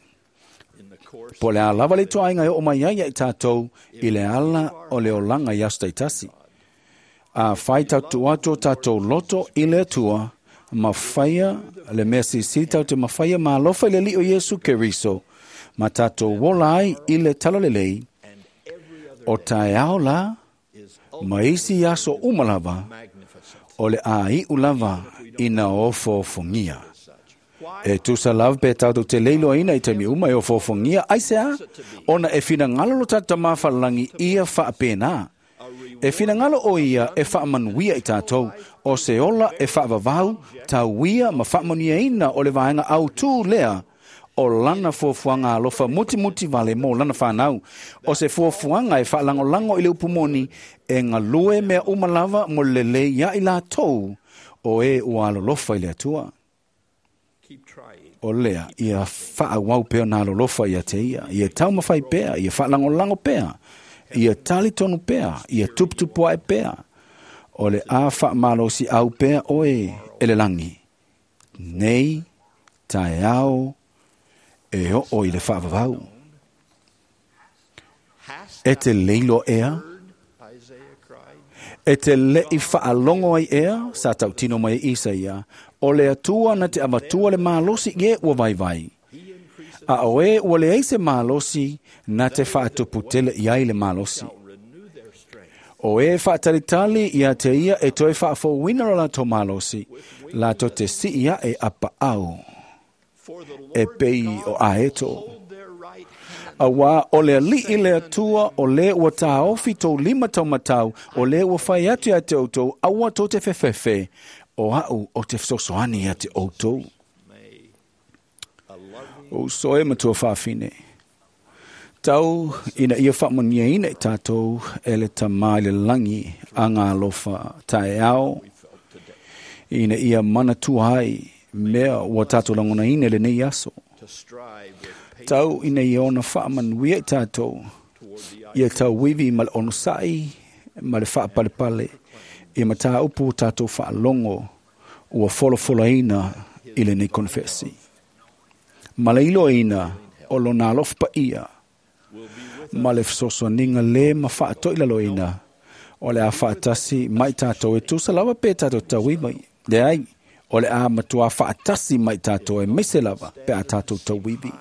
Po o le a lava le ituaiga e oo mai ai ia i tatou i le ala o le olaga i aso taitasi. A fai tatou atu o tatou loto i le Atua, ma faia le mea silisili tatou te mafaia ma alofa i le Alii o Iesu Keriso, ma tatou ola ai i le talalelei, o taeao la, ma isi aso uma lava, o le a iu lava ina ofoofogia. E tusa lava pe tatou te leiloaina i taimi uma e ofoofogia, aisea, ona e finagalo lo tatou Tamā Fa'alelagi ia faapena. E finagalo o ia e faamanuia i tatou, o se ola e faavavau, tauia ma faamanuiaina o le vaega autū lea, o lana fuafuaga alofa mutimuti vale mo lana fanau. O se fuafuaga e faalagolago i le upu moni, e galue mea uma lava mo le lelei ia i latou, o e ua alolofa i le Atua. O lea, ia faaauau pea ona alolofa ia te ia, ia taumafai pea, ia faalagolago pea, ia talitonu pea, ia tuputupuaʻe pea. O le a faamalosiau pea oe e le lagi, nei taeao e oo i le faavavau. E te leiloa ea, e te leʻi faalogo ai ea, sa tautino mai e Isaia, o le Atua na te avatua le malosi i e ua vaivai. A o e ua leai se malosi na te faatuputele i ai le malosi. O e faatalitali ia te ia e toe faafouina lo latou malosi, latou te sii aʻe a paau, e pei o aeto. Auā o le Alii le Atua o lē ua tāofi tou lima taumatau, o lē ua fai atu ia te outou, aua tou te fefefe, o aʻu o te fesoasoani ia te outou. O uso e matua faafine, tau ina ia faamanuiaina i tatou e le Tamā i le lagi aga alofa taeao, ina ia manatua ai mea ua tatou lagonaina i lenei aso. Tau ina ia ona faamanuia i tatou, ia tauivi ma le onosaʻi ma le faapalepale i mataupu ua tatou faalogo ua folafolaina i lenei konefesi. Ma le iloaina o lona alofa paia, ma le fesoasoaniga lē ma faatoilaloina, o le a faatasi mai tatou e tusa lava pe tatou tauiva. Leai, o le a matuā faatasi mai tatou e maise lava pe a tatou tauivi.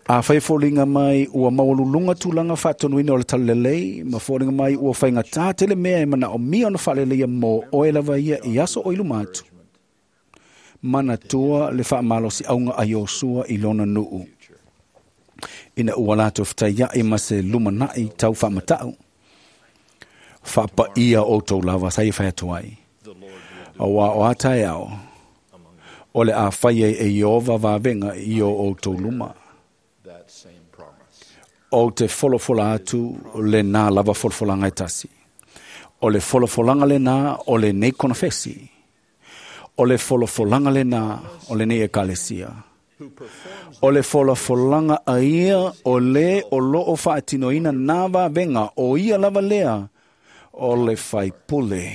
A fai foliga mai ua maualuluga tulaga faatonuina o le talalelei, ma foliga mai ua faigatā tele mea e manaomia ona faaleleia mo oe lava ia i aso o i luma atu. Manatua le faamalosiauga a Iosua i lona nuu, ina ua latou fetaiaʻi ma se lumanaʻi tau faamataʻu. Faapaia outou lava sa ia fai atu ai. Auā o a taeao, o le a fai ai e Ieova vavega i o outou luma. Ou te folafola atu lenā lava folafolaga e tasi. O le folafolaga lenā o lenei konefesi. O le folafolaga lenā o lenei ekalesia. O le folafolaga a ia o lē o loo faatinoina nā vavega o ia lava lea o le faipule,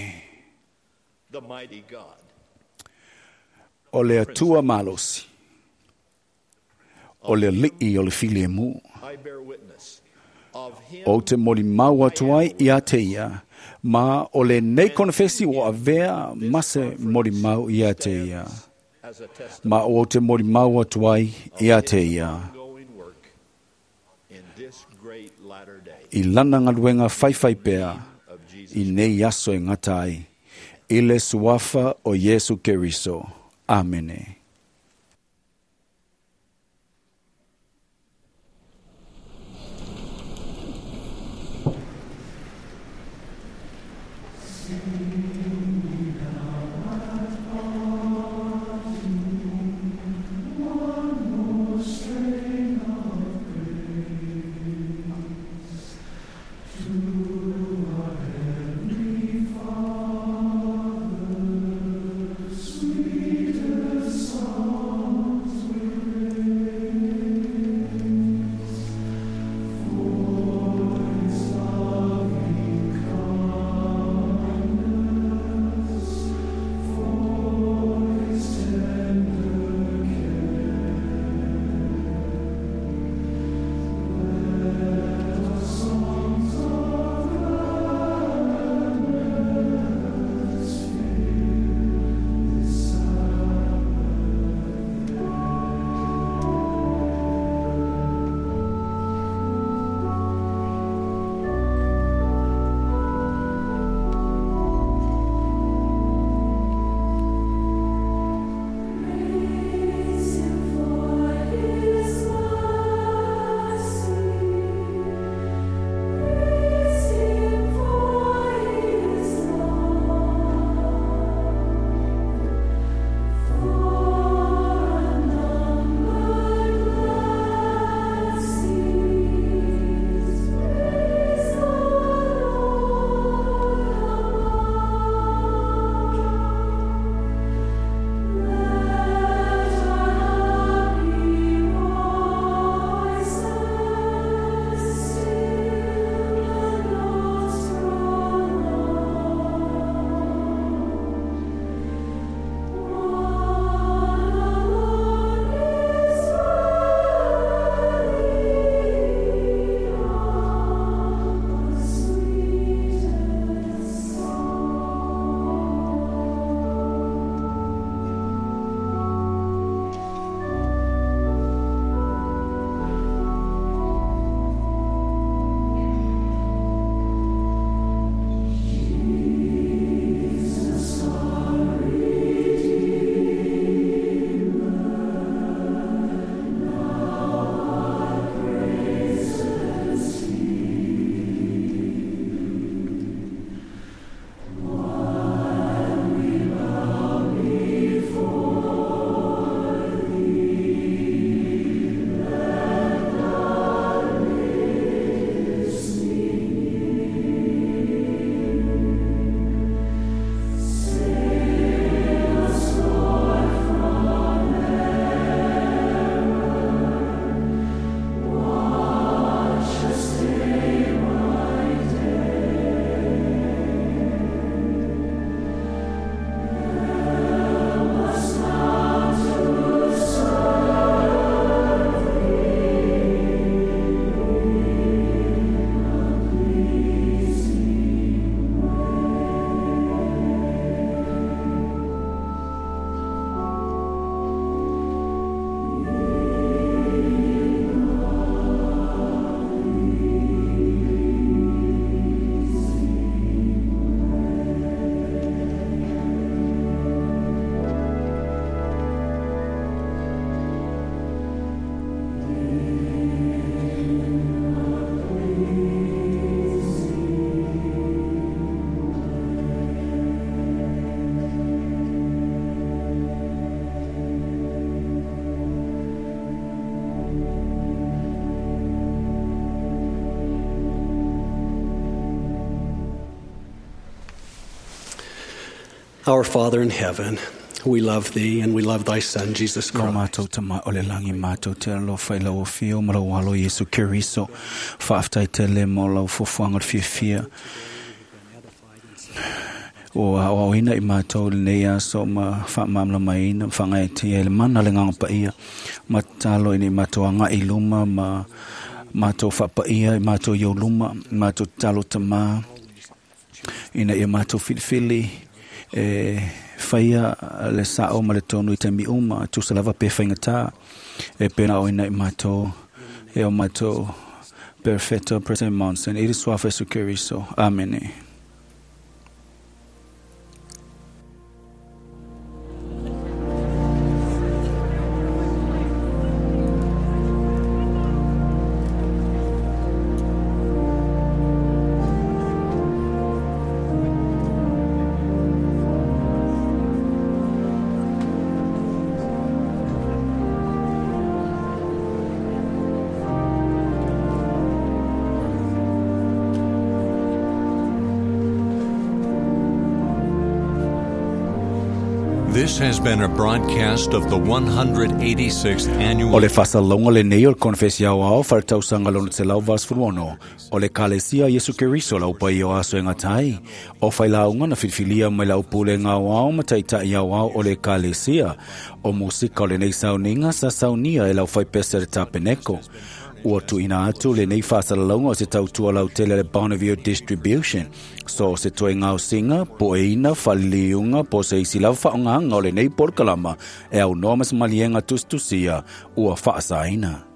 o le Atua malosi, o le Alii o le filemu. Ou te molimau atu ai ia te ia, ma o lenei konefesi ua avea ma se molimau ia te ia, ma ou te molimau atu ai ia te ia i lana galuega faifaipea i nei aso e gata ai, i le suafa o Iesu Keriso. Amene. Our Father in heaven, We love thee and we love thy Son, Jesus Lo Christ. mātou tama o le langi mātou te alofa i lau afio ma lau alo Iesu Keriso. Whaaftai te le mo lau fuafuaga o le fiafia. O a o ina i mātou lenei aso ma whaamamlamaina, whangaetia i le mana le nganga paia. Ma talo i nei mātou anga i luma, ma mātou whapaia i mātou i o luma, mātou talo tama, ina ia mātou filifili, e whaia le sao ma le tonu i te mi uma, tusa lava pe whaingata, e pena o ina i mātou, e o mātou perfecto present Monson, i le suafa Iesu Keriso. Amene. This has been a broadcast of the one hundred eighty-sixth annual O le faasalaga lenei o le konefesi aoao faletausaga lona selau valusefulu o le Ekalesia Iesu Keriso lau paia o aso e gatai o failauga na filifilia mai lau pulega aoao ma taitaʻi aoao o le Ekalesia o musika o lenei sauniga sa saunia e lau faipese le tapeneko. Ua tuuina atu lenei faasalalauga o se tautua lautele le Bonneville Distribution. So se toe gaosiga, poeina, faliliuga, po o se isi lava faaaogaga o lenei polokalama e aunoa ma se maliega tusitusia ua faasaina.